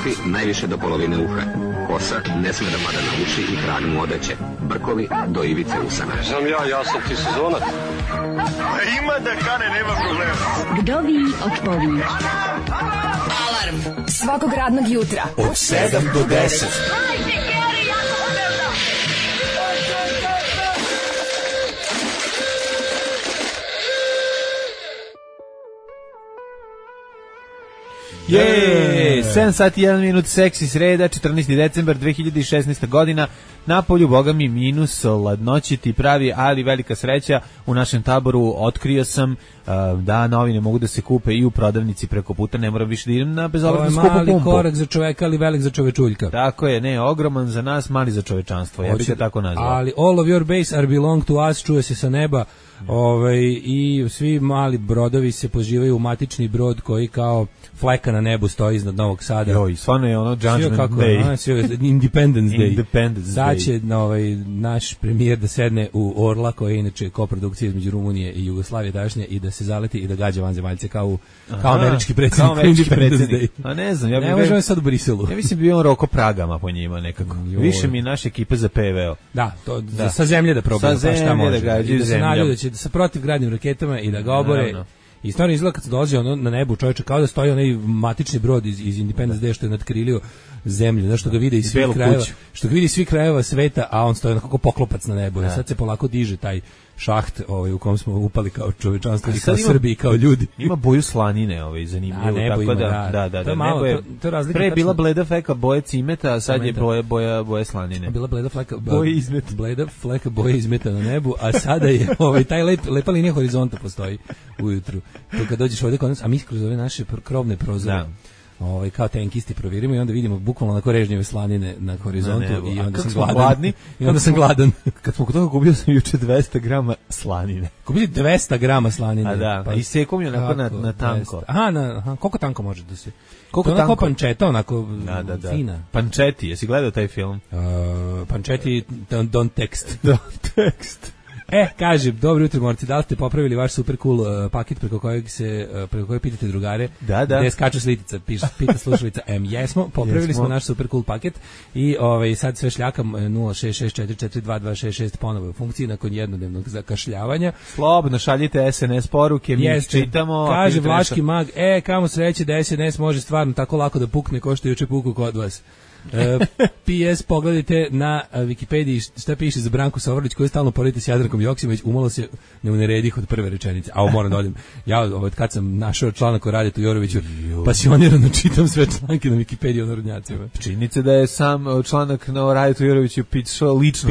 kafi najviše do polovine uha. Kosa ne sme da pada na uši i krag mu odeće. Brkovi do ivice usana. Znam ja sam ti sezonac. Ima da kane, nema problema. Kdovi odpovi. Alarm svakog radnog jutra od 7 do 10. Je, 7 sati 1 minut, seksi sreda, 14. decembar 2016. godina, napolju, boga mi, minus, ladnoći ti pravi, ali velika sreća, u našem taboru otkrio sam da novine mogu da se kupe i u prodavnici preko puta, ne moram više da idem na bezobraznu skupu pumpu. Mali korak za čoveka, ali velik za čovečuljka. Tako je, ne, ogroman za nas, mali za čovečanstvo, ja bih ga tako nazvao. Ali all of your base are belong to us, čuje se sa neba. I svi mali brodovi se pozivaju u matični brod koji kao fleka na nebu stoji iznad Novog Sada. Joj, stvarno je ono Judgment Day. Independence Day. Independence Sad Day. će naš premijer da sedne u Orla, koja je inače koprodukcija između Rumunije i Jugoslavije dašnje, i da se zaleti i da gađa vanzemaljce kao američki predsjednik. Kao američki predsjednik. A ne znam, ja bih... Ne možemo sad u Briselu. Ja mislim bio on Roko Pragama po njima nekako. Više mi naša ekipa za PVO. Da, to sa zemlje da probaju, pa šta može. Da gađaju zemljom. Da će sa protivgradnim raketama i da ga obore. I stvarno izgleda kad se dolazi na nebu čovječe kao da stoji onaj matični brod iz Independence Day što je nadkrilio zemlju, znaš, što ga vide iz svih krajeva, što ga vidi iz svih krajeva sveta, a on stoji onako poklopac na nebu. I sad se polako diže taj šaht u kom smo upali kao čovečanstvo i kao Srbi i kao ljudi. Ima boju slanine, zanimljivo, tako da. To je malo, to je razlika. Pre je bila bleda fleka boje cimeta, a sad je boje slanine. Bila bleda fleka boje izmeta. Bleda fleka boje izmeta na nebu, a sada je taj lepa linija horizonta postoji ujutru. To kad dođeš ovdje kod nas, a mi kroz ove naše krovne prozore, kao tenkisti provjerimo i onda vidimo bukvalno onako režnjeve slanine na horizontu i onda sam gladan. I onda sam gladan. Kad smo kod toga kupio sam juče 200 grama slanine. Kupili 200 grama slanine? A da, i sekom je onako na tanko. Aha, koliko tanko može da se... Koliko tanko? Onako pančeta, onako fina. Pančeti, jesi gledao taj film? Pančeti, don't text. Kaže, dobro jutro, morci, da li ste popravili vaš super cool paket preko kojeg pitate drugare? Da. Gde skaču slitica, pita slušalica jesmo, popravili smo naš super cool paket i sad sve šljakam 066442266 ponovo u funkciji nakon jednodnevnog zakašljavanja. Slobodno šaljite SNS poruke, mi čitamo. Kaže Vlaški mag, kamo sreće da SNS može stvarno tako lako da pukne ko što je juče puku kod vas. PS, pogledajte na Wikipediji šta piše za Branku Sovrlić koju stalno poredite s Jadrankom Joksimović, umalo se ne uneredih od prve rečenice. A moram da odim. Ja kad sam našao članak o Radetu Joroviću, pasionirano čitam sve članke na Wikipediji o narodnjacima. Činjenica da je sam članak na Radetu Joroviću pisao lično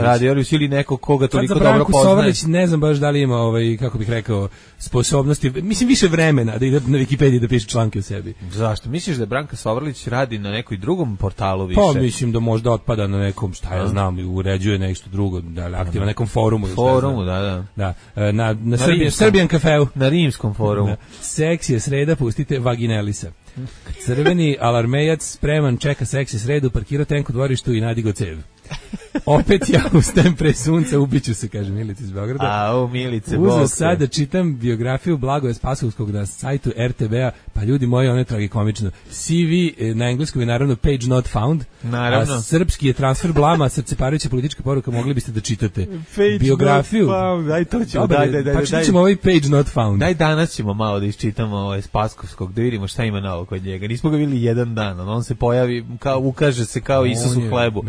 Rade Jorović ili neko koga toliko dobro poznaje. Branku Sovrlić ne znam baš da li ima kako bih rekao sposobnosti, mislim više vremena da ide na Wikipediji da piše članke o sebi. Zašto? Misliš da Branka Sovrlić radi na nekoj drugom portalu više? Pa mislim da možda otpada na nekom, šta ja znam, uređuje nešto drugo, da je aktivno na nekom forumu. Da. Na Serbian kafeu. Na rimskom forumu. Seksi je sreda, pustite Vaginelisa. Crveni alarmejac spreman, čeka seksi sredu, parkirao tenk u dvorištu i nadigo cev. Opet ja ustajem pre sunca, ubiću se, kaže Milica iz Beograda. Milice, uzeo sad da čitam biografiju Blagoja Spasovskog na sajtu RTB-a, pa ljudi moji, ono je tragikomično. CV na engleskom je naravno page not found, naravno. A srpski je transfer blama, srceparajuća politička poruka, mogli biste da čitate biografiju. Daj to ćemo, pa čićemo ovaj page not found. Daj danas ćemo malo da iščitamo Spaskovskog, da vidimo šta ima novo kod njega. Nismo ga vidjeli jedan dan, on se pojavi, ukaže se kao Isus u hlebu.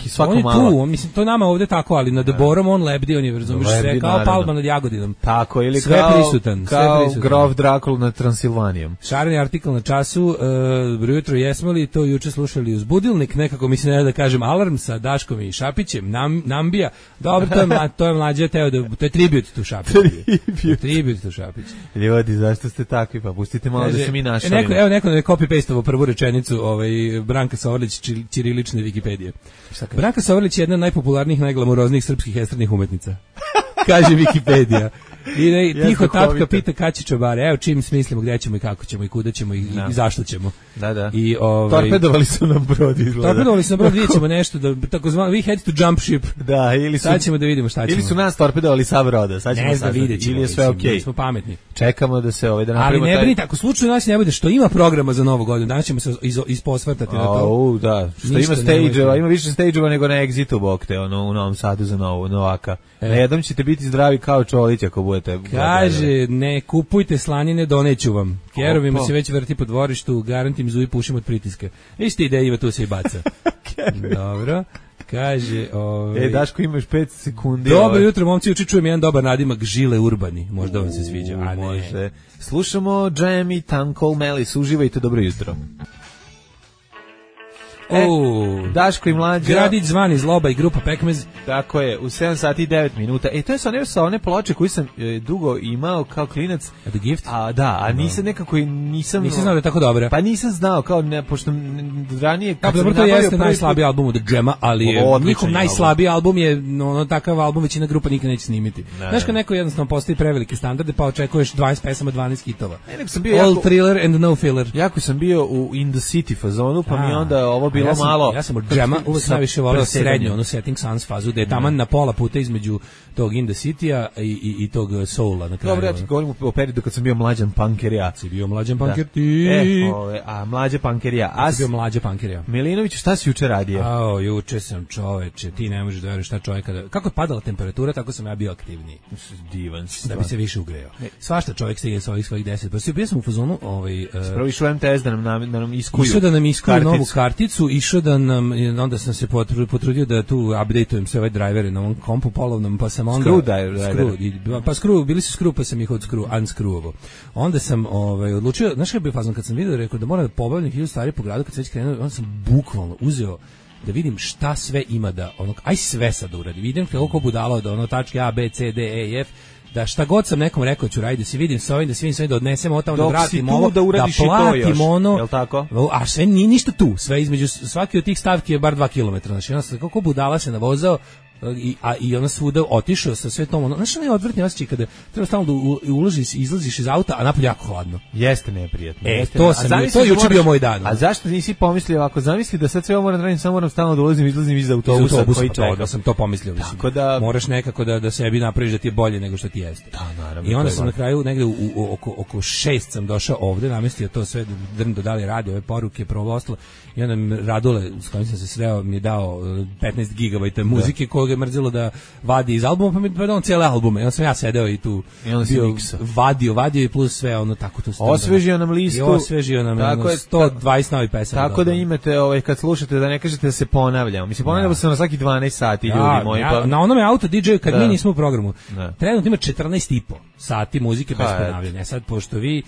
Svako malo. Tu, mislim, to nama ovdje tako, ali nad Borom on lebdi, on je, razumiješ, sve kao Palma nad Jagodinom. Tako, ili sve prisutan. Kao grof Drakul nad Transilvanijom. Šareni artikl na času, jutro jesmo li to juče slušali uz budilnik, nekako mislim ne da kažem alarm sa Daškom i Šapićem, Nambija, dobro, to je mlađe teo, to je tribut tu Šapiću. Tribut tu Šapiću. Ljudi, zašto ste takvi, pa pustite malo da se mi našalimo. Evo neko je copy-pasteovo prvu rečenicu Branka Sovrlić, ćirilične Wikipedije. Branka Sovrlić je jedna od najpopularnijih, najglamuroznijih srpskih estradnih umetnica. Kaže Wikipedija. I tiho tatka pita kad će čobare. Evo čim smislimo gde ćemo i kako ćemo i kuda ćemo i zašto ćemo. Da. I torpedovali su nam brod izgleda. Torpedovali su nam brod, vidjet ćemo nešto da takozvano we had to jump ship. Da, ili su sad ćemo da vidimo šta ćemo. Ili su nas torpedovali sa broda. Sad ćemo ne znam, vidjet ćemo. Ili je sve okej. Mi smo pametni. Čekamo da se da napravimo. Ali ne brinite, ako slučajno nas ne bude što ima programa za Novu godinu, danas ćemo se isposvrtati na to. Da, što ima stage-ova, ima više stage-ova nego na Exitu bokte, u Novom Sadu za Novaka. Na jednom ćete biti zdravi kao Čolić ako budete. Kaže, ne kupujte slanine, doneću vam. Kerovima se već vrti po dvorištu, garantim zuji pušim od pritiska. Isti ideja Iva tu se i baca. Dobro. Kaže, Daško, imaš 5 sekundi. Dobro jutro, momci, čujem jedan dobar nadimak Žile Urbani. Možda vam se sviđa, a ne. Može. Slušamo Jam i Tankol Melis. Uživajte, dobro jutro. Daško i Mlađa. Gradić zvani Zloba i grupa Pekmez. Tako je, u 7 sati i 9 minuta. To je sa one ploče koje sam dugo imao kao klinac. The Gift? A nisam nekako nisam znao da je tako dobra. Pa nisam znao, kao pošto ranije kad dobro, to jeste najslabiji album od Džema, ali njihov najslabiji album je takav album većina grupa nikad neće snimiti. Znaš kad neko jednostavno postavi prevelike standarde pa očekuješ 20 pesama, 12 hitova. All thriller and no filler. Jako sam bio u In the City fazonu, pa mi onda ovo bilo malo. Ja sam od Džema uvek najviše voleo srednju, Setting Suns fazu, da je taman na pola puta između tog In the City-a i tog Soula na kraju. Dobro, ja ti govorim o periodu kad sam bio mlađan pankerija. Si bio mlađan panker ti. A mlađa pankerija. Ja sam bio mlađa pankerija. Milinović, šta si juče radio? Juče sam, čoveče, ti ne možeš da veruješ šta čovjeka. Kako je padala temperatura, tako sam ja bio aktivniji. Divan si. Da bi se više ugreo. Svašta čovjek stigne sa ovih svojih 10. Pa bio sam u fazonu, prvo išao MTS da nam iskuju. Išao da nam iskuju novu karticu, išao da nam, onda sam se potrudio da tu updateujem sve ove drivere na ovom kompu polovnom, pa sam onda bili su skru, pa sam ih unscrewovo. Onda sam odlučio, znaš kaj je bio fazon kad sam vidio, rekao da moram da pobavljam 1000 stvari po gradu kad se već krenuo, onda sam bukvalno uzeo da vidim šta sve ima da aj sve sad uradim. Vidim kako budalo da tačke A, B, C, D, E, F, da šta god sam nekom rekao ću raditi, da se vidim sa ovim, da se odnesemo od tamo, da vratim ovo, da platim ono, jel tako? A sve nije ništa tu, sve između svaki od tih stavki je bar 2 kilometra, znači onda sam kako budala se navozao i ona svuda otišao sa sve tom, znaš onaj odvrtni osjećaj kada treba stalno da ulaziš, izlaziš iz auta, a napolje jako hladno. Jeste neprijatno. To je juče bio moj dan. A zašto nisi pomislio ovako, zamisli da sad sve ovo moram da radim, samo moram stalno da ulazim i izlazim iz autobusa koji čeka. Da sam to pomislio, tako da moraš nekako da sebi napraviš da ti je bolje nego što ti jeste. Da, naravno. I onda sam na kraju negde oko 6 sam došao ovde, namestio to sve, Drndo da li radi ove poruke, ostalo, i onda Radule, s kojim sam se sreo, mi je dao 15 gigabajta muzike koga je mrzelo da vadi iz albuma, pa mi je dao cijele albume. I onda sam ja sedeo i tu bio vadio i plus sve tako tu. Osvežio nam listu. I osvežio nam 120 novih pesama. Tako da imate, kad slušate, da ne kažete da se ponavljamo. Mislim, ponavljamo se na svaki 12 sati, ljudi moji. Na onome auto DJ-u, kad mi nismo u programu, trenutno ima 14,5 sati muzike bez ponavljanja. Sad, pošto vi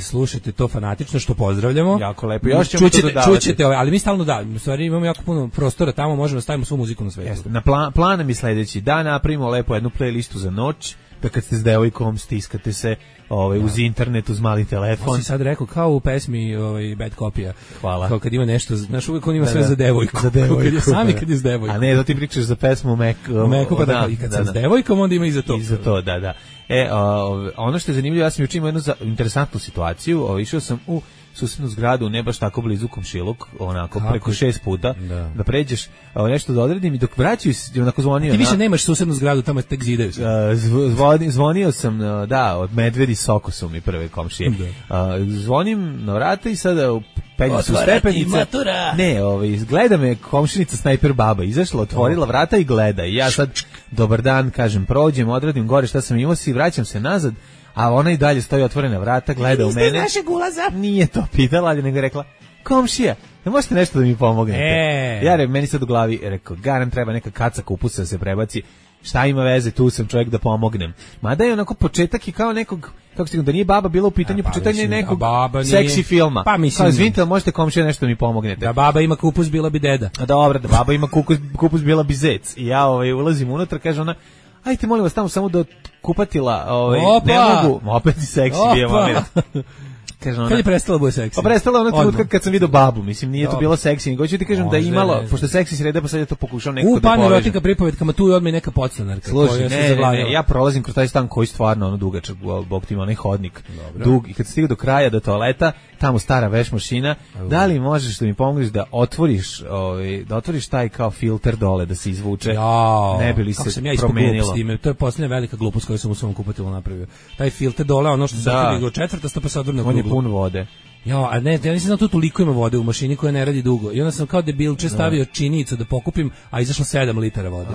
slušate to fanatično, što pozdravljamo. Jako lepo. Još ćemo to dodavati. Čućete, ali mi stalno u stvari imamo jako puno prostora tamo, možemo da stavimo svu muziku na svetu. Na plan mi sledeći, da napravimo lepo jednu playlistu za noć, da kad ste s devojkom stiskate se uz internet, uz mali telefon. On si sad rekao kao u pesmi Bad Copy-a. Hvala. Kao kad ima nešto, znaš, uvijek on ima sve za devojku. Za devojku. Sami kad je s devojkom. A ne, da ti pričaš za pesmu Meku, pa da, i kad sam s devojkom, onda ima i za to. I za to, da. Ono što je zanimljivo, ja sam juče imao jednu interesantnu situaciju, išao sam u susednu zgradu, ne baš tako blizu komšiluk, onako preko 6 puta, da pređeš, nešto da odredim i dok vraćaju se, onako zvonio. Ti više nemaš susednu zgradu, tamo tek zidaju se. Zvonio sam, od Medvedi Soko su mi prve komšije. Zvonim na vrata i sada penju su stepenice. Ne, gleda me komšinica Snajper baba, izašla, otvorila vrata i gleda. I ja sad, dobar dan, kažem, prođem, odradim gore šta sam imao si, vraćam se nazad, a ona i dalje stoji otvorena vrata, gleda u mene. Niste našeg ulaza? Nije to pitala, ali nego je rekla, komšija, ne možete nešto da mi pomognete? Ja meni sad u glavi rekao, garan treba neka kaca kupusa da se prebaci, šta ima veze, tu sam čovjek da pomognem. Mada je onako početak i kao nekog, kako se da nije baba bila u pitanju, početak je nekog seksi filma. Pa mislim, kao izvinite, možete komšija nešto da mi pomognete. Da baba ima kupus, bila bi deda. A dobro, da baba ima kupus, bila bi zec. I ja ulazim unutra, kaže ona, ajte molim vas tamo samo do kupatila, ne mogu, opet i seksi bio moment. kaže ona. Kad je prestala bude seksi? Pa prestala ona trenutka kad sam vidio babu, mislim nije to bilo seksi, nego ću ti kažem da je imalo, pošto seksi sreda pa sad je to pokušao nekako da poveže. Panerotika pripovetkama tu je odmah neka podstanarka koja se zavladila. Ja prolazim kroz taj stan koji stvarno ono dugačak, bog ti ima onaj hodnik. Dug i kad stigao do kraja do toaleta, tamo stara veš mašina, da li možeš da mi pomogneš da otvoriš taj kao filter dole da se izvuče? Ne bi li se promenilo? To je posljednja velika glupost koju sam u svom kupatilu napravio. Taj filter dole, ono što se otvori četvrtasto pa se odvrne u kruglu. On je pun vode. Ja nisam znao tu toliko ima vode u mašini koja ne radi dugo. I onda sam kao debilče stavio činjenicu da pokupim, a izašlo 7 litara vode.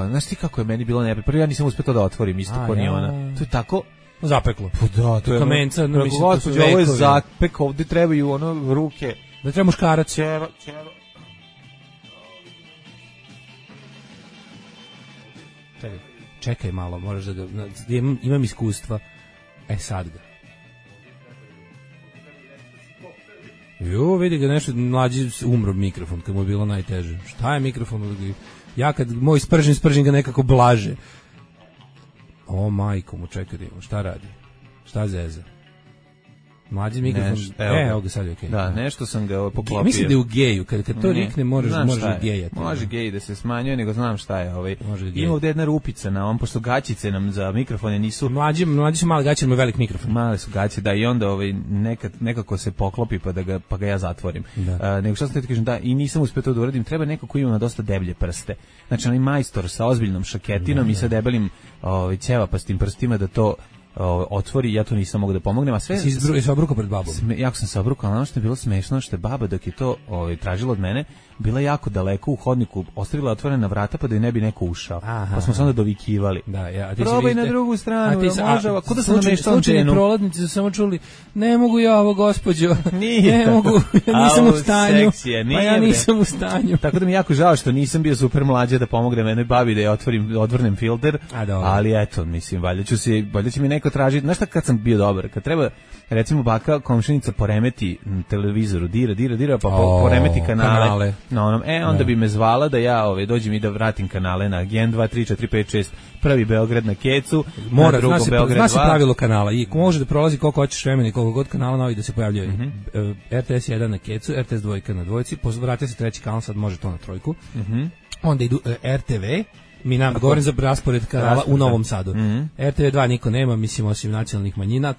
Znaš ti kako je meni bilo neprijatno? Prvo ja nisam uspeo to da otvorim, isto ko ni ona. To je tako zapeklo. Pa da, to je kamenca, mislim da su ovo je zapek, ovde trebaju ono ruke. Da treba muškarac. Čekaj malo, moraš da imam iskustva. Sad ga. Vidi ga nešto, mlađi umro mikrofon, kad mu je bilo najteže. Šta je mikrofon? Ja kad moj spržim ga nekako blaže. O majko mu, čekaj, šta radi? Šta zeza? Mlađi mikrofon. Evo ga sad je okej. Da, nešto sam ga poklopio. Mislim da je u geju, kad to rikne možeš gejati. Može gej da se smanjuje, nego znam šta je. Ima ovdje jedna rupica na ovom, pošto gaćice nam za mikrofone nisu... Mlađi su mali gaće, imaju velik mikrofon. Mali su gaće, da, i onda nekako se poklopi pa ga ja zatvorim. Nego što sam ti kažem, da, i nisam uspio to da uradim, treba neko ko ima dosta deblje prste. Znači, onaj majstor sa ozbiljnom šaketinom i sa debelim ćevapastim prstima da to otvori, ja to nisam mogu da pomognem, a sve... Si obrukao pred babom? Jako sam se obrukao, ali ono što je bilo smešno, što je baba dok je to tražila od mene, bila jako daleko u hodniku, ostavila otvorena vrata pa da je ne bi neko ušao. Pa smo se onda dovikivali. Probaj na drugu stranu, može, ako da sam namještao slučajni prolaznici su samo čuli, ne mogu ja ovo, gospođo, ne mogu, ja nisam u stanju, pa ja nisam u stanju. Tako da mi jako žao što nisam bio super mlađa da pomognem jednoj babi da je odvrnem filter, ali eto, mislim, valjda će mi neko tražiti, znaš šta kad sam bio dobar, kad treba, recimo baka komšinica poremeti televizoru, dira, pa poremeti kanale. Na onom, onda bi me zvala da ja dođem i da vratim kanale na Gen 2, 3, 4, 5, 6, prvi Beograd na Kecu, na drugom Beograd 2. Zna se pravilo kanala i može da prolazi koliko hoćeš vremena i koliko god kanala novi da se pojavljaju. RTS 1 na Kecu, RTS 2 na dvojci, vratite se treći kanal, sad može to na trojku. Onda idu RTV, govorim za raspored kanala u Novom Sadu. RTV 2 niko nema, mislim osim nacionalnih manjina,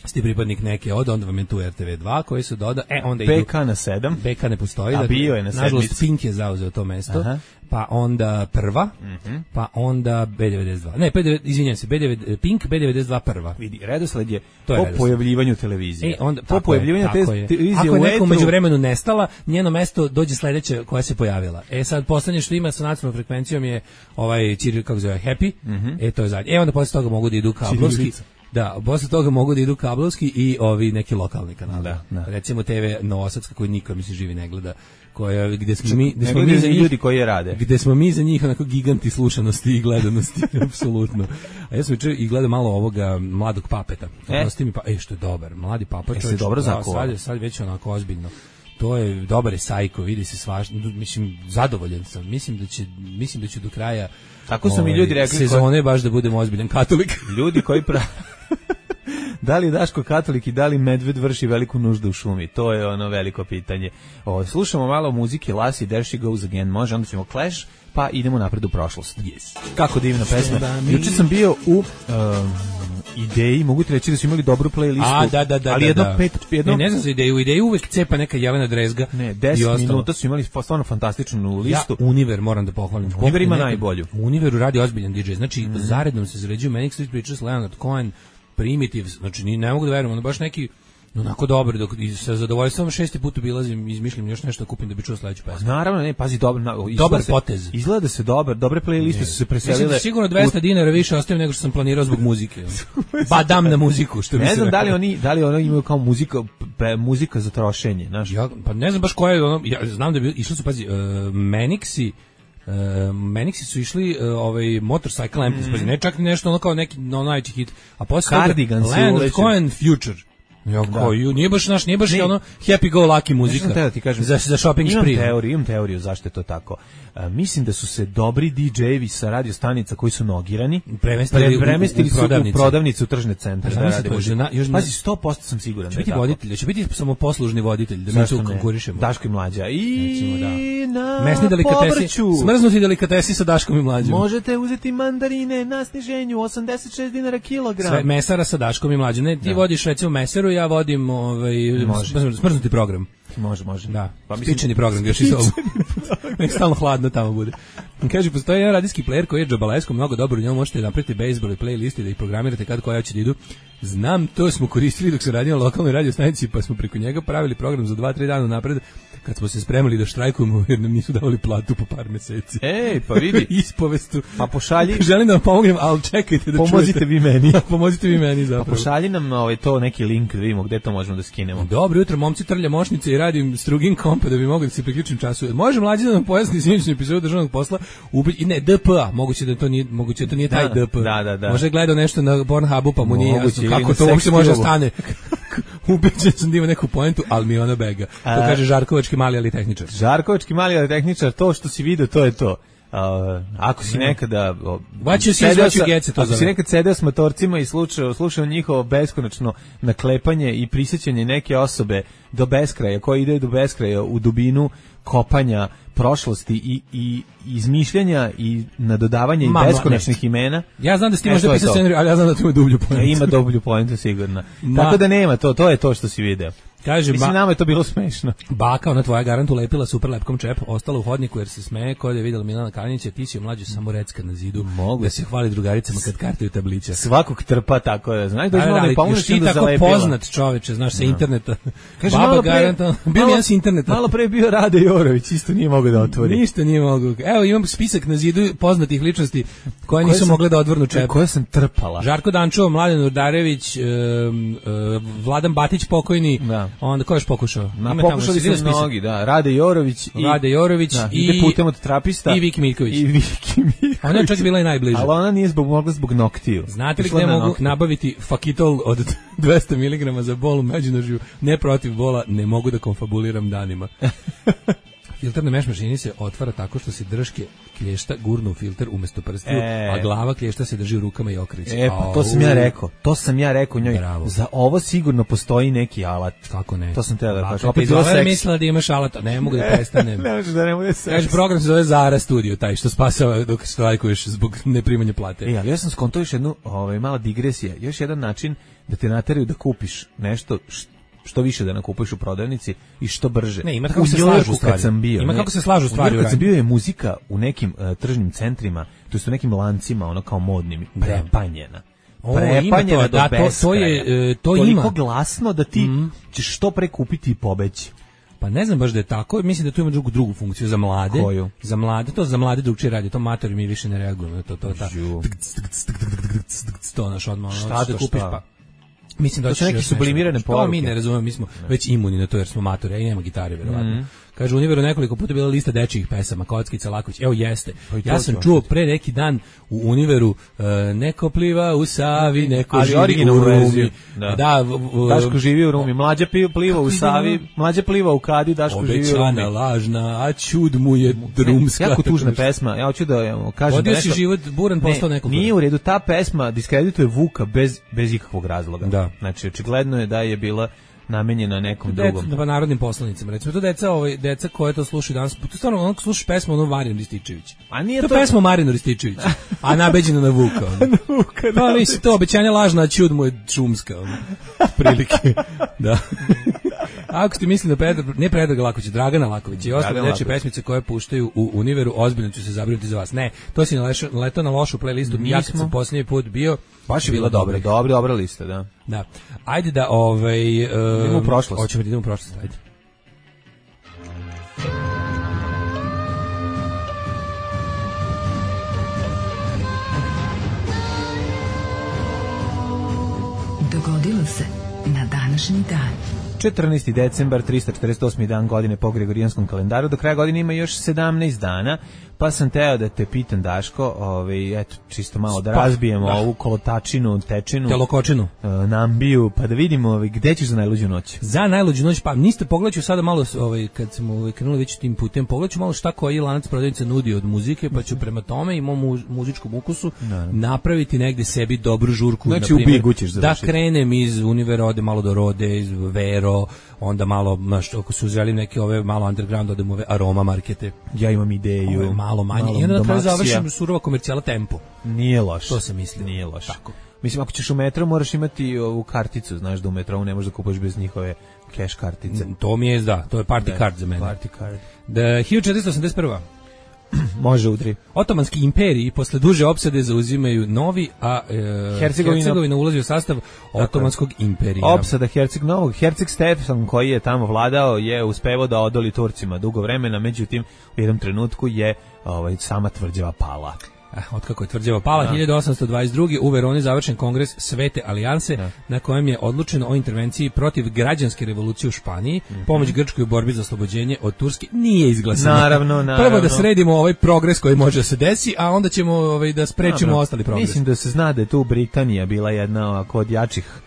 ste pripadnik neke onda vam je tu RTV2 koji se doda, onda idu... BK na 7. BK ne postoji. A bio je na 7. Nažalost, Pink je zauzeo to mesto. Pa onda prva, pa onda B92. Ne, izvinjam se, Pink, B92 prva. Vidi, redosled je po pojavljivanju televizije. Po pojavljivanju televizije ako je neko među vremenu nestala, njeno mesto dođe sledeće koja se pojavila. Sad poslednje što ima sa nacionalnom frekvencijom je kako zove, Happy. To je zadnje. Onda posle toga mogu da idu kablovski. Da, posle toga mogu da idu kablovski i ovi neki lokalni kanali. Recimo TV Novosadska koji niko mislim živi ne gleda, gde smo mi za ljudi koji je rade. Gde smo mi za njih onako giganti slušanosti i gledanosti, apsolutno. A ja sam juče i gledao malo ovoga Mladog Papeta. Prosti mi što je dobar, Mladi Papa, čovjek. Dobro zakuva. Sad već onako ozbiljno. To je dobar je sajko, vidi se svašta, mislim zadovoljan sam. Mislim da će do kraja tako su mi ljudi rekli sezone baš da budemo ozbiljan katolik. Ljudi koji da li Daško katolik i da li medved vrši veliku nuždu u šumi? To je ono veliko pitanje. Slušamo malo muzike, Lassie, There She Goes Again, može, onda ćemo Clash, pa idemo napred u prošlost. Yes. Kako divna pesma. Juče sam bio u Ideji, mogu ti reći da su imali dobru playlistu. Ali jedno... Ne znam za Ideju, u Ideji uvek cepa neka Jelena Drezga. Ne, 10 minuta su imali stvarno fantastičnu listu. Ja Univer moram da pohvalim. Univer ima najbolju. U Univeru radi ozbiljan DJ, znači zarednom se zarađuju Manic Street Preachers, Leonard Cohen, Primitive, znači ne mogu da verujem, ono baš neki onako dobro, dok sa zadovoljstvom 6. put obilazim, izmišljam još nešto da kupim da bi čuo sledeću pesmu. Naravno, ne, pazi, dobar potez. Izgleda se dobre playliste su se preselile. Mislim da sigurno 200 dinara više ostavim nego što sam planirao zbog muzike. Pa dam na muziku, što bi se rekao. Ne znam da li oni imaju kao muzika za trošenje, znaš. Pa ne znam baš koja je ono, ja znam da bi išli su, pazi, Manixi su išli Motorcycle Empties, ne čak nešto ono kao neki najveći hit, a posle Cardigans, Leonard Cohen Future. Ja, nije baš ono happy go lucky muzika. Da ti kažem, za shopping spree. Imam teoriju zašto je to tako. Mislim da su se dobri DJ-evi sa radio stanica koji su nogirani premestili u prodavnicu, u tržne centre. Pazi, 100% sam siguran da je tako. Voditelj, će biti samo poslužni voditelj, da mi tu konkurišemo. Daško i Mlađa. I na mesni delikatesi, smrznuti delikatesi sa Daškom i Mlađom. Možete uzeti mandarine na sniženju 86 dinara kilogram. Sve mesara sa Daškom i Mlađom. Ne, ti vodiš recimo meseru, ja vodim smrznuti program. Može. Da, spičeni program, još iz ovo. Nek stalno hladno tamo bude. Kaže, postoji jedan radijski player koji je džabalesko, mnogo dobro, u njemu možete napraviti bejsbol i playlisti da ih programirate kad koja će da idu. Znam, to smo koristili dok se radio na lokalnoj radio stanici, pa smo preko njega pravili program za 2-3 dana napred, kad smo se spremali da štrajkujemo jer nam nisu davali platu po par meseci. Ej, pa vidi. Ispovestu. Pa pošalji. Želim da vam pomognem, ali čekajte da pomozite vi meni. Pomozite vi meni zapravo. Pa pošalji nam to neki link da vidimo gde to možemo da skinemo. Dobro jutro, momci, trlja mošnice i radim strugin kompa da bi mogao da se priključim času. Može Mlađi da nam pojasni sinoćnu epizodu državnog posla? Ne, DPA, moguće da to nije taj DP. Da. Može gledao nešto na Pornhubu, pa mu nije jasno kako to uopšte može da stane. Ubeđen sam da ima neku poentu, ali mi ona bega. To kaže Žarkovački mali ali tehničar. Žarkovački mali ali tehničar, to što si video, to je to. Ako si nekada sedeo s motorcima i slušao njihovo beskonačno naklepanje i prisjećanje neke osobe do beskraja, koji ide do beskraja u dubinu kopanja prošlosti i izmišljanja i nadodavanja i beskonačnih imena. Ja znam da si ti možda pisao scenariju, ali ja znam da tu ima dublju poentu. Ima dublju poentu sigurno. Tako da nema, to je to što si video. Kaže, mislim, nama je to bilo smešno. Baka, ona tvoja garantu lepila super lepkom čep, ostala u hodniku jer se smeje, kod je vidjela Milana Kalinića, ti si Mlađu samo recka na zidu, da se hvali drugaricama kad kartaju tablića. Svakog trpa tako je, znaš, još ti tako poznat čoveče, znaš, sa interneta. Kaže, baba garanta, bio mi jedan s interneta. Malo pre bio Rade Jorović, isto nije mogao da otvori. Ništa nije mogao. Evo, imam spisak na zidu poznatih ličnosti koje nisu mogle da odvrnu čep. Koje sam trpala. Žarko Dančo, Mladen Urdarević, Vladan Batić pokojni, onda ko još pokušao? Pokušali su mnogi, da. Rade Jorović i putem od trapista i Viki Miljković. Ona je čak bila i najbliža. Ali ona nije mogla zbog noktiju. Znate li gde mogu nabaviti fakitol od 200 mg za bol u međunožju? Ne protiv bola, ne mogu da konfabuliram danima. Filter na meš mašini se otvara tako što se drške klješta gurnu u filter umesto prstiju, a glava klješta se drži u rukama i okreće. Pa to sam ja rekao njoj. Bravo. Za ovo sigurno postoji neki alat. Kako ne? To sam te da kažem. Opet je mislila da imaš alat, ne mogu da prestanem. Ne možeš da ne bude seks. Kaže, program se zove Zara Studio, taj što spasava dok štrajkuješ zbog neprimanja plate. Ali ja sam skonto još jednu mala digresija, još jedan način da te nateraju da kupiš nešto što više da nakupuješ u prodavnici i što brže. Ne, ima kako se slažu stvari. Kako se slažu stvari. Kad sam bio je muzika u nekim tržnim centrima, to su nekim lancima, ono kao modnim, prepanjena. Prepanjena do beskraja. To ima. Toliko glasno da ti ćeš što pre kupiti i pobeći. Pa ne znam baš da je tako, mislim da tu ima drugu funkciju za mlade. Koju? Za mlade drugčije radi, to matori mi više ne reagujemo, to naš odmah, šta da kupiš pa? Mislim da to su neke sublimirane poruke. To mi ne razumemo, mi smo već imuni na to jer smo matori, a i nema gitare, verovatno. Kaže, u Univeru nekoliko puta bila lista dečijih pesama, Kockica, Laković, evo jeste. Ja sam čuo pre neki dan u Univeru, neko pliva u Savi, neko živi u Rumi. Daško živi u Rumi, Mlađa pliva u Savi, Mlađa pliva u Kadi, Daško živi u Rumi. Obećana lažna, a čud mu je drumska. Jako tužna pesma, ja hoću da kažem da nešto. Vodio si život, buran postao nekoliko. Nije u redu, ta pesma diskredituje Vuka bez ikakvog razloga. Znači, očigledno je da je bila namenjena nekom drugom. Pa narodnim poslanicima. Recimo, to deca koje to slušaju danas, to stvarno ono slušaš pesmu Marinu Rističević. A nije to pesma Marinu Rističević, a nabeđena na Vuka. Pa nisi to, obećanja lažna, a čud mu je šumska. Prilike. Da. Ako ste mislili da ne Predrag Laković, Dragana Laković i ostale dečje pesmice koje puštaju u Univeru, ozbiljno ću se zabrinuti za vas. Ne, to si naletao na lošu playlistu. Ja kad sam posljednji put bio, baš je bila dobra lista, da. Da. Ajde da idemo u prošlost. Hoćemo da idemo u prošlost, ajde. Dogodilo se na današnji dan. 14. decembar, 348. dan godine po Gregorijanskom kalendaru. Do kraja godine ima još 17 dana, pa sam teo da te pitam, Daško, eto, čisto malo da razbijemo ovu kolotačinu, tečinu, telokočinu, nambiju, pa da vidimo gde ćeš za najluđu noć. Za najluđu noć, pa niste, pogledat ću sada malo, kad smo krenuli već tim putem, pogledat ću malo šta koji lanac prodavnica nudi od muzike, pa ću prema tome i mom muzičkom ukusu napraviti negde sebi dobru žurku. Znači, u Bigu ćeš završiti. Da krenem iz Univerode, malo do Rode, iz Vero, onda malo, ako se uzeli neke ove malo underground, odem ove Aroma markete. Ja imam ideju. Malo manje. I onda na kraju završim surova komercijala Tempo. Nije loš. To se misli. Nije loš. Tako. Mislim, ako ćeš u metro, moraš imati ovu karticu, znaš da u metrovu ne možeš da kupuješ bez njihove cash kartice. To mi je, to je party card za mene. Party card. 1481. Može udri. Otomanski imperiji posle duže opsade zauzimaju novi, a Hercegovina ulazi u sastav Otomanskog imperija. Opsada Novog Herceg Stefan, koji je tamo vladao, je uspevao da odoli Turcima dugo vremena, međutim u jednom trenutku je sama tvrđava pala. Otkako je tvrđava pala, 1822. u Veroni završen kongres Svete alijanse, na kojem je odlučeno o intervenciji protiv građanske revolucije u Španiji. Pomoć Grčkoj u borbi za oslobođenje od Turske nije izglasana. Naravno. Prvo da sredimo ovaj progres koji može da se desi, a onda ćemo da sprečimo ostali progres. Mislim da se zna da je tu Britanija bila jedna od jačih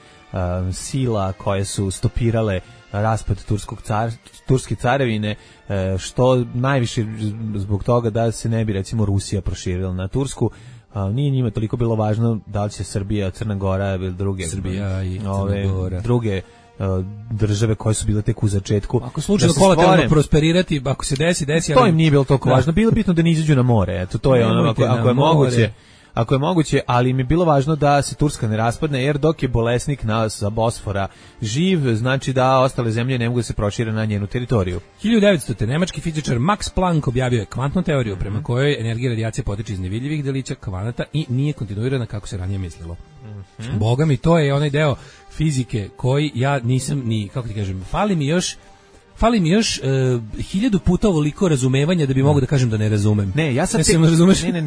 sila koje su stopirale raspad turske carevine, što najviše zbog toga da se ne bi recimo Rusija proširila na Tursku. Nije njima toliko bilo važno da li će Srbija, Crna Gora ili druge Srbija i Crna Gora, druge države koje su bile tek u začetku. Ako slučajno kolateralno prosperirati, ako se desi, to im nije bilo toliko važno. Bilo bitno da ne izađu na more. Eto, to je ono, ako je moguće. Ako je moguće, ali mi je bilo važno da se Turska ne raspadne, jer dok je bolesnik sa Bosfora živ, znači da ostale zemlje ne mogu da se prošire na njenu teritoriju. 1900. nemački fizičar Max Planck objavio je kvantnu teoriju prema kojoj energija radijacije potiče iz nevidljivih delića kvanata i nije kontinuirana kako se ranije mislilo. Boga mi, to je onaj deo fizike koji ja nisam ni, kako ti kažem, fali mi još 1000 puta ovoliko razumevanja da bi mogu da kažem da ne razumem. Ne, ja sad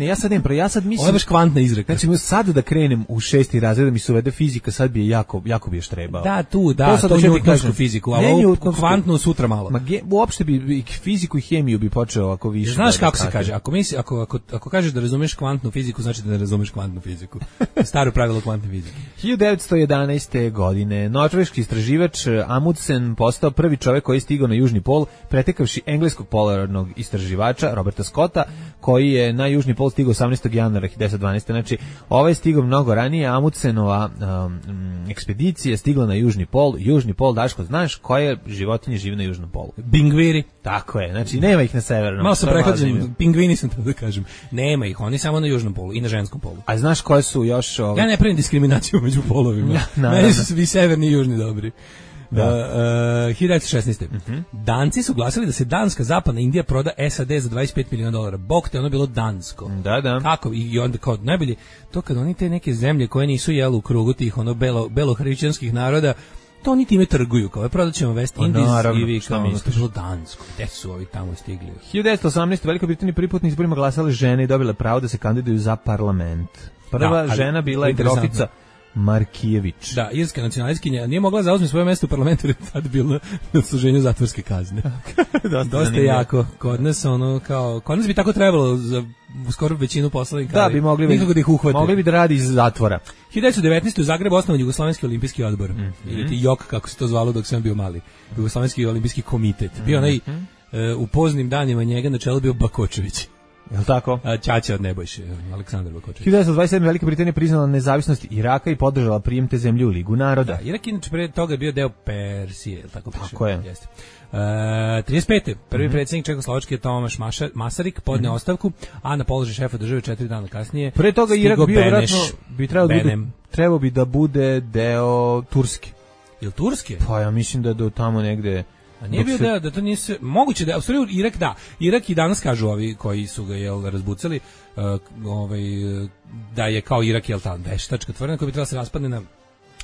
ja sad mislim. Ovo je baš kvantna izreka. Znači, sad da krenem u 6. razred da mi se uvede fizika, sad bi je jako bi još trebao. Da, to njutonsku fiziku, a ovo kvantnu sutra malo. Uopšte bi fiziku i hemiju bi počeo ako više. Znaš kako se kaže? Ako kažeš da razumeš kvantnu fiziku, znači da ne razumeš kvantnu fiziku. Staro pravilo kvantne fizike. 1911. godine norveški istraživač Amundsen postao prvi čovjek koji je na južni pol, pretekavši engleskog polarnog istraživača Roberta Scotta, koji je na južni pol stigao 18. januara 1912. Znači, ovaj je stigao mnogo ranije. Amundsenova ekspedicija je stigla na južni pol. Južni pol, Daško, znaš koje životinje žive na južnom polu? Pingviri. Tako je, znači nema ih na severnom. Malo sam prehlađen, pingvini sam to da kažem. Nema ih, oni samo na južnom polu i na ženskom polu. A znaš koje su još... Ja ne pravim diskriminaciju među polovima. Meni su svi severni i južni dobri. 1916. Danci su glasili da se Danska, zapadna Indija proda SAD za $25 miliona. Bog te, ono bilo dansko. Da. Kako? I onda kao najbolje, to kad oni te neke zemlje koje nisu jeli u krugu tih belohrišćanskih naroda, to oni time trguju, kao prodat ćemo West Indies i vi kao ono, to je bilo dansko. Gde su ovi tamo stigli? 1918. Velika Britanija prvi put na izborima glasale žene i dobile pravo da se kandiduju za parlament. Prva žena bila je grofica Markijević. Da, irska nacionalistkinja nije mogla zauzme svoje mjesto u parlamentu jer je tad bilo na služenju zatvorske kazne. Dosta jako. Kod nas bi tako trebalo za skoro većinu poslanika. Da, bi mogli da ih uhvate. Mogli bi da radi iz zatvora. 1919. u Zagrebu osnovan Jugoslovenski olimpijski odbor. Ili ti JOK, kako se to zvalo dok sam bio mali. Jugoslovenski olimpijski komitet. Bio onaj u poznim danima njega na čelu bio Bakočević. Jel' tako? Ćaća od Nebojše, Aleksandar Bakočević. 1927. Velika Britanija priznala nezavisnost Iraka i podržala prijem te zemlje u Ligu naroda. Da, Irak inače pre toga je bio deo Persije, jel' tako piše? Tako je. Jeste. 35. Prvi predsjednik Čekoslovačke Tomaš Masaryk podneo ostavku, a na položaj šefa države 4 dana kasnije pre toga Irak bio vjerojatno trebao bi da bude deo Turske. Jel' Turske? Pa ja mislim da do tamo negde. A nije bio da to nije moguće da u stvari Irak i danas kažu ovi koji su ga razbucali da je kao Irak ta veštačka tvorevina koja bi trebala se raspadne na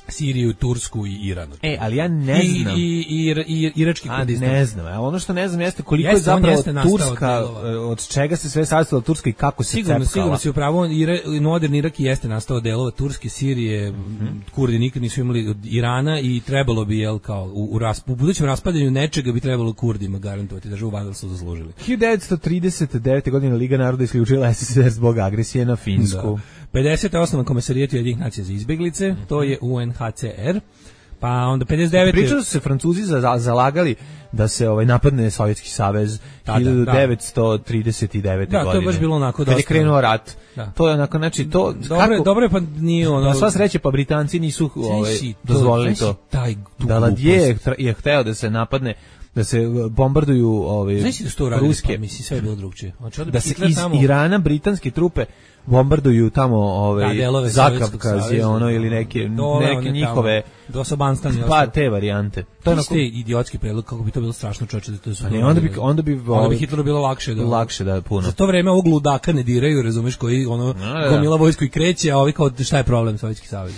Siriju, Tursku i Iran. Ali ja ne znam. I irački Kurdistan. Ne znam. A ono što ne znam jeste koliko je zapravo Turska, od čega se sve sastoji Turska i kako se cepkala. Sigurno si upravo, moderni Irak jeste nastao delova Turske, Sirije, Kurdi nikad nisu imali od Irana i trebalo bi, kao u budućem raspadanju nečega bi trebalo Kurdima garantovati, da valjda su zaslužili. 1939. godine Liga naroda isključila SSSR zbog agresije na Finsku. 50. osnovan Komesarijat Ujedinjenih nacija za izbeglice, to je UNHCR. Pa onda 59. Pričalo su se Francuzi zalagali da se napadne Sovjetski savez 1939. godine. Da, to je baš bilo onako dosta. Kad je krenuo rat. Da. To je onako, znači to dobro je, pa nije ono. Na sva sreća, pa Britanci nisu dozvolili to. Daladier je hteo da se napadne, da se bombarduju ruske. Pa misli sve je bilo drugčije. Da se iz Irana britanske trupe bombarduju tamo Zakavkaz je ili neke njihove Dosobanstan. Pa te varijante. To je onako idiotski predlog, kako bi to bilo strašno, čoveče, da to su. Onda bi Hitleru bilo lakše da puno. Za to vreme ovog ludaka ne diraju, razumeš, koji gomila vojsku i kreće, a ovi kao šta je problem Sovjetski savez.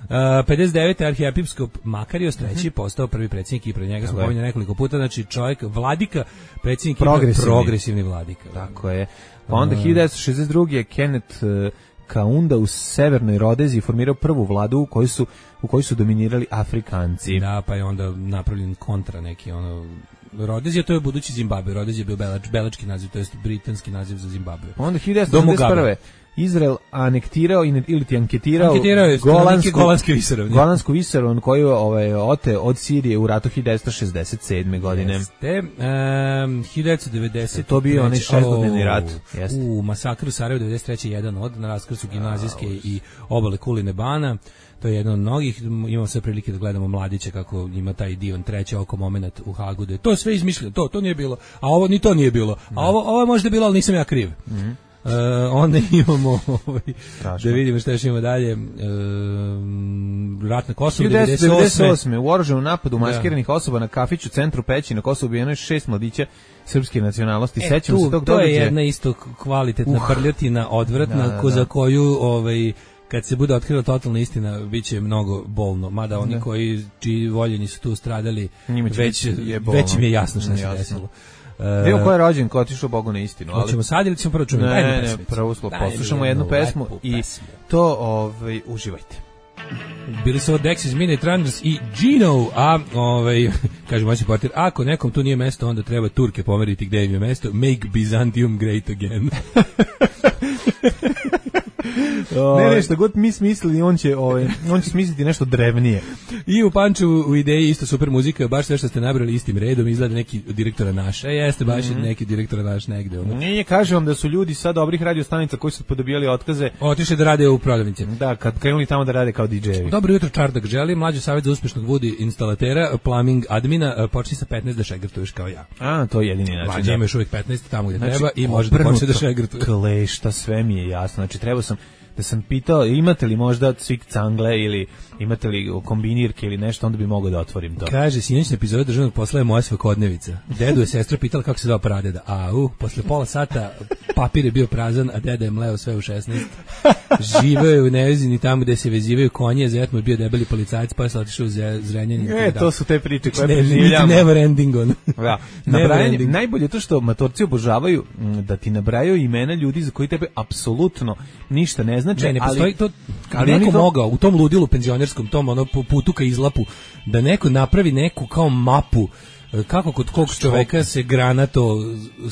59. arhijepiskop Makarios III postao prvi predsjednik i pred njega smo pominjali nekoliko puta, znači čovjek vladika, predsjednik progresivni vladika. Tako je. Pa onda 1962. je Kenneth Kaunda u Severnoj Rodeziji formirao prvu vladu u kojoj su dominirali Afrikanci. Da, pa je onda napravljen kontra neki Rodezija, to je budući Zimbabwe. Rodezija je bio belački naziv, to jest britanski naziv za Zimbabwe. Onda 1971. Izrael anektirao ili ti anketirao Golansku visoravni koju ote od Sirije u ratu 1967. godine. Jeste. 1990. To bio onaj 6-dnevni rat. U masakru Sarajevo 93. jedan od na raskrsu gimnazijske i obale Kuline Bana. To je jedno od mnogih, imamo sve prilike da gledamo mladiće kako ima taj divan treći oko moment u Hagu. To je sve izmišljeno, to nije bilo, a ovo ni to nije bilo, a ovo je možda bilo, ali nisam ja kriv. Onda imamo da vidimo šta još imamo dalje. Rat na Kosovu 1998. U oružanom napadu maskiranih osoba na kafiću u centru Peći na Kosovu ubijeno je 6 mladića srpske nacionalnosti. Sećam se tog događaja. To je jedna isto kvalitetna prljotina, odvratna, za koju kad se bude otkrila totalna istina, bit će mnogo bolno. Mada oni čiji voljeni su tu stradali, već mi je jasno šta se desilo. Evo ko je rođen, ko je otišao Bogu na istinu. Hoćemo sad ili ćemo prvo čuti? Ne, prvo poslušamo jednu pesmu i to uživajte. Bili su ovo Dexys, Midnight Runners i Gino, a kaže moj portir, ako nekom tu nije mesto, onda treba Turke pomeriti gde im je mesto. Make Byzantium great again. Ne, što god mi smislili, on će smisliti nešto drevnije. I u Pančevu u ideji isto super muzika, baš sve što ste nabrali istim redom, izgleda neki direktora naša. Jeste baš neki direktora naš negde. Nije, kažem vam da su ljudi sa dobrih radiostanica koji su podobijali otkaze otišli da rade u prodavnici. Da, kad krenuli tamo da rade kao DJ-evi. Dobro jutro, Čardak želi, mlađi savjet za uspešnog Woody instalatera, plumbing admina, počni sa 15 da šegrtuješ kao ja. A, to je jedini način. Mlađi imaš uvijek 15 tamo gdje treba i može da počne da šegrtuješ. Klešta, sve mi je jasno. Znači, trebao sam da sam pitao imate li možda cvik cangle ili imate li kombinirke ili nešto, onda bi mogao da otvorim to. Kaže, sinoćna epizoda državnog posla je moja svakodnevica. Dedu je sestra pitala kako se zove pradeda. Posle pola sata papir je bio prazan, a deda je mleo sve u 16. Živeo je u Nevezini tamo gde se vezivaju konje, zet mu je bio debeli policajac, pa je se otišao u Zrenjanin. To su te priče koje preživljamo. Never ending on. Da. Najbolje je to što matorci obožavaju da ti nabrajaju imena ljudi za koji tebe apsolutno ništa ne znači. Ne postoji to, ali neko mogao u tom ludilu penzionerskom, tom putu ka izlapu, da neko napravi neku kao mapu kako kod kog čoveka se granato,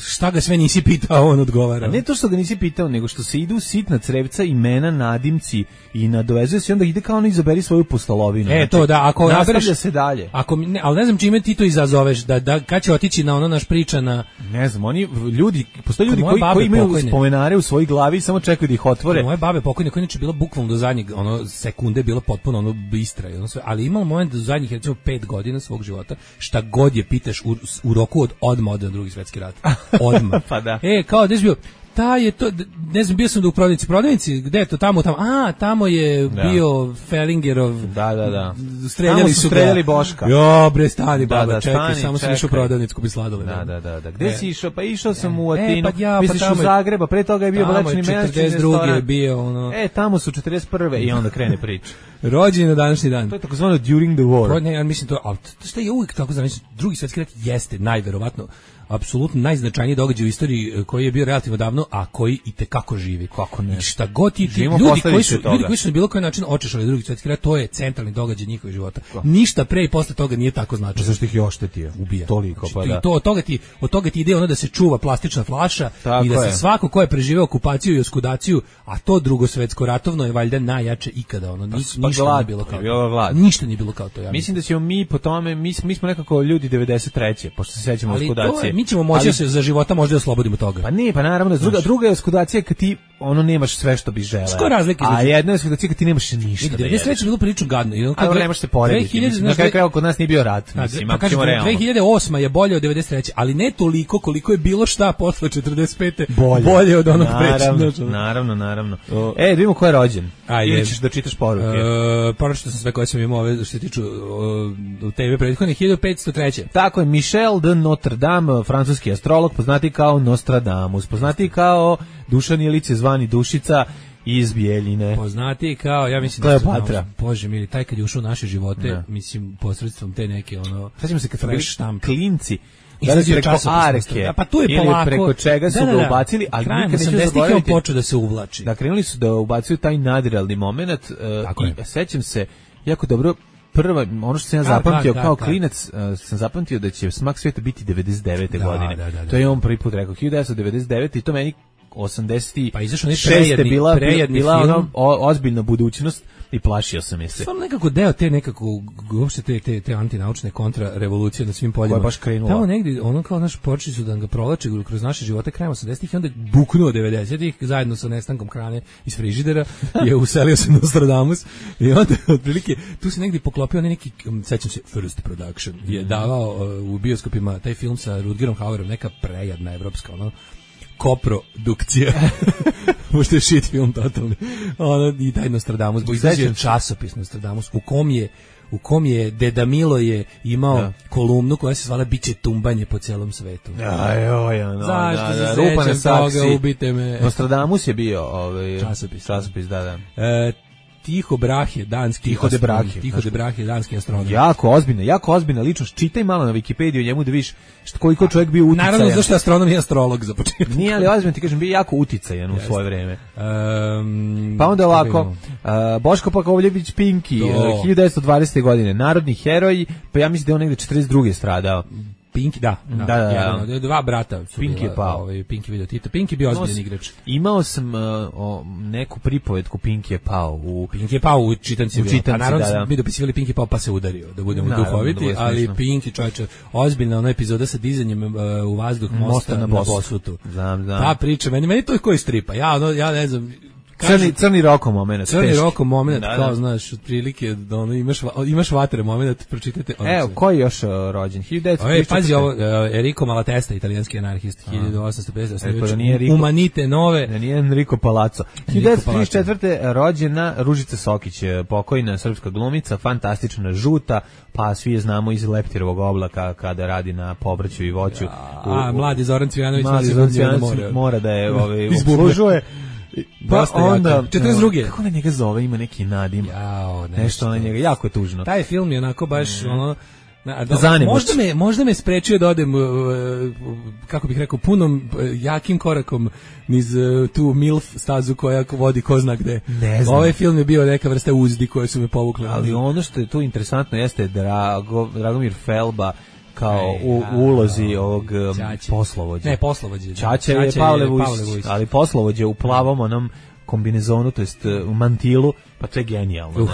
šta ga sve nisi pitao, on odgovara. A ne to što ga nisi pitao, nego što se ide u sitna crevca, imena, nadimci i nadovezuje se, onda ide kao ono izaberi svoju postolovinu. To da, ako nastavlja se dalje. Ali ne znam čime ti to izazoveš, da kad će otići na ono naš priča na... Ne znam, postoje ljudi koji imaju spomenare u svojoj glavi i samo čekaju da ih otvore. Moje babe pokojne, koja inače bila bukvalno do zadnjeg sekunde, bila potpuno bistra, ali imala moment do zadnjih recimo 5 godina svog života, šta god je pitaš u roku od odmah ode na Drugi svjetski rat. Odmah. Pa da. Kao da je bio, je to, ne znam, bio sam u prodavnici, gde je to, tamo, tamo je bio Fellingerov, da. Streljali su Boška. Jo, bre, stani, baba, čekaj, samo sam išao u prodavnicu kupi sladole. Da. Gde si išao? Pa išao sam u Atinu, misliš u Zagreba, pre toga je bio Vlečni Menac. 42. je bio, tamo su 41. i onda krene priča. Rođen na današnji dan. To je takozvano during the war. Ne, ja mislim to što je uvijek tako znači Drugi svjetski rat jeste najverovatno apsolutno najznačajniji događaj u istoriji koji je bio relativno davno, a koji i te kako živi. Kako ne? I šta god ti ljudi koji su na bilo koji način očešali Drugi svjetski rat, to je centralni događaj njihovih života. Ništa pre i posle toga nije tako značajno. Zašto ih je oštetio? Ubija. Toliko, znači, pa da. I to od toga ti ide ono da se čuva plastična flaša tako i da je. se svako ko je preživeo okupaciju i oskudaciju, a to drugosvetsko ratovno je valjda najjače ikada. Ono, ništa nije bilo kao to. Ništa nije bilo kao to. Ja mislim da ćemo mi po tome, mi smo nekako ljudi 93. pošto se sećamo oskudacije. Mi ćemo moći se za života možda oslobodimo toga. Pa ne, pa naravno, druga je oskudacija kad ti nemaš sve što bi želeo. Što razlike? A jedna je oskudacija kad ti nemaš ništa. Da je sreće bilo prilično gadno. Ali nemaš se porediti. Na kraju krajeva kod nas nije bio rat. Mislim, pa kažem, 2008 je bolje od 93. Ali ne toliko koliko je bilo šta posle 45. Bolje od onog pređe. Naravno. Da vidimo ko je rođen. Ili ćeš da čitaš poruke. Pročitao sam sve koje sam imao ove što se tiču TV prethodnih 1503. Tako je, Michel de Notre Dame, francuski astrolog, poznati kao Nostradamus, poznati kao Dušan Ilić zvani Dušica iz Bijeljine. Poznati kao, ja mislim Kleopatra. Bože mili, taj kad je ušao u naše živote, mislim, posredstvom te neke, sećam se kad su bili klinci, izlazi preko arke, pa tu je ili polako, preko čega su ga ubacili, ali nikad neću zaboraviti. On počeo da se uvlači. Da, krenuli su da ubacuju taj nadrealni moment i sećam se jako dobro. Prva, ono što sam ja zapamtio kao klinac, sam zapamtio da će Smak svijeta biti 99. godine. To je on prvi put rekao, 1999. i to meni 86. bila ono ozbiljna budućnost i plašio sam je se. Samo nekako deo te nekako, uopšte te antinaučne kontrarevolucije na svim poljima. Koja je baš krenula. Tamo negdje, ono kao naš počeli su da ga provlače kroz naše živote krajem 80-ih i onda buknuo 90-ih zajedno sa nestankom hrane iz frižidera je uselio se Nostradamus i onda otprilike tu se negdje poklopio neki, sećam se, First Production je davao u bioskopima taj film sa Rutgerom Hauerom, neka prejadna evropska koprodukcija. Možda je shit film totalni. I taj Nostradamus. Izlažio časopis Nostradamus u kom je Deda Milo je imao kolumnu koja se zvala Biće tumbanje po celom svetu. Zašto se sećam toga, ubite me. Nostradamus je bio časopis, da. Tiho Brahe, danski danski astronom. Jako ozbiljna ličnost. Čitaj malo na Wikipediju o njemu da vidiš koliko čovjek bio uticajan. Naravno, zašto je astronom i astrolog za početak. Nije, ali ozbiljno ti kažem, bio jako uticajan u svoje vreme. Pa onda ovako, Boško Pakovljević Pinki, 1920. godine, narodni heroj, pa ja mislim da je on negde 42. stradao. Pinki, da. Dva brata su Pinki je pao. Pinki video Tito. Pinki bio ozbiljan igrač. Imao sam neku pripovetku Pinki je pao u čitanci. A naravno mi dopisivali Pinki je pao pa se udario, da budemo duhoviti, ali Pinki, čovječe, ozbiljna ona epizoda sa dizanjem u vazduh mosta na Bosutu. Znam. Ta priča, meni to je koji stripa. Ja ne znam. Crni Roko moment. Crni Roko moment, kao znaš, otprilike imaš vatre moment, pročitajte. Evo, ko je još rođen? 1934. Pazi ovo, Enrico Malatesta, italijanski anarhist, 1850. Umanite nove. Da nije Enrico Palazzo. 1934. rođena Ružica Sokić, pokojna srpska glumica, fantastična, žuta, pa svi je znamo iz Leptirovog oblaka kada radi na povrću i voću. Mladi Zoran Cvijanović mora da je obslužuje. Pa onda 42. Kako na njega zove, ima neki nadim. Nešto na njega, jako je tužno. Taj film je onako baš možda me sprečio da odem, kako bih rekao, punom jakim korakom niz tu MILF stazu koja vodi ko zna gde. Ovaj film je bio neka vrsta uzdi koje su me povukle. Ali ono što je tu interesantno jeste Dragomir Felba kao u ulozi ovog poslovođa. Ne, poslovođa. Čača je Pavle Vujsić, ali poslovođa u plavom onom kombinezonu, to jest u mantilu, pa to je genijalno.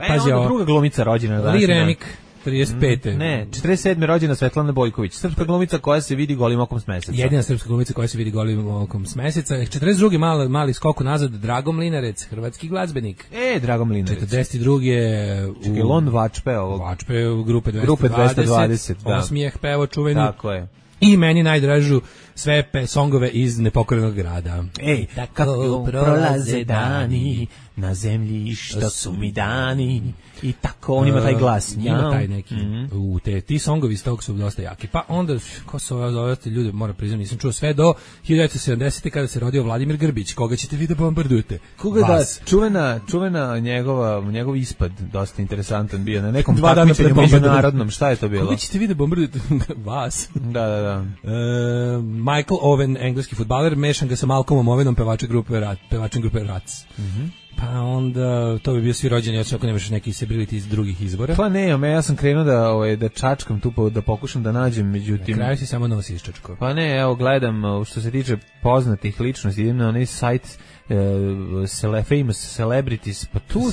Pazi ovo. Druga glumica rođena danas. Lee Remick, 35. Ne, 47. rođena Svetlana Bojković, srpska glumica koja se vidi golim okom s meseca. Jedina srpska glumica koja se vidi golim okom s meseca. 42. mali skok nazad, Drago Mlinarec, hrvatski glazbenik. Drago Mlinarec. 42. Čekaj, on Vačpe ovog. Vačpe u grupe 220. Da. Osmijeh pevo čuveni. Tako je. I meni najdražu sve songove iz Nepokorenog grada. Ej, kako prolaze dani na zemlji, što su mi dani. I tako, on ima taj glas. Ima taj neki. Ti songovi iz tog su dosta jaki. Pa onda, ko su ove ljude, moram priznati, nisam čuo sve do 1970. kada se rodio Vladimir Grbić. Koga ćete vi da bombardujete? Koga da, čuvena njegov ispad, dosta interesantan bio, na nekom Dva dana takmičenju međunarodnom, šta je to bilo? Koga ćete vi da bombardujete? Vas. Da. Michael Owen, engleski fudbaler, mešan ga sa Malcolmom Owenom, pevačem grupe Rats. Pa onda, to bi bio svi rođeni, osim ako nemaš neki sebrili티 iz drugih izbora. Pa ne, ja sam krenuo da čačkam tu, da pokušam da nađem, međutim... Na kraju si samo nosi iščačko. Pa ne, evo, gledam, što se tiče poznatih ličnosti, idem na onaj sajt Famous Celebrities, pa tu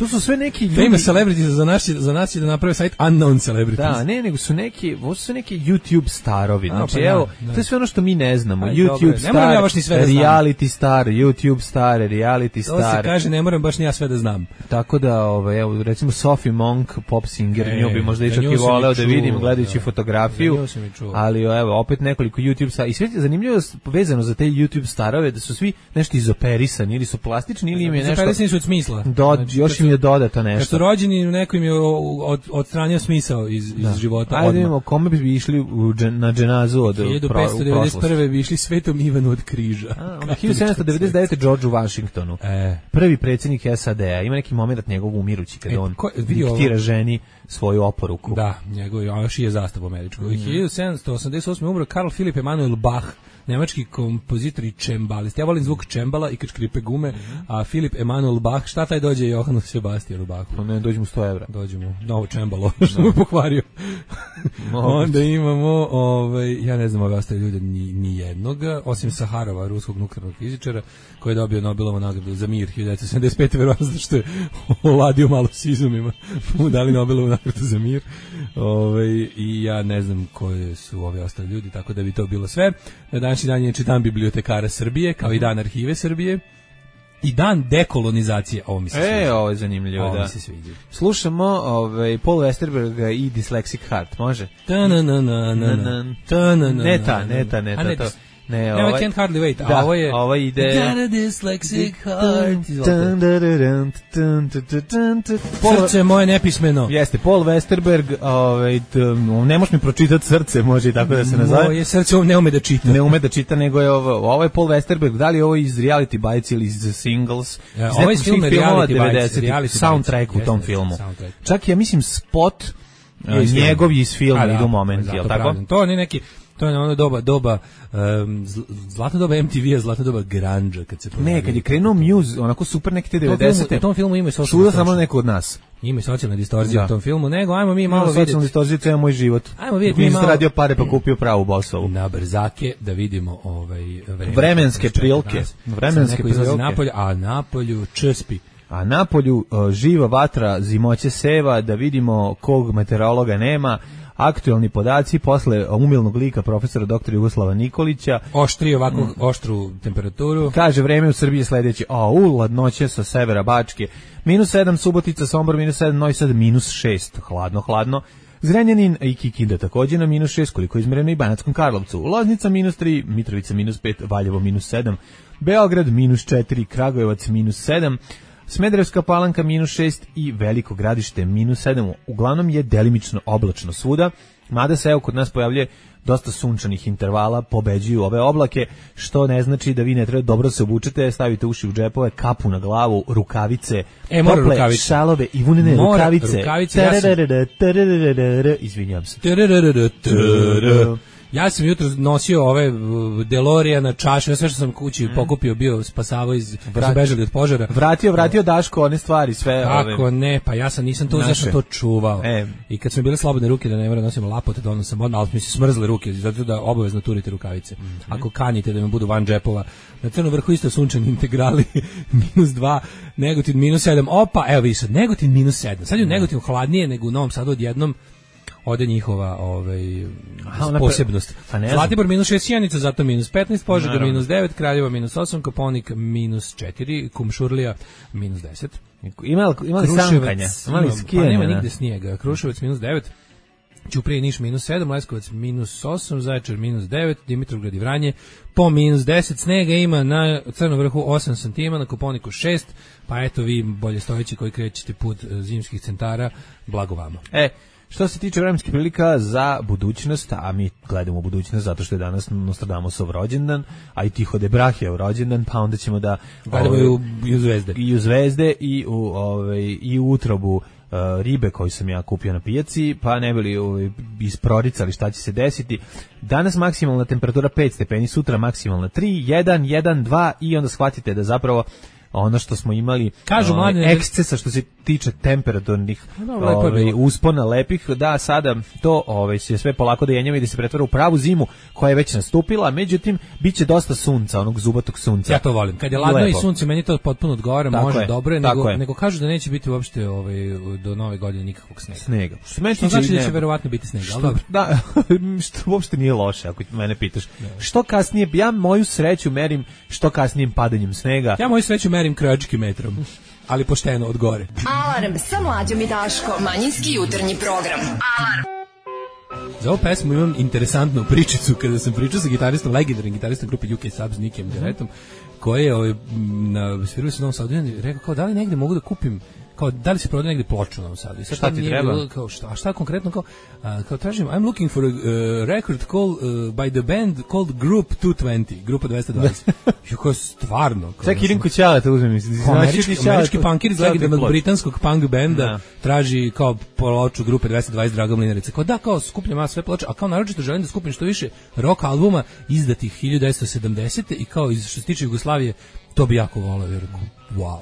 su sve neki ljudi... Famous Celebrities za nas je da naprave sajt Unknown Celebrities. Da, nego su neki YouTube starovi. Znači, evo, to je sve ono što mi ne znamo. YouTube star, reality star, YouTube star, reality star. To se kaže, ne moram baš ni ja sve da znam. Tako da, evo, recimo Sophie Monk, pop singer, nju bi možda i čak i voleo da vidim gledajući fotografiju. Ali, evo, opet nekoliko YouTube star. I sve je zanimljivo vezano za te YouTube starove, da su svi nešto izoperisani, ili su plastični, ili im je nešto... Izoperisani su od smisla. Još im je dodato nešto. Kad su rođeni, neko im je odstranio smisao iz života. Ajde vidimo, kome bi išli na dženazu od 1591. bi išli Svetom Ivanu od Križa. 1799. Georgeu Washingtonu. Prvi predsjednik SAD-a. Ima neki moment njegovog umirući kada on diktira ženi svoju oporuku. Da, njegov još je zastav američku. 1788. umro Karl Philipp Emanuel Bach, nemački kompozitor i čembalist. Ja volim zvuk čembala i kad škripe gume, a Filip Emanuel Bach, šta taj dođe Johanu Sebastijanu Bachu? Pa ne, dođe mu 100 evra. Dođe mu novo čembalo, što mu pokvario. Onda imamo, ja ne znam ove ostale ljude ni jednog, osim Saharova, ruskog nuklearnog fizičara, koji je dobio Nobelovu nagradu za mir 1975. verovatno zato što je oladio malo s izumima, mu dali Nobelovu nagradu za mir. I ja ne znam koje su ove ostale ljudi, tako da bi to bilo sve. Na današnji dan je dan bibliotekara Srbije, kao i dan arhive Srbije. I dan dekolonizacije, ovo mi se sviđa. Ovo je zanimljivo, ovo da. Mi se sviđa. Slušamo Paul Westerberga i Dyslexic Heart, može? Ne ta. Ne, I can't hardly wait. Da, ovo je ovo ide. Got a dyslexic heart. Srce moje nepismeno. Jeste, Paul Westerberg, ne možeš mi pročitati srce, može i tako da se nazove. Moje srce ne ume da čita. Ne ume da čita, nego je ovo je Paul Westerberg, da li je ovo iz Reality Bites ili iz Singles? Ovo je film Reality Bites, soundtrack u tom filmu. Čak ja mislim spot njegov iz filma idu momenti, je li tako? To je neki... To je ono doba zlatna doba MTV-a, zlatna doba grunge kad se pojavio. Ne, kad je krenuo Muse, onako super neke te 90-te. U tom filmu ima i socijalna distorzija. Samo neko od nas. Ima i socijalna distorzija u tom filmu, nego ajmo mi malo vidjeti. Socijalna distorzija, to je moj život. Ajmo vidjeti mi malo. Radio pare pa kupio pravu Bosovu. Na brzake da vidimo vremenske prilike. Vremenske prilike. Napolju, a napolju čespi. A napolju živa vatra, zimoće seva, da vidimo kog meteorologa nema. Aktualni podaci posle umilnog lika profesora dr. Jugoslava Nikolića. Oštri ovako oštru temperaturu. Kaže vreme u Srbiji sledeće. Ladnoće sa severa Bačke. -7 Subotica, Sombor -7, Novi Sad -6. Hladno. Zrenjanin i Kikinda takođe na -6, koliko je izmereno i Banatskom Karlovcu. Loznica -3, Mitrovica -5, Valjevo -7, Beograd -4, Kragujevac -7. Smederevska Palanka -6 i Veliko Gradište -7. Uglavnom je delimično oblačno svuda, mada se kod nas pojavljuje dosta sunčanih intervala, pobeđuju ove oblake, što ne znači da vi ne treba dobro se obučete, stavite uši u džepove, kapu na glavu, rukavice, tople šalove i vunene rukavice. Izvinjam se. Ja sam jutro nosio ove DeLoreana čaše, sve što sam kući pokupio bio spasavao kad su bežali od požara. Vratio Daško one stvari, sve. Kako ne, pa ja nisam to zašto to čuvao. I kad su mi bile slobodne ruke da ne moram nositi lapote, da sam odmah, ali mi se smrzle ruke, zato da obavezno turite rukavice. Ako kanite da me budu van džepova. Na Crnom vrhu isto sunčani integrali -2, Negotin -7. Opa, evo vi sad, Negotin -7. Sad je u Negotinu hladnije nego u Novom Sadu odjednom. Ode njihova posebnost. Zlatibor -6, Sjenica zato -15, Požega -9, Kraljeva -8, Koponik -4, Kumšurlija -10. Ima li sankanja? Pa nema nigde snijega. Kruševac -9, Ćuprije i Niš -7, Leskovac -8, Zaječar -9, Dimitrovgrad i Vranje po -10, snega ima na Crnom vrhu 8 cm, na Kopaoniku 6, pa eto vi bolje stojeći koji krećete put zimskih centara, blago vama. Što se tiče vremenskih prilika za budućnost, a mi gledamo u budućnost zato što je danas Nostradamusov rođendan, a i Tycho de Braheov rođendan, pa onda ćemo da gledamo i u zvezde. I u zvezde i u utrobu ribe koju sam ja kupio na pijaci, pa ne bili isproricali šta će se desiti. Danas maksimalna temperatura 5 stepeni, sutra maksimalna 3, 1, 1, 2 i onda shvatite da zapravo ono što smo imali ekscesa što se tiče temperaturnih uspona lepih, da sada to se sve polako da jenjava i da se pretvara u pravu zimu koja je već nastupila, međutim biće dosta sunca, onog zubatog sunca. Ja to volim. Kad je ladno i sunce, meni to potpuno odgovara, može, dobro je, nego kažu da neće biti uopšte do nove godine nikakvog snega. Što znači da će verovatno biti snega, ali dobro. Da, što uopšte nije loše ako mene pitaš. Što kasnije, ja moju sreću merim što kasnijim padanjem snega. Ja moju sreću merim krajičkim metrom, ali pošteno od gore. Alarm sa Mlađom i Daškom, manjinski jutarnji program. Alarm. Za ovu pesmu imam interesantnu pričicu kada sam pričao sa gitaristom, legendarnim gitaristom grupe UK Subs, Nikem Deretom, koji je na svirao se u Novom Sadu i rekao kao da li negde mogu da kupim, kao da li se prodaje negde ploču u Novom Sadu. I sad šta ti treba? Kao šta konkretno, kao tražim, I'm looking for a record by the band called Group 220, grupa 220. I kao stvarno. Čak idem kod Ćale, to uzmem. Američki punkir iz legendarnog britanskog punk benda traži kao ploču grupe 220 Draga Mlinarica. Kao da, kao skupljam sve ploče, a kao naročito želim da skupim što više rock albuma izdatih 1970. i kao što se tiče Jugoslavije, to bi jako volao, vjerujem. Wow.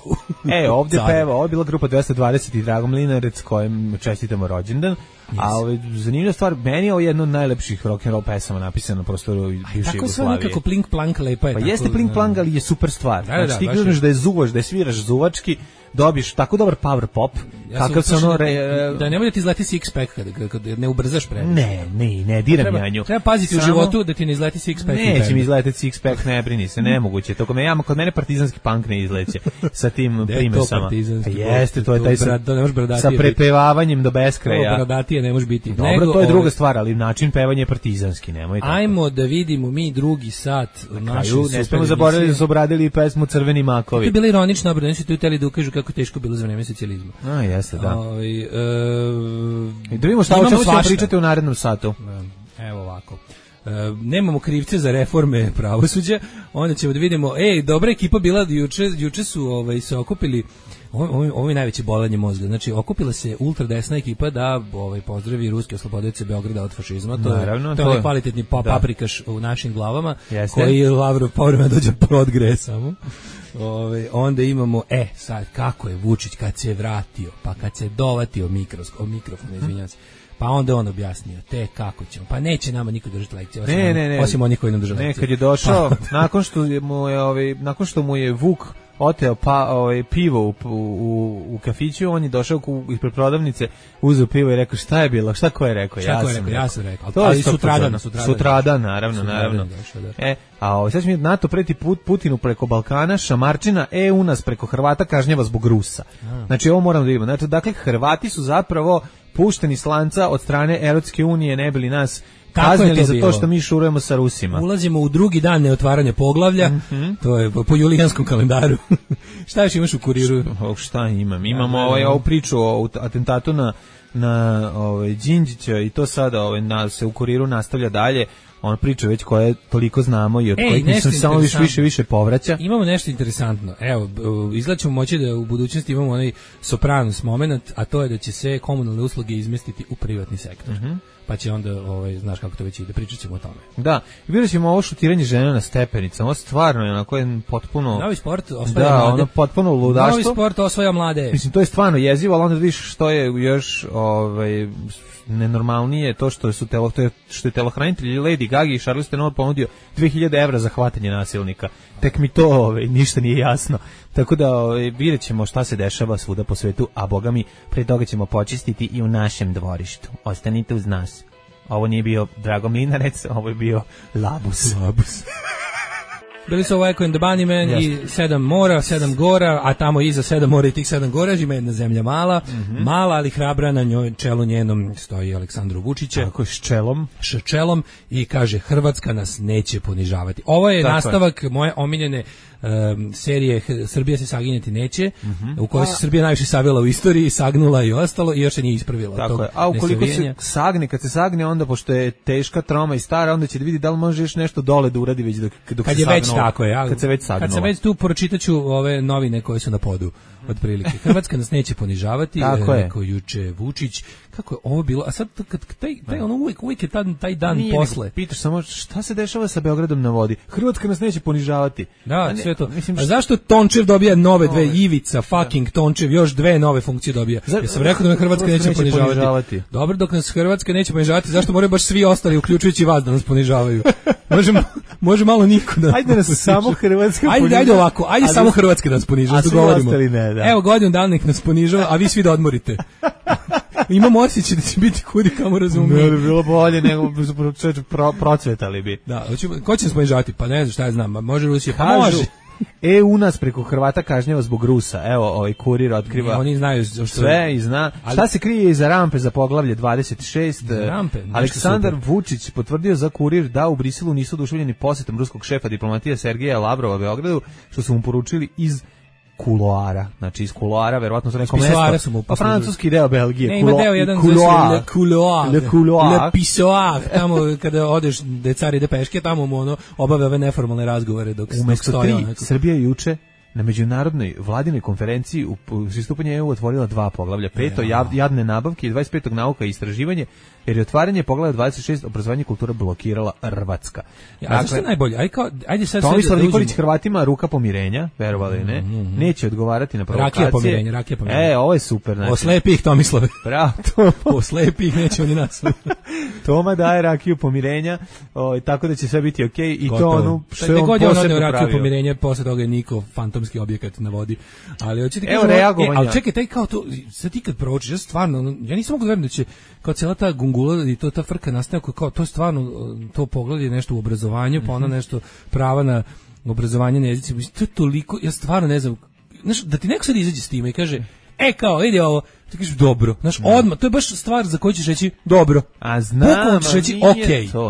Ovdje peva, ovo je bila grupa 220 i Drago Mlinarec kojem čestitamo rođendan. Yes. A zanimljiva stvar, meni je ovo jedno od najlepših rock and roll pesama napisano na prostoru bivše Jugoslavije. Tako sve nekako plink plank lepa je. Pa jeste plink plank, ali je super stvar. Znači ti gledaš da je zuvaš, da je sviraš zuvački, dobiš tako dobar power pop, kakav se ono... Da ne bude ti izleti six pack kada ne ubrzaš previše. Ne, diram janju. Treba paziti u životu da ti ne izleti six pack. Neće mi izleteti six pack, ne brini se, nemoguće. Kod mene partizanski punk ne izleće sa tim primesama. Jeste, to je taj sa prepevavanjem do beskraja. Bradatije ne može biti. Dobro, to je druga stvar, ali način pevanja je partizanski, nemoj tako. Ajmo da vidimo mi drugi sat naše super. Ne smemo zaboraviti da su obradili pesmu Crveni makovi. To je bilo ironično, obrano su tu hteli da ukažu kako teško bilo za vreme socijalizma. Jeste, da. I da vidimo šta o čemu ćemo pričati u narednom satu. Evo ovako. Nemamo krivce za reforme pravosuđa, onda ćemo da vidimo, dobra ekipa bila, juče su se okupili, ovo je najveće bolanje mozga, znači okupila se ultradesna ekipa da pozdravi ruske oslobodioce Beograda od fašizma, to je onaj kvalitetni paprikaš u našim glavama, koji Lavrov povremeno dođe podgreje samo. Onda imamo, sad kako je Vučić kad se vratio, pa kad se dovatio mikrofon, izvinjam se, pa onda on objasnio, kako ćemo, pa neće nama niko držati lekcije, osim onih koji nam drže lekcije. Kad je došao, nakon što mu je Vuk oteo pivo u kafiću, on je došao ispred prodavnice, uzeo pivo i rekao šta je bilo, ko je rekao? Ja sam rekao. Ali sutradan, naravno. A sad će mi NATO preti Putinu preko Balkana, Šamarčina, EU nas preko Hrvata kažnjava zbog Rusa. Znači ovo moram da vidimo. Znači, dakle, Hrvati su zapravo pušteni s lanca od strane Evropske unije, ne bili nas kaznili za to što mi šurujemo sa Rusima. Ulazimo u drugi dan neotvaranja poglavlja, to je po julijanskom kalendaru. Šta još imaš u Kuriru? Šta imam? Imamo ovu priču o atentatu na Đinđića i to sada se u Kuriru nastavlja dalje. On priča već koje toliko znamo i od kojih se samo više povraća. Imamo nešto interesantno. Evo, izgleda ćemo moći da u budućnosti imamo onaj Sopranos moment, a to je da će se komunalne usluge izmestiti u privatni sektor. Pa će onda, znaš kako to već ide, pričat ćemo o tome. Da, i vidjet ćemo ovo šutiranje žena na stepenicama, ovo stvarno je onako potpuno... Novi sport osvaja mlade. Ono potpuno ludaštvo. Novi sport osvaja mlade. Mislim, to je stvarno jezivo, ali onda vidiš što je još nenormalnije to što je telohranitelj Lady Gaga i Charles Theron ponudio 2000 evra za hvatanje nasilnika. Tek mi to ništa nije jasno. Tako da vidjet ćemo šta se dešava svuda po svetu, a boga mi, pre toga ćemo počistiti i u našem dvorištu. Ostanite uz nas. Ovo nije bio Drago Mlinarec, ovo je bio Labus. bili su ovo Echo and the Bunnymen i 7 mora, 7 gora, a tamo iza 7 mora i tih 7 gora ima jedna zemlja mala, mala ali hrabra, na njoj čelu njenom stoji Aleksandru Vučića. Tako s čelom. S čelom i kaže Hrvatska nas neće ponižavati. Ovo je nastavak moje omiljene serije Srbija se saginjati neće, u kojoj se Srbija najviše savila u istoriji, sagnula i ostalo i još se nije ispravila. Tako je. A ukoliko se sagne, kad se sagne, onda pošto je teška, troma i stara, onda će da vidi da li može još nešto dole da uradi već dok kad se je već tako je, kad se već sagnula. Kad se već tu pročitaću ove novine koje su na podu otprilike. Hrvatska nas neće ponižavati, rekao juče Vučić. Kako je ovo bilo? A sad kad taj ono uvijek je taj dan posle. Pitaš samo šta se dešava sa Beogradom na vodi? Hrvatska nas neće ponižavati. Da, sve to. Mislim, a zašto Tončev dobija nove dve, Ivica fucking Tončev još dve nove funkcije dobija? Ja sam rekao da me Hrvatska neće ponižavati. Dobro, dok nas Hrvatska neće ponižavati, zašto moraju baš svi ostali, uključujući vas, da nas ponižavaju? Može malo niko da. Ajde nas samo Hrvatska ponižava. Ajde ovako, ajde samo Hrvatska da nas ponižava, da govorimo. Evo godinu dana nek nas ponižava, a vi svi da odmorite. Imamo osjećaj da će biti kudi kamo razumije. Ne bi bilo bolje nego procvetali bi. Da, ko će nas ponižavati? Pa ne znam šta ja znam, može Rusija, pa može. EU nas preko Hrvata kažnjava zbog Rusa. Evo, ovaj kurir otkriva. Ne, oni znaju sve i zna. Šta se krije iza rampe za poglavlje 26? Rampe, Aleksandar Vučić potvrdio za kurir da u Briselu nisu oduševljeni posetom ruskog šefa diplomatije Sergeja Lavrova Beogradu, što su mu poručili iz kuloara, znači iz kuloara, verovatno za neko mesto. Pa francuski deo Belgije. Ne, ima deo jedan le couloir, le pissoir, tamo kada odeš, da je car ide peške, tamo mu ono obave ove neformalne razgovore dok stoji. Srbija juče na međunarodnoj vladinoj konferenciji u pristupanju EU otvorila 2 poglavlja, 5. jadne nabavke i 25. nauka i istraživanje, jer je otvaranje poglavlja 26 obrazovanje i kultura blokirala Hrvatska. A zašto je najbolje? Ajde sad Tomislav Nikolić Hrvatima ruka pomirenja, verovali ne, neće odgovarati na provokacije. Rakija pomirenja. Ovo je super. Znači. Oslepi ih, Tomislave. Bravo. Oslepi ih, neće oni nas. Toma daje rakiju pomirenja, tako da će sve biti okej i gotovo. To ono što je on posebno rakiju pomirenja, posle toga je Niko fantomski objekat na vodi. Ali hoćete kažem, reagovanja. Ali čekaj, taj kao to, sad ti kad proučiš, ja stvarno, ja nisam mogu da verujem da će kao cijela ta gungula i ta frka nastaje kao to je stvarno to poglavlje nešto u obrazovanju, pa ona nešto prava na obrazovanje na jezicima. To je toliko, ja stvarno ne znam, znaš, da ti neko sad izađe s time i kaže kao, ide ovo, ti kažeš dobro, znaš, odmah, to je baš stvar za koju ćeš reći dobro. A znam,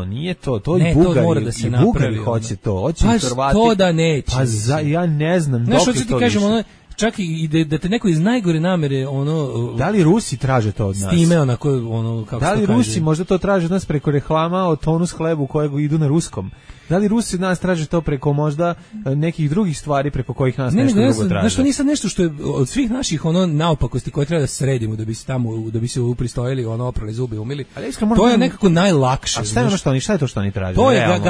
nije to i Bugari, da se i Bugari hoće to, hoće pa Hrvati. Pa što da neće? Pa ja ne znam, dok je to više. Znaš, ti kažem, ono, čak i da te neko iz najgore namere, ono... Da li Rusi traže to od nas? S time, onako, ono, kako da li Rusi možda to traže od nas preko reklama o tonus hlebu kojeg idu na ruskom? Da li Rusi od nas traže to preko možda nekih drugih stvari preko kojih nas nešto drugo traže? Znaš, to nije sad nešto što je od svih naših naopakosti koje treba da sredimo, da bi se upristojili, oprali zubi, umili. To je nekako najlakše. A šta je to što oni traže? To je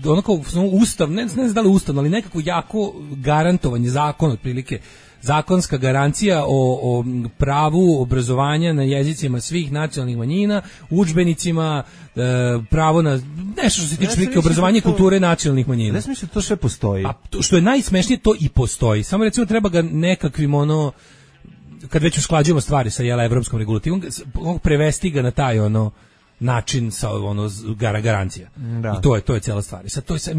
onako ustav, ne znam da li ustav, ali nekako jako garantovanje, zakon otprilike, zakonska garancija o pravu obrazovanja na jezicima svih nacionalnih manjina, udžbenicima, pravo na nešto što se tiče neke obrazovanja i kulture nacionalnih manjina. Ne smislim, to sve postoji. A što je najsmešnije, to i postoji. Samo recimo treba ga nekakvim kad već usklađujemo stvari sa evropskom regulativom, prevesti ga na taj način sa garancija. Da. I to je cijela stvar.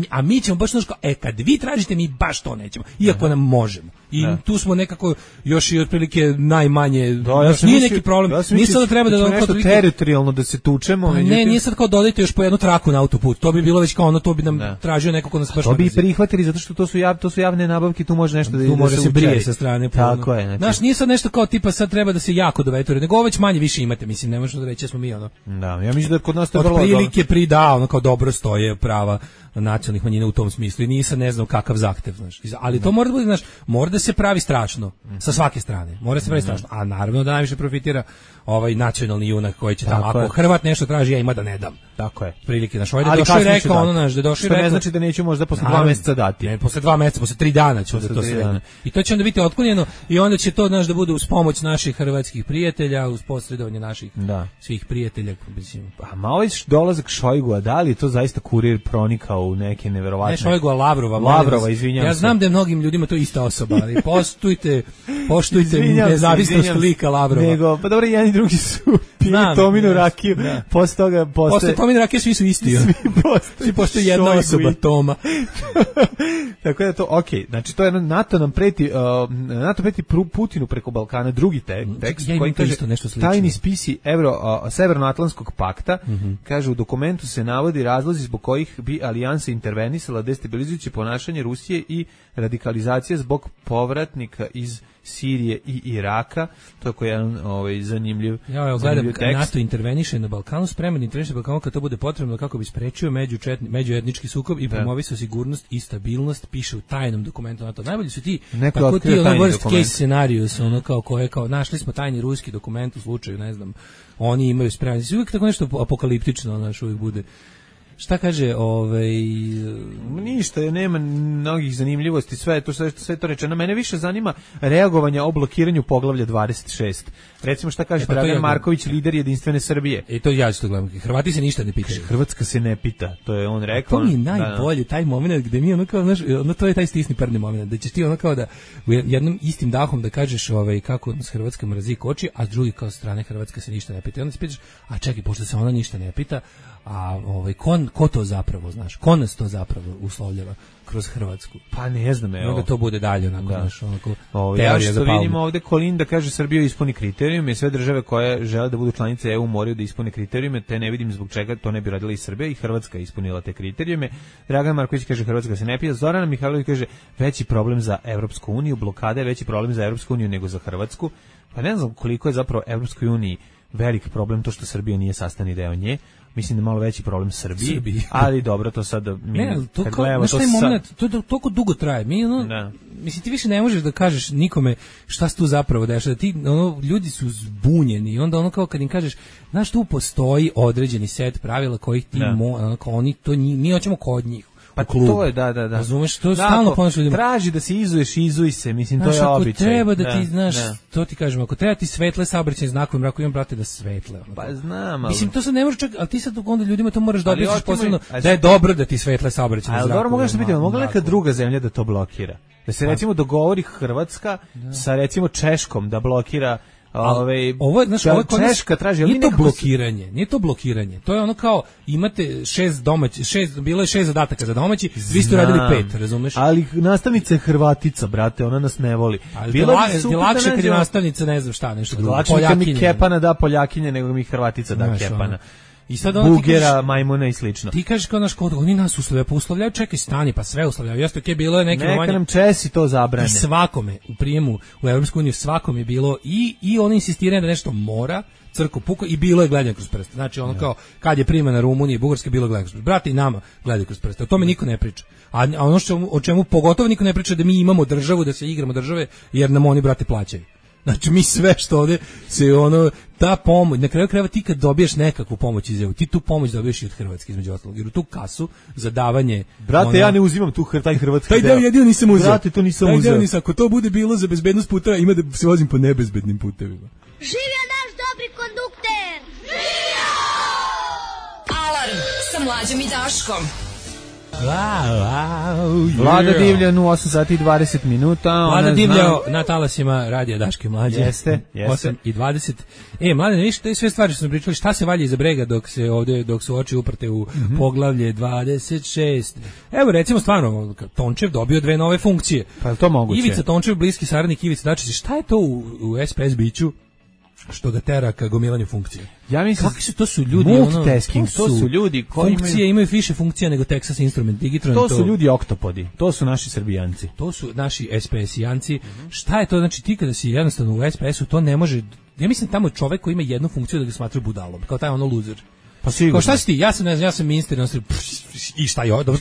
A mi ćemo baš kad vi tražite, mi baš to nećemo. Iako nam možemo. I tu smo nekako još i otprilike najmanje. Nije neki problem. Nije sad da treba da nešto teritorijalno da se tučemo. Ne, nije sad kao dodajte još po jednu traku na autoput. To bi bilo već kao to bi nam tražio neko ko nas baš. To bi prihvatili zato što to su javne nabavke, tu može nešto tu može se brije sa strane. Tako je. Znaš, nije sad nešto kao tipa sad treba da se jako dovetore, nego već manje više imate, mislim, ne možemo da reći smo mi Da, ja mislim da kod nas to vrlo otprilike kao dobro stoje prava nacionalnih manjina u tom smislu i nisam ne znam kakav zahtev, znaš. Ali to mora da bude, znaš, mora da se pravi strašno sa svake strane. Mora se pravi strašno. A naravno da najviše profitira ovaj nacionalni junak koji će tamo. Ako Hrvat nešto traži, ja ima da ne dam. Tako je. Prilike, znaš, ovaj da došao i rekao da došao i rekao. Ne znači da neću možda posle 2 meseca dati. Ne, posle 2 meseca, posle 3 dana će da to sve. I to će onda biti otklonjeno i onda će to, znaš, da bude uz pomoć naših hrvatskih prijatelja, uz posredovanje naših svih prijatelja, mislim. A malo je dolazak Šojgua, da li je to zaista kurir pronikao u neke neverovatne. Ne Šojgua, Lavrova, izvinjavam se. Ja znam da je mnogim ljudima to ista osoba, ali poštujte nezavisnost lika Lavrova. Pa dobro, jedan i drugi su pili Tominu rakiju, posle toga posle Tominu rakije svi su isti. Svi postoji jedna osoba, Toma. Tako da to, okej, znači to je NATO preti Putinu preko Balkana, drugi tekst koji kaže tajni spisi Severnoatlantskog pakta, kaže u dokumentu se navodi razlozi zbog kojih bi alijansa intervenisala destabilizujuće ponašanje Rusije i radikalizacija zbog povratnika iz Sirije i Iraka. To je koji jedan zanimljiv tekst. NATO interveniše na Balkanu, spreman interveniše na Balkanu kad to bude potrebno kako bi sprečio međuetnički sukob i promovisao sigurnost i stabilnost, piše u tajnom dokumentu NATO. Najbolji su ti, tako ti worst case scenarios, ono kao našli smo tajni ruski dokument u slučaju, ne znam, oni imaju spreman. Uvijek tako nešto apokaliptično, znaš, uvijek bude. Šta kaže, ništa, nema mnogih zanimljivosti, sve to rečeno. Mene više zanima reagovanje o blokiranju poglavlja 26. Recimo šta kaže Dragan Marković, lider Jedinstvene Srbije. To ja isto gledam. Hrvati se ništa ne pitaju. Hrvatska se ne pita, to je on rekao. To mi je najbolje, taj moment gde mi ono kao, znaš, to je taj stisni prdni moment, da ćeš ti ono kao da u jednom istim dahom da kažeš kako s Hrvatska mrazi koči, a s drugi kao strane Hrvatska se ništa ne pita. I onda se pitaš, a čekaj, pošto se ona ništa ne pita, a ko to zapravo, znaš, ko nas to zapravo uslovljava kroz Hrvatsku? Pa ne znam, evo. Onda to bude dalje, onako, znaš, onako, teorija za palmu. Ja što vidim ovde, Kolinda kaže Srbija ispuni kriterijume, sve države koje žele da budu članice EU moraju da ispune kriterijume, te ne vidim zbog čega to ne bi radila i Srbija, i Hrvatska je ispunila te kriterijume. Dragan Marković kaže Hrvatska se ne pita, Zorana Mihajlović kaže veći problem za Evropsku uniju, blokada je veći problem za Evropsku uniju nego za Hrvatsku. Pa ne znam koliko je zapravo Evropskoj uniji velik problem to što Srbija nije sastavni deo nje. Mislim da je malo veći problem Srbiji, ali dobro, to sad kad gledamo to moment, to toliko dugo traje. Mislim, ti više ne možeš da kažeš nikome šta se tu zapravo dešava. Ti, ljudi su zbunjeni i onda ono kao kad im kažeš, znaš, tu postoji određeni set pravila kojih ti mi hoćemo kod njih. Pa to je, da. Razumeš, to je stalno ponaš ljudima. Traži da se izuješ, izuj se, mislim, to je običaj. Ako treba da ti, znaš, to ti kažemo, ako treba ti svetle saobraćajne znakove, mrako imam, brate, da svetle. Pa znam, ali... Mislim, to sad ne može čak, ali ti sad onda ljudima to moraš da objasniš posebno, da je dobro da ti svetle saobraćajne znakove. Ali dobro, mogu nešto biti, mogla neka druga zemlja da to blokira? Da se, recimo, dogovori Hrvatska sa, recimo, Češkom da blokira... Ovo je, znaš, Češka traži, nije to blokiranje. To je ono kao imate 6 bilo je 6 zadataka za domaći, vi ste radili 5, razumeš? Ali nastavnica je Hrvatica, brate, ona nas ne voli. Bilo je lakše kad je nastavnica, ne znam šta, nešto drugo. Poljakinja mi Kepana da Poljakinje nego mi Hrvatica da Kepana. I sad Bugera, majmuna i slično. Ti kažeš kao naš kod, oni nas uslovljavaju, čekaj, stani, pa sve uslovljavaju. Jeste, okej, bilo je neke momanje. Neka nam Česi to zabrane. I svakome, u prijemu u Evropsku uniju, svakome je bilo i oni insistiraju da nešto mora, crko puko, i bilo je gledanje kroz prste. Znači, ono kao, kad je primena Rumunije i Bugarske, bilo je gledanje kroz prste. Brate, i nama gledaju kroz prste. O tome niko ne priča. A ono o čemu pogotovo niko ne priča, da mi imamo državu, da se igramo države, jer nam oni, brate, plaćaju. Znači, mi sve što ovde se ta pomoć, na kraju krajeva ti kad dobiješ nekakvu pomoć iz EU, ti tu pomoć dobiješ i od Hrvatske, između ostalog, jer u tu kasu za davanje... Brate, ja ne uzimam taj hrvatski deo. Taj deo jedino nisam uzeo. Brate, to nisam uzeo. Ako to bude bilo za bezbednost puteva, ima da se vozim po nebezbednim putevima. Živio naš dobri kondukter! Živio! Alarm sa Mlađom i Daškom. Vlada Divljan u 8 sati i 20 minuta. Vlada Divljao na talasima radija Daške i Mlađe. Jeste. 8 i 20. Mlade, vidiš, to je sve stvari što smo pričali, šta se valja iza brega dok su oči uprte u poglavlje 26. Evo, recimo, stvarno, Tončev dobio 2 nove funkcije. Pa je to moguće? Ivica Tončev, bliski saradnik Ivica Dačića, šta je to u SPS biću što ga tera ka gomilanju funkcije? Ja mislim, kakvi su to su ljudi, multitasking, to su ljudi koji imaju više funkcija nego Texas Instrument Digitron. To su ljudi oktopodi, to su naši Srbijanci. To su naši SPS-ijanci. Šta je to? Znači, ti kada si jednostavno u SPS-u, to ne može, ja mislim tamo je čovek koji ima jednu funkciju da ga smatraju budalom, kao taj loser. Pa sigurno. Kao šta si ti? Ja sam ministar, i šta je? Dobro,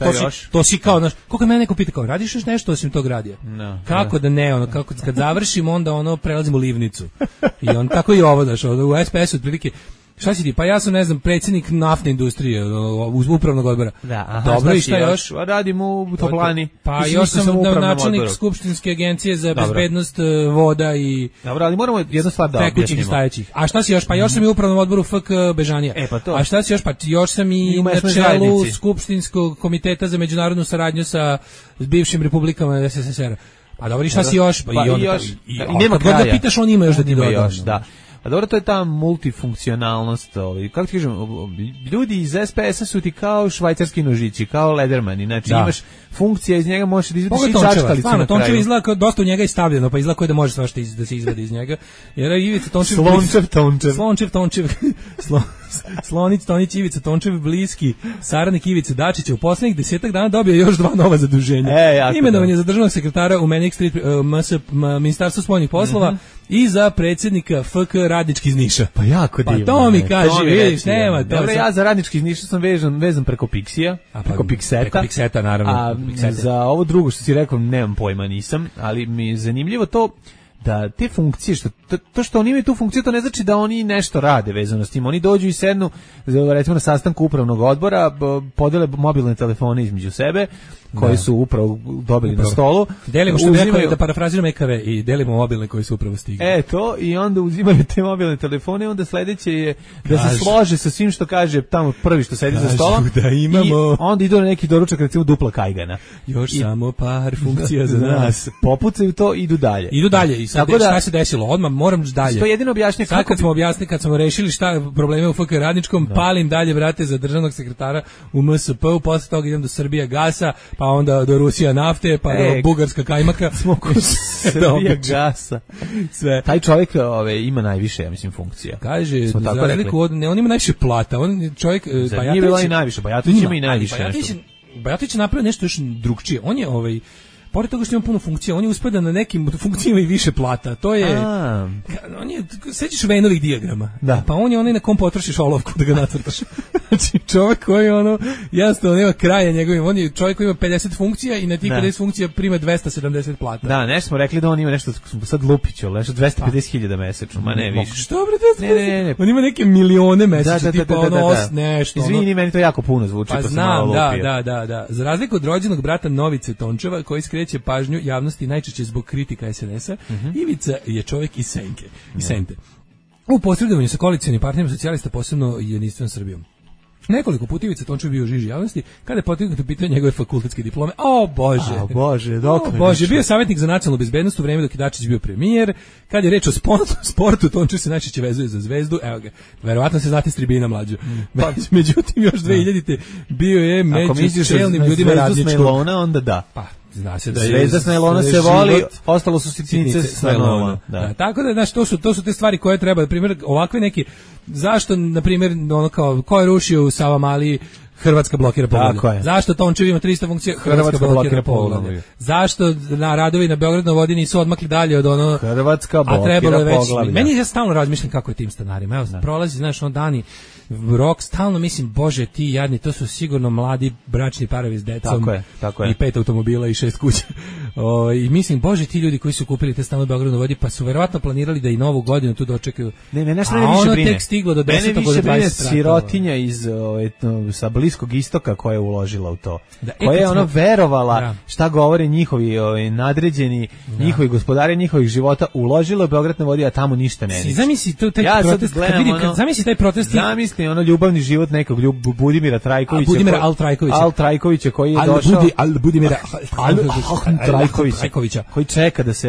to si kao, znaš, koliko mene neko pita, kao, radiš još nešto osim tog radija? No, kako da ne, kako kad završimo, onda prelazimo livnicu. I tako i ovo, znaš, u SPS-u otprilike. Šta si ti? Pa ja sam, ne znam, predsjednik naftne industrije, upravnog odbora. Da, dobro, i šta još? Radim u toplani. Pa još sam načelnik skupštinske agencije za bezbednost voda i... Dobro, ali moramo jednu stvar da tekućih i stajećih. A šta si još? Pa još sam i u upravnom odboru FK Bežanija. A šta si još? Pa još sam i na čelu skupštinskog komiteta za međunarodnu saradnju sa bivšim republikama SSSR-a. Pa dobro, i šta si još? Pa i nema kraja. Kad god da pitaš, on ima još da ti doda. Da. A dobro, to je ta multifunkcionalnost, kako ti kažem, ljudi iz SPS-a su ti kao švajcarski nožići, kao Ledermani, znači imaš funkcija, iz njega možeš da izvadiš i čačkalicu na kraju. Tončev izgleda kao dosta u njega je stavljeno, pa izgleda kao da može svašta da se izvadi iz njega. Jer Ivica Tončev... Slončev, Slonić, Tonić, Ivica Tončev, bliski saradnik Ivice Dačića, u poslednjih 10 dana dobio još 2 nova zaduženja. Imenovan je za državnog sekretara u Manic Street Ministarstvo spoljnih poslova i za predsjednika FK Radnički iz Niša. Pa jako divno. Pa to mi kaže, vidiš, nema to. Dobro, ja za Radnički iz Niša sam vezan preko Pixija, preko Pixeta. Preko Pixeta, naravno. A za ovo drugo što si rekao, nemam pojma, nisam, ali mi je zanimljivo to da te funkcije, to što oni imaju tu funkciju, to ne znači da oni nešto rade vezano s tim. Oni dođu i sednu, recimo na sastanku upravnog odbora, podele mobilne telefone između sebe, koji su upravo dobili na stolu. Delimo, što rekao, da parafraziram EKV, i delimo mobilne koji su upravo stigli. To, i onda uzimaju te mobilne telefone, onda sledeće je da se slože sa svim što kaže tamo prvi što sedi za stolom. Da imamo... I onda idu na neki doručak, recimo dupla kajgana. Još samo par funkcija za nas. Popucaju to i idu dalje. I sad šta se desilo? Odmah moram dalje. To je jedino objašnje kako kad smo rešili šta probleme u FK Radničkom, palim dalje, vrate, za državnog sekretara u MSP-u, posle toga idem do Srbija gasa, pa onda do Rusija nafte, pa do Bugarska kajmaka. Srbija gasa. Sve. Taj čovjek ima najviše, ja mislim, funkcija. Kaže, za razliku od, on ima najviše plata. On čovjek, nije bila i najviše, Bajatović ima i najviše. Bajatović je napravio nešto još drugčije. On je pored toga što ima puno funkcija, on je uspada na nekim funkcijama i više plata. To je... On je, sećaš Venovih dijagrama? Da. Pa on je onaj na kom potrošiš olovku da ga nacrtaš. Znači, čovjek koji jednostavno nema kraja njegovim. On je čovjek koji ima 50 funkcija i na tih 50 funkcija prima 270 plata. Da, nešto smo rekli da on ima nešto, sad Lupić, nešto 250.000 mesečno, ma ne više. Što bre, ne. On ima neke milione mesečno, tipa nešto. Izvini, meni to jako puno zvuči, pa sam malo lupio. Da. Za razliku od rođenog brata Novice Tončeva, koji skreće pažnju javnosti najčešće zbog kritika SNS-a, Ivica je čovjek iz Sente. U posredovanju sa koalicionim partnerima socijalista, posebno Jedinstvenom Srbijom. Nekoliko puta Ivica Tončev bio u žiži javnosti kada je potegnuto pitanje njegove fakultetske diplome. Bože, bio je savjetnik za nacionalnu bezbednost u vreme dok je Dačić bio premijer. Kad je reč o sportu, Tončev se najčešće vezuje za Zvezdu. Evo ga, verovatno se znate s tribina mlađu. Međutim, još 2000-te bio je među čelnim ljudima Radničkog. Onda da. Pa, zna se da Zvezda s najlona se voli, ostalo su sitnice s najlona. Tako da, znaš, to su te stvari koje treba, na primjer, ovakve neki, zašto, na primjer, ko je rušio u Savamali, Hrvatska blokira poglavlje. Zašto Tončev ima 300 funkcija, Hrvatska blokira poglavlje. Zašto na radovi na Beograd na vodi nisu odmakli dalje od Hrvatska blokira poglavlje. Meni ja stalno razmišljam kako je tim stanarima. Evo, prolazi, znaš, dani rok, stalno mislim, bože, ti jadni, to su sigurno mladi bračni parovi s decom. Tako je. I 5 automobila i 6 kuća. I mislim, bože, ti ljudi koji su kupili te stanove u Beogradu na vodi, pa su verovatno planirali da i novu godinu tu dočekaju. Nešto ne više brine. Tek stiglo do 10. Mene više brine sirotinja sa Bliskog istoka koja je uložila u to. Koja je verovala šta govore njihovi nadređeni, njihovi gospodari njihovih života, uložila u Beograd na vodi, a tamo ništa ne. Zamisli taj protest. Zamisli ljubavni život nekog Budimira Trajkovića. Budimira Al Trajkovića koji je došao. Budimira Trajkovića. Koji čeka da se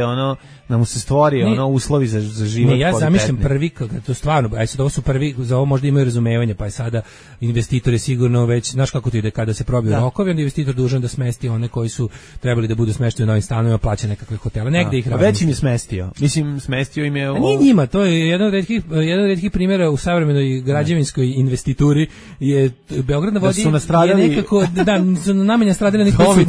da mu se stvori uslovi za život. Ja zamišljam prvi, to stvarno, ovo su prvi, za ovo možda imaju razumevanje, pa je sada investitor je sigurno već, znaš kako to ide, kada se probiju rokovi, onda investitor dužan da smesti one koji su trebali da budu smešteni u novim stanovima, plaća nekakve hotele, negde ih razmišlja. Već im je smestio. Mislim, smestio im je... Nije njima, to je jedan od retkih primjera u savremenoj građevinskoj investituri, je Beograd na vodi je nekako, su namenja stradali neki koji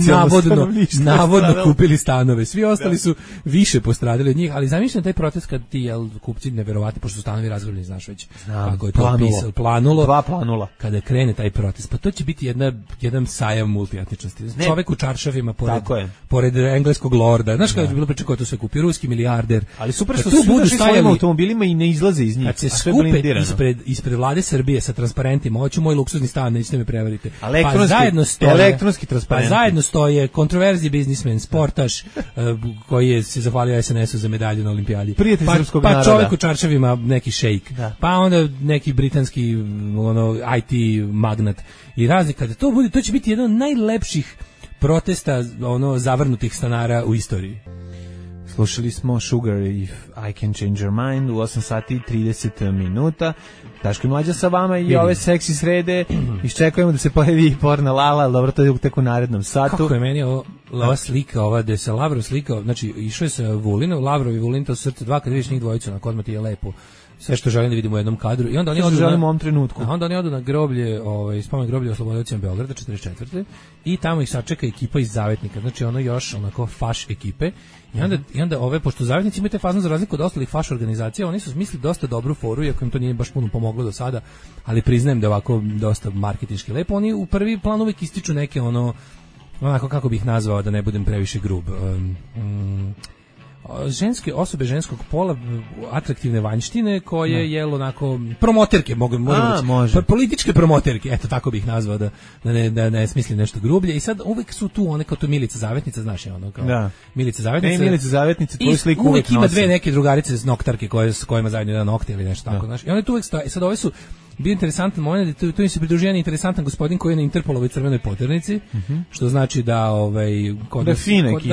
su navodno kupili stanove. Svi ostali su više postradali od njih, ali zamišljam taj protest kad ti kupci neverovatni, pošto su stanovi razgrabljeni, znaš već kako je to planulo. 2 planula. Kada krene taj protest, pa to će biti jedan sajam multietničnosti. Čovek u čaršavima pored engleskog lorda. Znaš kada je bilo priča ko to sve kupi, ruski milijarder. Ali super što su budu svojim automobilima i ne izlaze iz njih. Kad se skupe ispred vlade Srbije sa transparentima, hoću moj luksuzni stan, nećete me prevariti. Elektronski transparenti. Pa zajedno stoje kontroverzni biznismen, sportaš, koji se zahvalio SNS-u za medalju na olimpijadi. Prijatelj srpskog naroda. Pa čovjek u čaršavima, neki šejk. Pa onda neki britanski IT magnat. I razni, kada to bude, to će biti jedan od najlepših protesta zavrnutih stanara u istoriji. Slušali smo Sugar If I Can Change Your Mind u 8 sati i 30 minuta. Daško i Mlađa sa vama i ove seksi srede. Iščekujemo da se pojavi i porno Lala, ali dobro, to je tek u narednom satu. Kako je meni ova slika, ova gde se Lavrov slikao, znači išao je sa Vulinom, Lavrov i Vulin, to su srce dva, kad vidiš njih dvojicu, onako odmah ti je lepo. Sve što želim da vidimo u jednom kadru. I onda oni odu želimo u ovom trenutku. Onda oni odu na groblje, spomen groblje oslobodiocima Beograda 44. I tamo ih sačeka ekipa iz Zavetnika. Znači ono još onako faš ekipe. I onda ove, pošto Zavetnici imaju te fazno za razliku od ostalih faš organizacija, oni su smislili dosta dobru foru, iako im to nije baš puno pomoglo do sada, ali priznajem da je ovako dosta marketinški lepo. Oni u prvi plan uvijek ističu neke onako kako bih nazvao da ne budem previše grub. Ženske osobe ženskog pola, atraktivne vanjštine koje je onako promoterke, možemo reći, političke promoterke, eto tako bih nazvao da ne smislim nešto grublje. I sad uvek su tu one kao to Milica Zavetnica, znaš je ono kao Milica Zavetnica. Milica Zavetnica, tvoju sliku uvek ima dve neke drugarice s noktarke s kojima zajedno jedan nokte ili nešto tako, znaš. I one tu uvek stoje. Sad ove su bio interesantan moment, tu im se pridružio jedan interesantan gospodin koji je na Interpolovoj crvenoj poternici, što znači da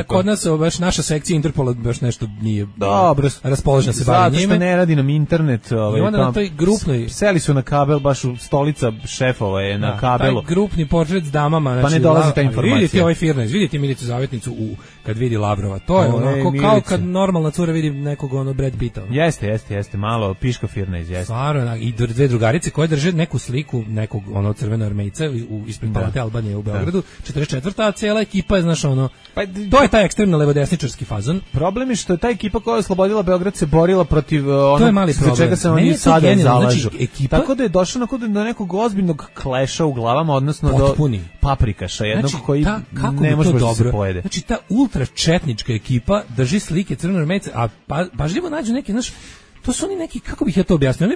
kod nas baš naša sekcija Interpola baš nešto nije dobro raspoložena se bavi njime. Zato što ne radi nam internet. I onda na toj grupnoj... Seli su na kabel, baš u stolica šefova je na kabelu. Taj grupni portret s damama. Znači, pa ne dolazi ta informacija. Vidite ovaj Firnez, vidite Milicu Zavetnicu kad vidi Lavrova. To je onako kao kad normalna cura vidi nekog Brad Pitta. Jeste, malo piška Firnez, jeste. Stvarno, i dve drugarice koje drže neku sliku nekog crvenoarmejca ispred Palate Albanije u Beogradu, 44. a cijela ekipa je, znaš, to je taj ekstremno levodesničarski fazon. Problem je što je ta ekipa koja je oslobodila Beograd se borila protiv za čega se oni sada zalažu. Znači, tako da je došlo do nekog ozbiljnog kleša u glavama, odnosno potpuni. Do paprikaša, jednog koji ne može da se pojede. Znači, ta ultračetnička ekipa drži slike crvenoarmejca, a pažljivo nađu neke, znaš, to su oni neki, kako bih ja to objasnio,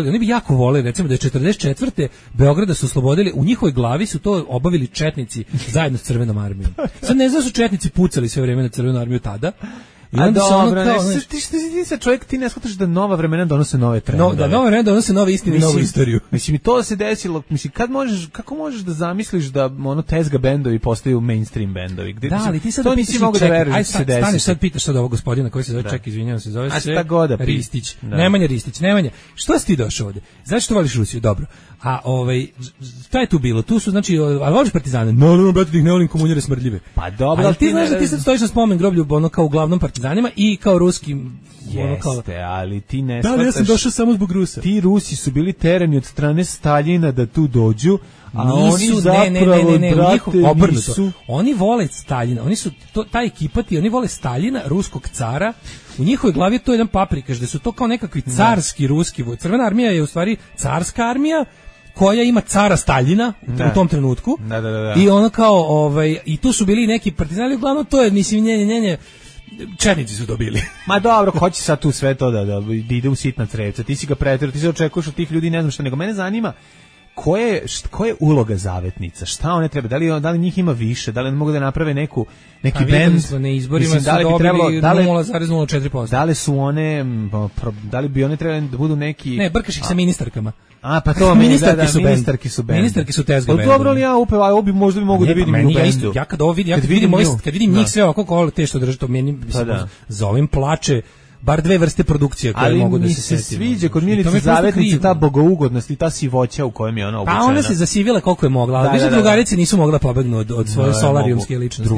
oni bi jako voleli, recimo da je 44. Beograda su oslobodili, u njihovoj glavi su to obavili četnici zajedno s Crvenom armijom. Sad ne znam da su četnici pucali sve vreme na Crvenu armiju tada. I onda ti se čovjek, ti ne shvataš da nova vremena donose nove trendove. Da, nova vremena donose nove istine i novu istoriju. Mislim, i to se desilo, mislim, kako možeš da zamisliš da tezga bendovi postaju mainstream bendovi? Da, ali ti sad to nisi mogu da veruješ da se desi. Stani, sad pitaš sad ovog gospodina koji se zove, ček, izvinjavam se, zove se Ristić. Nemanja, što si ti došao ovde? Znači što voliš Rusiju? Dobro. A šta je tu bilo? Tu su, znači, ali voliš partizane? No, brate, tih ne volim komunjare smrdljive. Pa dobro, ali ti znaš da ti sad stojiš na spomen groblju, kao uglavnom partizanima i kao ruskim. Jeste, ali ti ne shvataš. Da, ja sam došao samo zbog Rusa. Ti Rusi su bili terani od strane Staljina da tu dođu, a nisu, oni zapravo, brate, nisu. Oni vole Staljina, ta ekipa oni vole Staljina, ruskog cara. U njihovoj glavi je to jedan paprikaš, da su to kao nekakvi carski ruski vojci. Crvena armija je u stvari carska armija koja ima cara Staljina u tom trenutku. Da. I ono kao, i tu su bili neki partizani, uglavnom to je, mislim, njenje, četnici su dobili. Ma dobro, ko će sad tu sve to da ide u sitna crevca? Ti si ga preterao, ti se očekuješ od tih ljudi, ne znam šta, nego mene zanima koja je uloga Zavetnica? Šta one treba? Da li njih ima više? Da li mogu da naprave neki bend? Na izborima su dobili 0,04%. Da li bi one trebali da budu neki... Ne, brkaš ih sa ministarkama. A, pa to ministarki su bend. Ministarki su tezga bend. Dobro li ja možda bi mogu da vidim u bendu? Ja kad vidim njih sve ovako te što drže, to meni za ovim plače bar dve vrste produkcije koje mogu da se setim. Ali mi se sviđa kod Milice Zavetnice ta bogougodnost i ta sivoća u kojem je ona obučena. Pa ona se zasivila koliko je mogla, ali više drugarice nisu mogla pobegnu od svoje solarijumske ličnosti.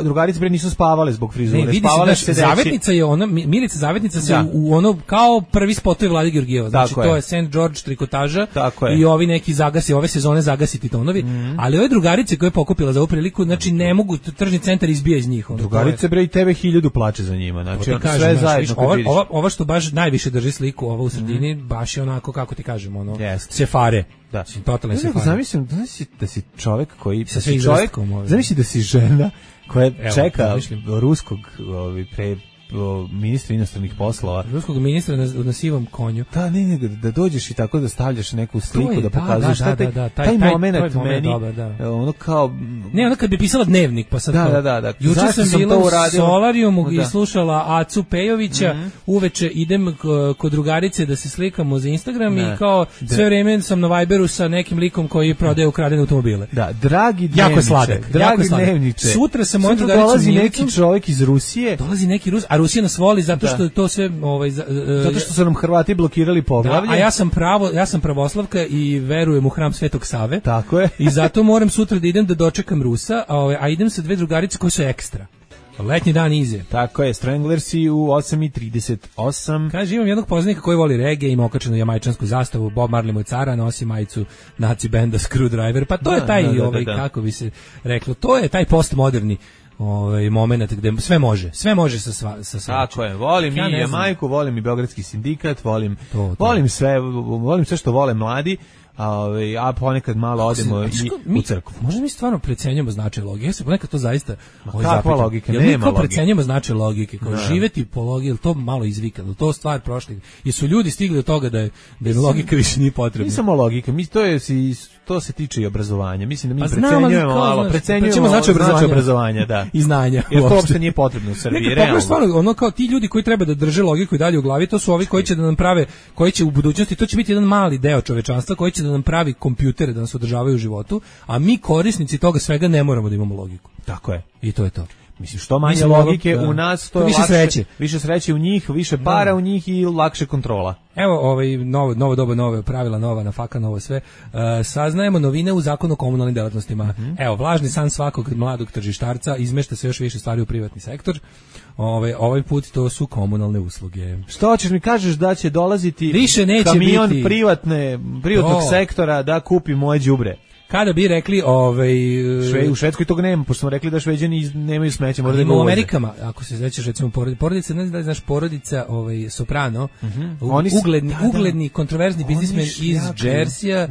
Drugarice bre nisu spavale zbog frizure. Ne, spavale se Zavetnica je ona, Milica Zavetnica se u ono kao prvi spotovi Vlade Georgijeva. Znači to je St. George trikotaža i ovi neki zagasi, ove sezone zagasiti tonovi, ali ove drugarice koje je pokupila za ovu priliku, znači ne mogu, tržni centar izbija iz njih. Drugarice bre i tebe 1000 plače za njima, znači sve zajedno. Ova što baš najviše drži sliku, ova u sredini, baš je onako, kako ti kažem, sefare. Da. Totalne sefare. Zamislim da si čovjek koji... Zamisli da si žena koja čeka ruskog ministra inostranih poslova. Ruskog ministra na sivom konju. Da, ne, da dođeš i tako da stavljaš neku sliku, da pokazuješ taj moment meni, ono kao... Ne, ono kad bi pisala dnevnik, pa sad da. Juče sam bila u Solarijumu i slušala Acu Pejovića, uveče idem kod drugarice da se slikamo za Instagram i kao sve vreme sam na Viberu sa nekim likom koji prodaje ukradene automobile. Da, dragi dnevniče. Sutra se moj drugarica dolazi neki čovjek iz Rusije. Dolazi neki Rus, a Rusija nas voli zato što to sve zato što su nam Hrvati blokirali poglavlje. A ja sam pravoslavka i verujem u hram Svetog Save. Tako je. I zato moram sutra da idem da dočekam Rusa, a idem sa 2 drugarice koje su ekstra. Letnji dan ize. Tako je, Stranglersi u 8:38. Kaže, imam jednog poznanika koji voli reggae, ima okačenu jamajčansku zastavu, Bob Marley moj cara, nosi majicu naci benda Screwdriver, pa to je taj, kako bi se reklo, to je taj postmoderni moment gde sve može sa Tako je, volim i Jamajku, volim i Beogradski sindikat, volim sve što vole mladi. A ponekad malo odemo i u crkvu. Možda mi stvarno precenjujemo značaj logike. Ja se ponekad to zaista kakva logika? Nema logike. Mi precenjujemo značaj logike. Kao živeti po logiki, ili to malo izvikano, to stvar prošli. Jesu ljudi stigli do toga da je logika više nije potrebna. Nije samo logika, to se tiče i obrazovanja. Mislim da mi precenjujemo malo, precenjujemo značaj obrazovanja, da. I znanja. Jer to uopšte nije potrebno u Srbiji. Realno. Stvarno, kao ti ljudi koji treba da drže logiku i dalje u glavi, to su ovi koji će da nam prave, koji će u budućnosti, to će biti jedan mali deo čovečanstva koji će da nam pravi kompjutere da nas održavaju u životu, a mi korisnici toga svega ne moramo da imamo logiku. Tako je. I to je to. Mislim, što manje logike u nas, to je više sreće u njih, više para u njih i lakše kontrola. Evo, novo doba, nove pravila, nova nafaka, novo sve. Saznajemo novine u zakonu o komunalnim delatnostima. Evo, vlažni san svakog mladog tržištarca, izmešta se još više stvari u privatni sektor. Ovaj put to su komunalne usluge. Što hoćeš mi kažeš da će dolaziti više neće kamion biti privatnog sektora da kupi moje đubre? Kada bi rekli u Švedskoj tog nema, pošto smo rekli da Šveđani nemaju smeće, možda ima u Amerikama, ako se sećaš recimo porodica, ne znam da li znaš, porodica Soprano, ugledni kontroverzni biznismen iz Jersija,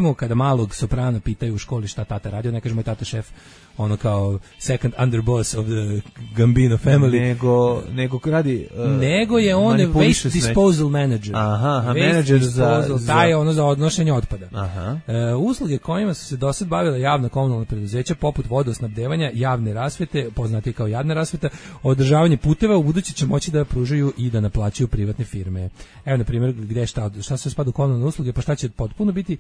on kada malog Soprana pitaju u školi šta tata radio, ne kaže moj tata šef, ono kao second underboss of the Gambino family. Nego radi nego je on waste disposal manager. Manager taj ono za odnošenje otpada. Usluge kojima su se dosad bavila javna komunalna preduzeća poput vodosnabdevanja, javne rasvete, poznati kao javna rasveta, održavanje puteva, u buduće će moći da pružaju i da naplaćuju privatne firme. Evo na primjer gde šta se spada u komunalne usluge, pa šta će potpuno biti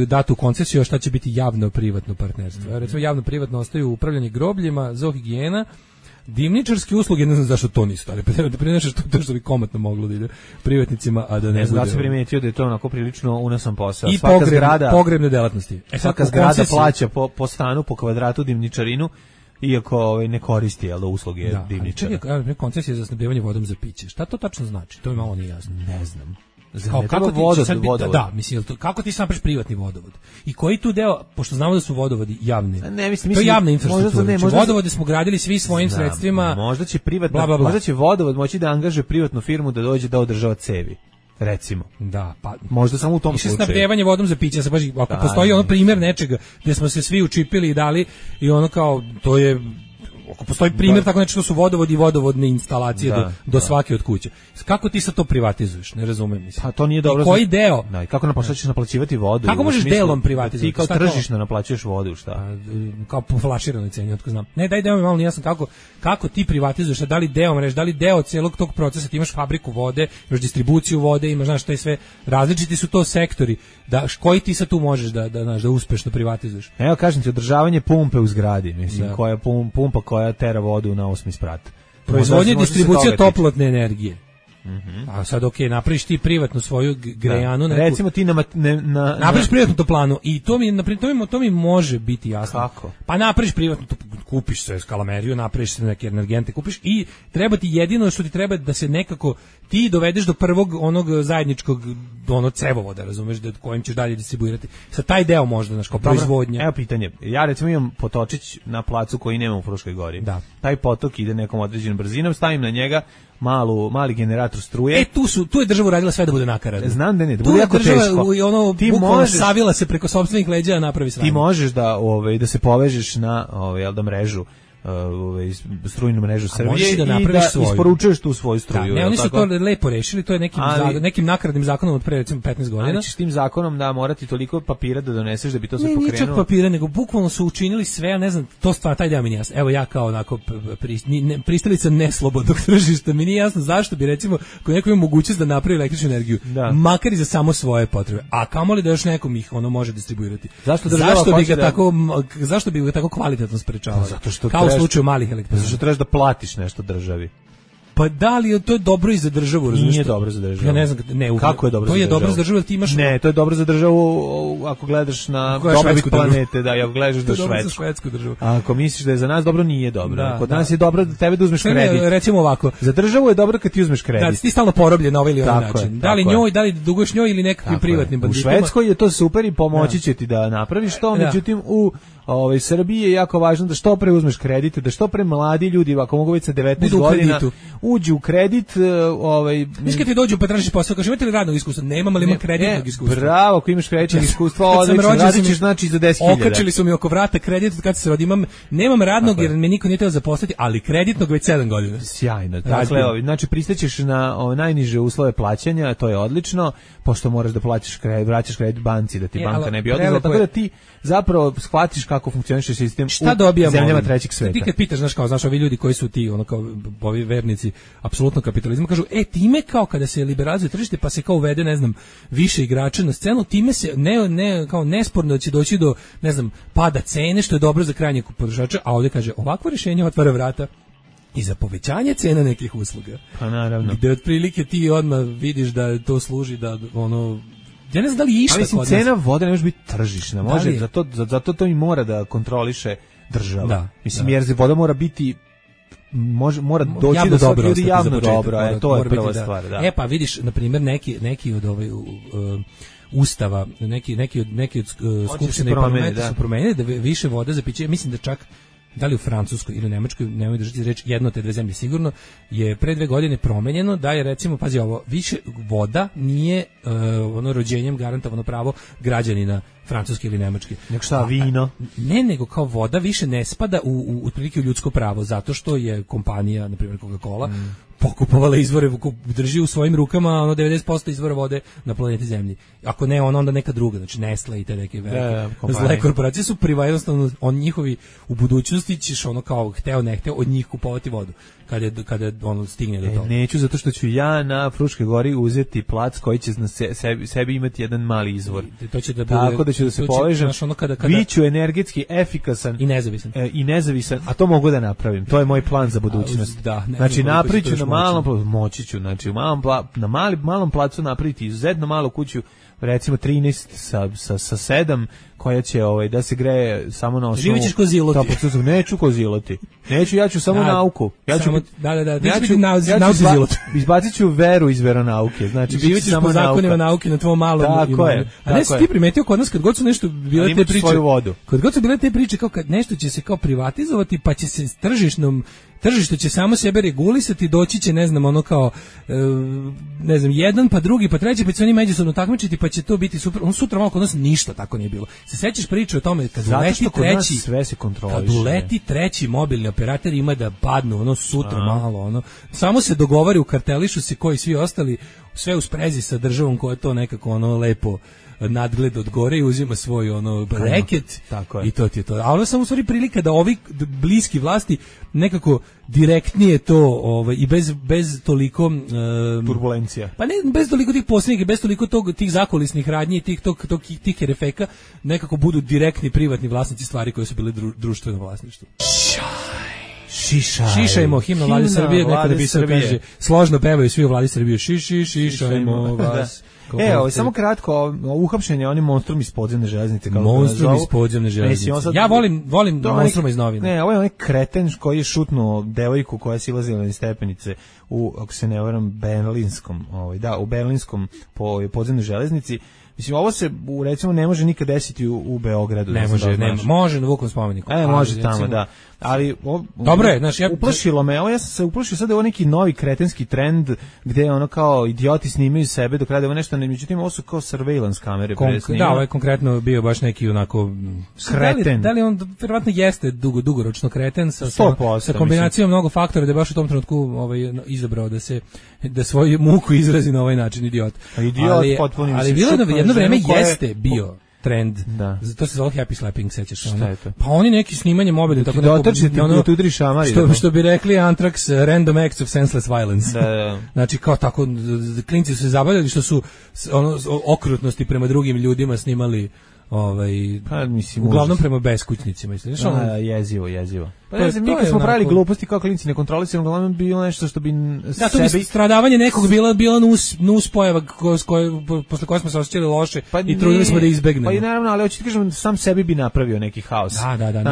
dato u koncesiju, a šta će biti javno privatno partnerstvo. Recimo javno privatno ostaju upravljanje grobljima, zoohigijena, dimničarske usluge, ne znam zašto to nisu, ali prinaša što bi komotno moglo da ide privatnicima, a da ne bude. Da se primetio da je to onako prilično unosan posao. I pogrebne delatnosti. Svaka zgrada plaća po stanu, po kvadratu dimničarinu, iako ne koristi usluge dimničara. Čekaj, koncesija za snabdevanje vodom za piće. Šta to tačno znači? To mi malo nije jasno. Ne znam. Kako ti sam napraviš privatni vodovod? I koji tu deo, pošto znamo da su vodovodi javni, to je javna infrastruktura. Vodovode smo gradili svi svojim sredstvima. Možda će vodovod moći da angažuje privatnu firmu da dođe da održava cevi. Recimo. Da, pa možda samo u tom slučaju. Snabdevanje vodom za piće, ako postoji ono primjer nečega gdje smo se svi učipili i dali i ono kao, to je, ako postoji primjer tako nešto, su vodovodi i vodovodne instalacije do svake od kuće. Kako ti sad to privatizuješ? Ne razumem, mislim. Pa to nije dobro. I koji deo? Kako ćeš naplaćivati vodu? Kako možeš delom privatizovati? Ti kao tržišno naplaćuješ vodu, šta? Kao po flaširanoj ceni, otko znam. Ne, daj deo mi malo nijasan kako ti privatizuješ, da li deo mreže, da li deo celog tog procesa, ti imaš fabriku vode, imaš distribuciju vode, imaš, znaš, to sve, različiti su to sektori, koji ti sad tu možeš da uspešno privatizuješ? Evo, kažem ti, održavanje pumpe u zgradi, mislim, koja pumpa koja tera vodu na 8. sprat. Proizvodnja, distribucija toplotne energije. A sad napraviš ti privatnu svoju grejanu, recimo ti napraviš privatnu toplanu i to mi može biti jasno. Kako? Pa napraviš privatnu, kupiš se skalameriju, napraviš se neke energente, kupiš i treba ti jedino što ti treba da se nekako ti dovedeš do prvog onog zajedničkog cevovoda, razumeš, kojim ćeš dalje distribuirati. Sa taj deo možda kao proizvodnja. Evo pitanje. Ja recimo imam potočić na placu koji nema u Fruškoj gori. Da. Taj potok ide nekom određenom brzinom, stavim na njega mali generator struje. Tu je država uradila sve da bude nakaradno. Znam da ne, da bude jako teško. Ti možeš savila se preko sopstvenih leđa napravi sranje. Ti možeš da se povežeš na mrežu, strujnu mrežu Srbije i da isporučuješ tu svoju struju. Ne, oni su to lepo rešili, to je nekim nakaradnim zakonom od pre recimo 15 godina. Ali ćeš tim zakonom da morati toliko papira da doneseš da bi to sve pokrenulo. Ne, čak papira, nego bukvalno su učinili sve, ja ne znam, to stvar, taj deo mi nije jasno. Evo ja kao onako pristalica neslobodnog tržišta, mi nije jasno zašto bi recimo ko neko ima mogućnost da napravi električnu energiju, makar i za samo svoje potrebe, a kamoli da još nekom ih može distribuirati. Zašto bi ga tako kvalitetno sprečavao? Zato što slučaju malih elektrana. Zato što trebaš da platiš nešto državi. Pa da li to je dobro i za državu, razumiješ? Nije dobro za državu. Ja ne znam, kako je dobro to za državu? To je dobro za državu, ti imaš. Ne, to je dobro za državu ako gledaš na dobrobit planete, da, ako gledaš da švedsku državu. A ako misliš da je za nas dobro, nije dobro. Kod nas je dobro da tebe da uzmeš kredit. Recimo ovako, za državu je dobro kad ti uzmeš kredit. Da, ti stalno porobljen na ovaj ili onaj način. Da li njoj, da li duguješ njoj ili nekakvim privatnim banditima. U Švedskoj je to super i pomoći će ti da napraviš to, međutim u Srbiji je jako važno da što pre uzmeš kredit, da što pre mladi ljudi, ako mogu već sa 19 godina, uđu u kredit. Mislim kad ti dođu pa tražiš posao, kažeš imate li radnog iskustva? Nemam, ali imam kreditnog iskustva. Bravo, ako imaš kreditnog iskustva, odlično, radit ćeš znači za 10.000. Okačili su mi oko vrata kredit kad se rodim, nemam radnog jer me niko nije hteo zaposliti, ali kreditnog već 7 godina. Sjajno. Dakle, znači pristaćeš na najniže uslove plaćanja, to je odlično, pošto moraš da plaćaš kredit, vraćaš kredit banci da ti banka ne bi oduzela, tako da ti zapravo shvatiš kako funkcioniše sistem u zemljama trećeg sveta. Ti kad pitaš, znaš, ovi ljudi koji su ti, kao ovi vernici apsolutno kapitalizma, kažu, time kao kada se liberalizuje tržište, pa se kao uvede, ne znam, više igrača na scenu, time se kao nesporno da će doći do, ne znam, pada cene, što je dobro za krajnjeg potrošača, a ovdje kaže, ovakvo rješenje otvara vrata i za povećanje cena nekih usluga. Pa naravno. Gde otprilike ti odmah vidiš da to služi da ja ne znam da li je išta kod nas. Cena vode ne može biti tržišna, može, zato to i mora da kontroliše država. Da, mislim, jer voda mora biti mora doći javno do svakog ljudi javno dobro, to je prva stvar. Da. Pa vidiš, na primjer, neki od ustava, neki od skupštine i parlamenta su promenili da više voda za piće, mislim da čak da li u Francuskoj ili u Nemačkoj, nemoj držati reč, jedno te dve zemlje sigurno, je pre 2 godine promenjeno da je, recimo, pazi ovo, više voda nije rođenjem garantovano pravo građanina Francuske ili Nemačke. Nego šta, vino? Ne, nego kao voda više ne spada otprilike u ljudsko pravo, zato što je kompanija, na primjer Coca-Cola, pokupovala izvore, drži u svojim rukama 90% izvora vode na planeti Zemlji. Ako ne, onda neka druga, znači Nestle i te neke velike zle korporacije su jednostavno, njihovi u budućnosti ćeš kao hteo ne hteo od njih kupovati vodu kada stigne do toga. Neću, zato što ću ja na Fruškoj gori uzeti plac koji će na sebi imati jedan mali izvor. To će da bude, tako da ću da se povežem, biću energetski efikasan i nezavisan, a to mogu da napravim. To je moj plan za budućnost. Znači napravit ću na malom placu, moći ću, znači na malom placu napraviti izuzetno malu kuću, recimo 13 sa 7, koja će da se greje samo na osnovu. Živićeš ko ziloti. Neću ko ziloti. Neću, ja ću samo nauku. Izbacit ću veru iz veronauke. Znači, živićeš po zakonima nauke na tvom malom. Tako je. A ne si ti primetio kod nas kad god su nešto bile te priče. Kad god su bile te priče kao kad nešto će se kao privatizovati, pa će se tržište će samo sebe regulisati, doći će, ne znam, ne znam, jedan, pa drugi, pa treći, pa će oni međusobno takmičiti, pa će to biti super. Sutra malo kod nas ništa tako nije bilo. Se sećaš priče o tome kad uleti treći mobilni operator ima da padnu, sutra malo, samo se dogovori, ukartelišu se koji svi ostali, sve u sprezi sa državom koja to nekako lepo nadgled od gore i uzima svoj reket i to ti je to. A ono samo u stvari prilika da ovi bliski vlasti nekako direktnije to i bez toliko turbulencija. Pa ne bez toliko tih posrednika, bez toliko tih zakulisnih radnji i tih herefeka nekako budu direktni privatni vlasnici stvari koje su bile društveno vlasništvo. Šišajmo himno Vlade Srbije, neko napisao, kaže, složno pevaju svi u Vladi Srbije, šišajmo vas. Samo kratko, uhapšenje oni monstrum iz podzemne železnice. Monstrum iz podzemne železnice. Ja volim monstruma iz novina. Ne, ovo je onaj kreten koji je šutnuo devojku koja je silazila iz stepenice u, ako se ne varam, Berlinskom, u Berlinskom podzemnoj železnici. Mislim, ovo se, recimo, ne može nikad desiti u Beogradu. Ne može na Vukovom spomeniku. Može tamo, da. Ali, dobro je, znaš, uplašilo me, ja sam se uplašio sad da je ovo neki novi kretenski trend, gde kao idioti snimaju sebe dok rade ovo nešto, međutim, ovo su kao surveillance kamere. Da, ovo je konkretno bio baš neki onako kreten. Da li on, vjerovatno jeste dugoročno kreten sa kombinacijom mnogo faktora, da je baš u tom trenutku izabrao da svoju muku izrazi na ovaj način, idiot. Ali bilo jedno vreme jeste bio trend. Da. To se zove happy slapping, sećaš se? Šta je to? Pa oni neki snimanje mobilni, tako da udri šamari. Što bi rekli Anthrax, random acts of senseless violence. Da. Znači kao tako klinci su se zabavljali što su okrutnosti prema drugim ljudima snimali uglavnom prema beskućnicima, misliš? Jezivo. Pa ne znam, mi kad smo pravili gluposti kao klinci nekontrolisano, uglavnom bilo nešto što bi da, to bi stradavanje nekog bila nus pojava posle koje smo se osjećali loše i trudili smo da izbegnemo. Pa i naravno, ali hoću ti kažem, sam sebi bi napravio neki haos. Da,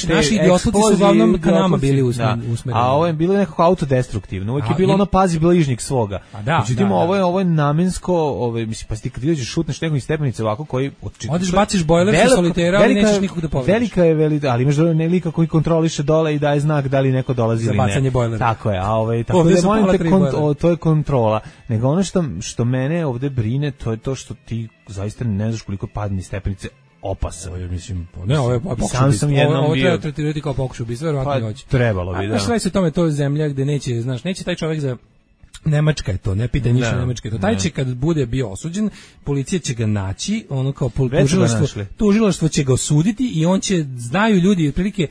naši idiotluci su uglavnom ka nama bili usmereni. A ovo je bilo nekako autodestruktivno, uvijek je bilo ono pazi bližnjeg svoga. Međutim, ovo je namensko, mislim, pa ti kad ideš šutneš nekog iz stepenice ovako koji... Odeš, baciš bojler sa solitera, ali nećeš nikog da povediš. Velika je, ali imaš nelika koji kontroliše dole i daje znak da li neko dolazi ili ne. Za bacanje bojlera. Tako je, tako da molim te, to je kontrola. Nego ono što mene ovde brine, to je to što ti zaista ne znaš koliko padne stepenice opasan. Mislim, ne, ovo je pokušaj ubistva. Ovo treba tretirati kao pokušaj ubistva, verovatno hoće. Trebalo bi, da. Znaš, sve se tome, to je zemlja gde neće taj čovjek za... Nemačka je to, ne pita ništa Nemačka je to. Taj će kad bude bio osuđen, policija će ga naći, ono kao tužilaštvo će ga osuditi i on će, znaju ljudi, otprilike,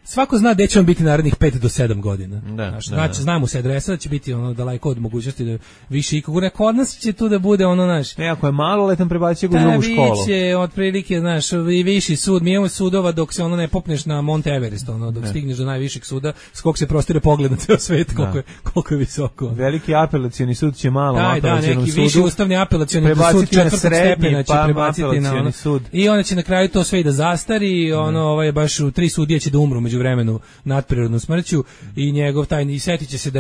svako zna gde će on biti narednih 5 do 7 godina. Znamo se adresa da će biti ono daleko od mogućnosti da više ikog. Kod nas će tu da bude ono naš. Ako je maloletan prebacio ga u drugu školu. Biće otprilike, znaš, i viši sud. Mi imamo sudova dok se ono ne popneš na Monte Everest, ono dok stigneš do najvišeg suda, skok se prostire pogled na ceo svet koliko je visoko. Veliki apelacioni sud će malo apelacionom sudu. Neki viši ustavni apelacioni sud 4. stepena će prebaciti na ono. I onda će na kraju to sve i da zastari, ono baš 3 sudije će da umru vremenu nadprirodnom smrću i njegov tajni setit će se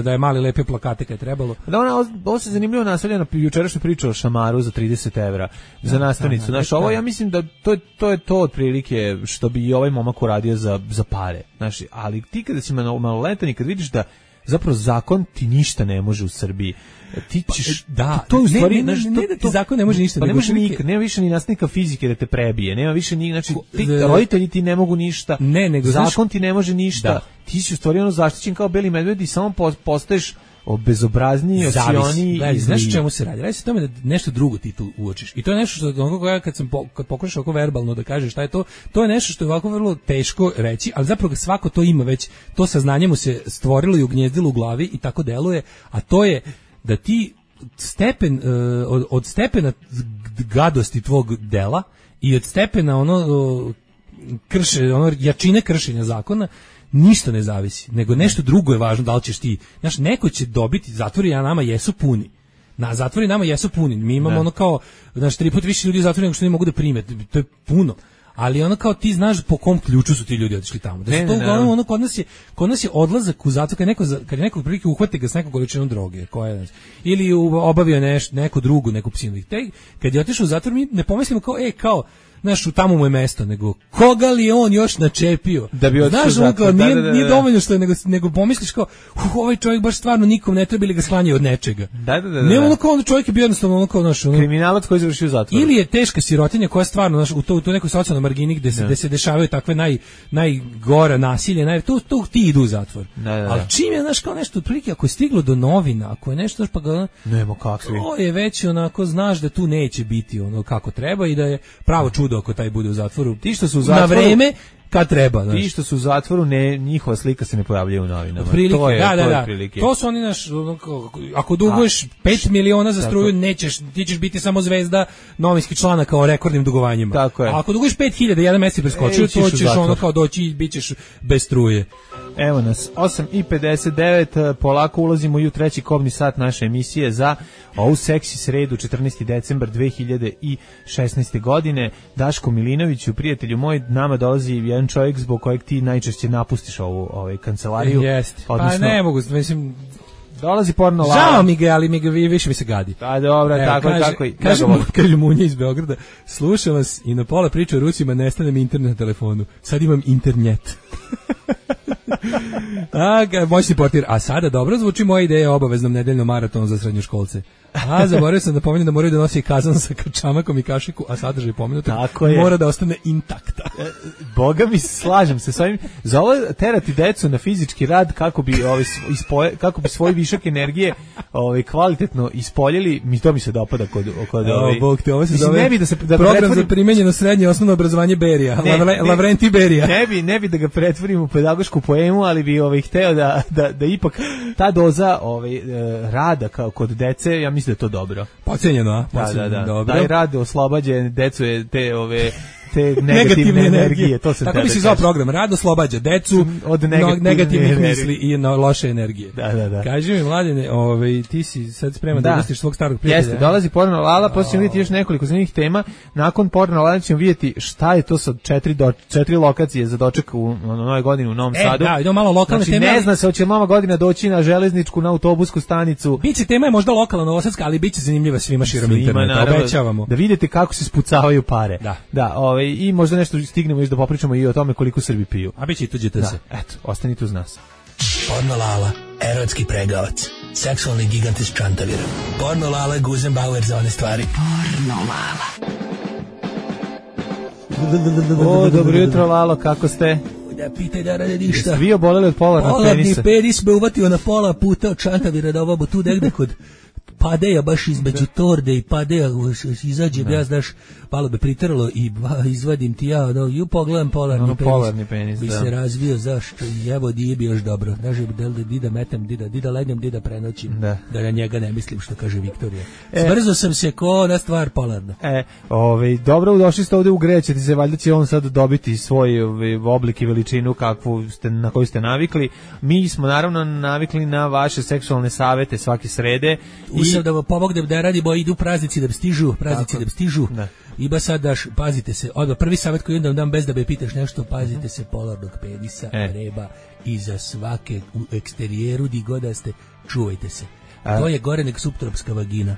da je mali lepe plakate kad je trebalo. Ovo se zanimljivo nastavlja na jučerašnju priču o šamaru za 30 evra za nastavnicu. Znaš, ovo ja mislim da to je to otprilike što bi i ovaj momak uradio za pare. Znaš, ali ti kada si maloletan i kad vidiš da zapravo zakon ti ništa ne može u Srbiji, ti ćeš to u stvari ne da ti zakon ne može ništa, pa nema više ni nastavnika fizike da te prebije, nema više ni, znači roditelji ti ne mogu ništa, zakon ti ne može ništa, ti si u stvari ono zaštićen kao beli medved i samo postaješ bezobrazniji, osioniji. Znaš o čemu se radi? Radi se o tome da nešto drugo ti tu uočiš. I to je nešto što kad pokušaš ovako verbalno da kažeš šta je to je nešto što je ovako vrlo teško reći, ali zapravo svako to ima već, to saznanje mu se stvorilo i ugnjezdilo u glavi i tako deluje, a to je da ti stepen, od stepena gadosti tvog dela i od stepena jačine kršenja zakona ništa ne zavisi, nego nešto drugo je važno, da li ćeš ti, znaš, neko će dobiti, zatvori nama jesu puni. Zatvori nama jesu puni. Mi imamo ono kao, znaš, 3 puta više ljudi u zatvoru nego što ne mogu da prime, to je puno. Ali ono kao ti znaš po kom ključu su ti ljudi otišli tamo. Da su to uglavnom ono kod nas je odlazak u zatvor kad je neko prilike uhvati ga s nekom količinom droge, koja ili obavio neku drugu, neku psinu. Kad je otišao u zatvor mi ne pomislimo kao znaš, tamo mu je mesto, nego koga li on još načepio? Da bi znaš, nije dovoljno što je, nego pomisliš kao, ovaj čovjek baš stvarno nikom ne treba ili ga sklanjaju od nečega. Ne ono kao čovjek je bio jednostavno ono kao naš kriminalac koji završio u zatvoru. Ili je teška sirotinja koja stvarno naš u to nekoj socijalnoj margini gde se dešavaju takve najgora nasilje, tu ti idu u zatvor. Ali čim je znaš kao nešto otprilike ako je stiglo do novina, ako je nešto pa ga nema kakvi. To je već onako znaš da tu neće biti ono kako treba i da je pravo čudo ako taj bude u zatvoru. Ti što su u zatvoru na vreme kad treba, znaš. Ti što su u zatvoru, njihova slika se ne pojavljuje u novinama. Prilike, to je prilike. To su oni naš, ako duguješ 5 miliona za struju, ti ćeš biti samo zvezda novinskih članaka o rekordnim dugovanjima. Tako je. A ako duguješ 5.000, jedan mesec preskočio, to ćeš ono kao doći i bit ćeš bez struje. Evo nas, 8:59, polako ulazimo i u treći kobni sat naše emisije za ovu seksi sredu, 14. decembar 2016. godine. Daško Milinoviću, prijatelju moj, nama dolazi jedan čovjek zbog kojeg ti najčešće napustiš ovu kancelariju. Jeste, pa ne mogu, mislim... Dolazi porno lava. Žao mi ga, ali više mi se gadi. Pa dobro, tako. Kaže Munja iz Beograda, slušam vas i na pola priče o Rusima nestane mi internet na telefonu. Sad imam internet. Moćni portir. A sada dobro zvuči moja ideja o obaveznom nedeljnom maratonu za srednjoškolce. Zaboravio sam da pomenem da moraju da nosi kazan sa čamakom i kašiku, a sadržaj pomenuta mora da ostane intakta. Boga mi, slažem se s ovim. Za ovo terati decu na fizički rad kako bi svoj višak energije kvalitetno ispoljili, to mi se dopada kod Bog te, ovo se zove program za primenjeno srednje osnovno obrazovanje Berija, Lavrenti Berija. Ne bi da ga pretvorim u pedagošku poemu, ali bi hteo da ipak ta doza rada kao kod dece, ja mislim da je to dobro. Pocenjeno, da. Taj rad oslobađa decu te negativne energije. To se tako bi se zvao program. Rad oslobađa decu od negativnih misli i loše energije. Da. Kaži mi, Mladene, ti si sad spreman da ugostiš svog starog prijatelja. Jeste, dolazi Porno Lala, posle ćemo vidjeti još nekoliko zanimljivih tema. Nakon Porno Lala ćemo vidjeti šta je to sa 4 lokacije za doček u Nove godine u Novom Sadu. Da, idemo malo lokalne teme. Ne zna se hoće Nova godina doći na železničku, na autobusku stanicu. Biće tema je možda lokalna novosadska, ali biće zanimljiva svima širom interneta. Obećavamo. Da vidite kako se spucavaju pare. Da, i možda nešto stignemo još da popričamo i o tome koliko Srbi piju. A biće i tu ćete se. Eto, ostanite uz nas. Porno Lala, erotski pregavac, seksualni gigant iz Čantavira. Porno Lala, Guzenbauer za one stvari. Porno Lala. O, dobro jutro, Lalo, kako ste? Da pitaj da rade ništa. Jeste vi oboleli od polarnog penisa? Polarni penis me uvatio na pola puta od Čantavira da ovo tu negde kod Padeja, baš između Torde i Padeja izađem, ja znaš, malo me priteralo i izvadim ti ja, pogledam polarni penis bi se razvio, zašto, evo nije bi još dobro, znaš, dida metem, dida legnem, dida prenoćim, da na njega ne mislim, što kaže Viktorija. Zbrzo sam se ko na stvar polarna. Dobro, došli ste ovde u Gre, ćete se, valjda će on sad dobiti svoj oblik i veličinu na koju ste navikli. Mi smo naravno navikli na vaše seksualne savete svake srede. Usam da vam pomognem da radimo, idu praznici da stižu, i ba sad daš, pazite se, odmah prvi savjet koji onda vam dam bez da me pitaš nešto, pazite se polarnog penisa, reba, iza svake u eksterijeru di god da ste, čuvajte se. To je gore nek suptropska vagina.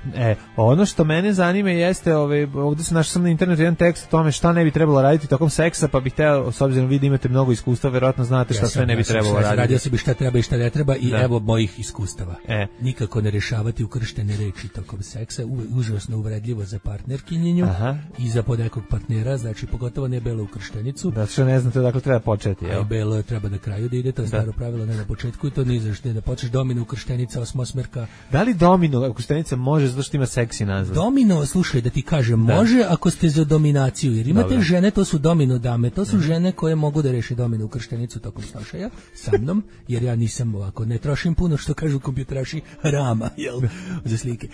Ono što mene zanima jeste, ovdje sam našao na internetu jedan tekst o tome šta ne bi trebalo raditi tokom seksa, pa bih teo, s obzirom vi da imate mnogo iskustva, verovatno znate šta sve ne bi trebalo raditi. Radio sam bi šta treba i šta ne treba i evo mojih iskustava. Nikako ne rešavati ukrštene reči tokom seksa, užasno uvredljivo za partnerkinjenju i za podekog partnera, znači pogotovo ne belo ukrštenicu. Da što ne znate odakle treba početi. Belo treba na kraju da ide, to je staro pravilo, ne na početku i to ni zašto da počneš domino ukrštenica, osmosmerka. Da li domino ukrštenica može zato što ima seksi naziv? Domino, slušaj da ti kažem, može ako ste za dominaciju, jer imate žene, to su domino dame, to su žene koje mogu da reše domino ukrštenicu tokom snošaja sa mnom, jer ja nisam ovako, ne trošim puno što kažu kompjuteraši rama, jel, za slike.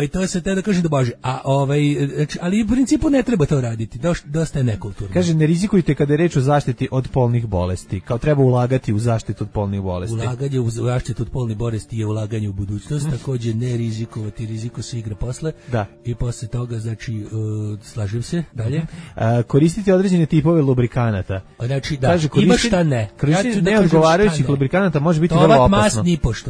I to se te da kažem da može, ali u principu ne treba to raditi, dosta je nekulturno. Kaže, ne rizikujte kada je reč o zaštiti od polnih bolesti, kao treba ulagati u zaštitu od polnih bolesti. Ulaganje u zaštitu od polnih bolesti je ulaganje u budućnost, također ne rizikovati, riziko se igra posle. I posle toga, znači, slažem se, dalje. Koristiti određene tipove lubrikanata. Znači, da, ima šta ne. Koristiti neodgovarajućih lubrikanata može biti vrlo opasno.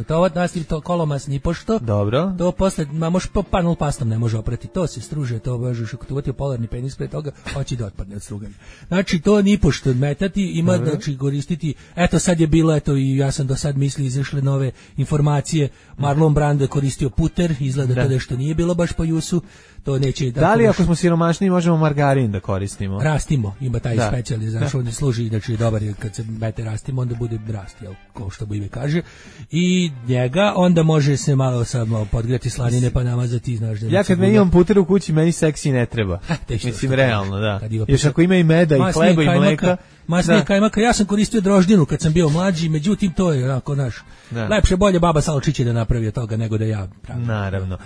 Tovat mas nipošto, kolomas nipošto. Dobro. To posle, možeš po panel pastom ne može oprati, to se struže, to možeš ako uvatio polarni penis pre toga, hoće da otpadne od struganja. Znači, to nipošto metati, ima, znači, koristiti, eto sad je bilo, i ja sam do sad mislio, izašle nove informacije, Marlon Brando je koristio puter, izgleda to nešto nije bilo baš po jusu, to neće... Da li ako smo siromašni možemo margarin da koristimo? Rastimo, ima taj specijalni, znaš, on služi, znači dobar je kad se mete rastimo, onda bude rast, jel, kao što ime kaže, i njega onda može se malo samo podgrijati slanine pa namazati, znaš... Ja kad me imam puter u kući, meni seksi ne treba. Mislim, realno, da. Još ako ima i meda i hleba i mleka... Masnije kajmaka, ja sam koristio droždinu kad sam bio mlađi, međutim to je onako naš, lepše bolje baba Salčić je da napravi od toga nego da ja pravim. Naravno.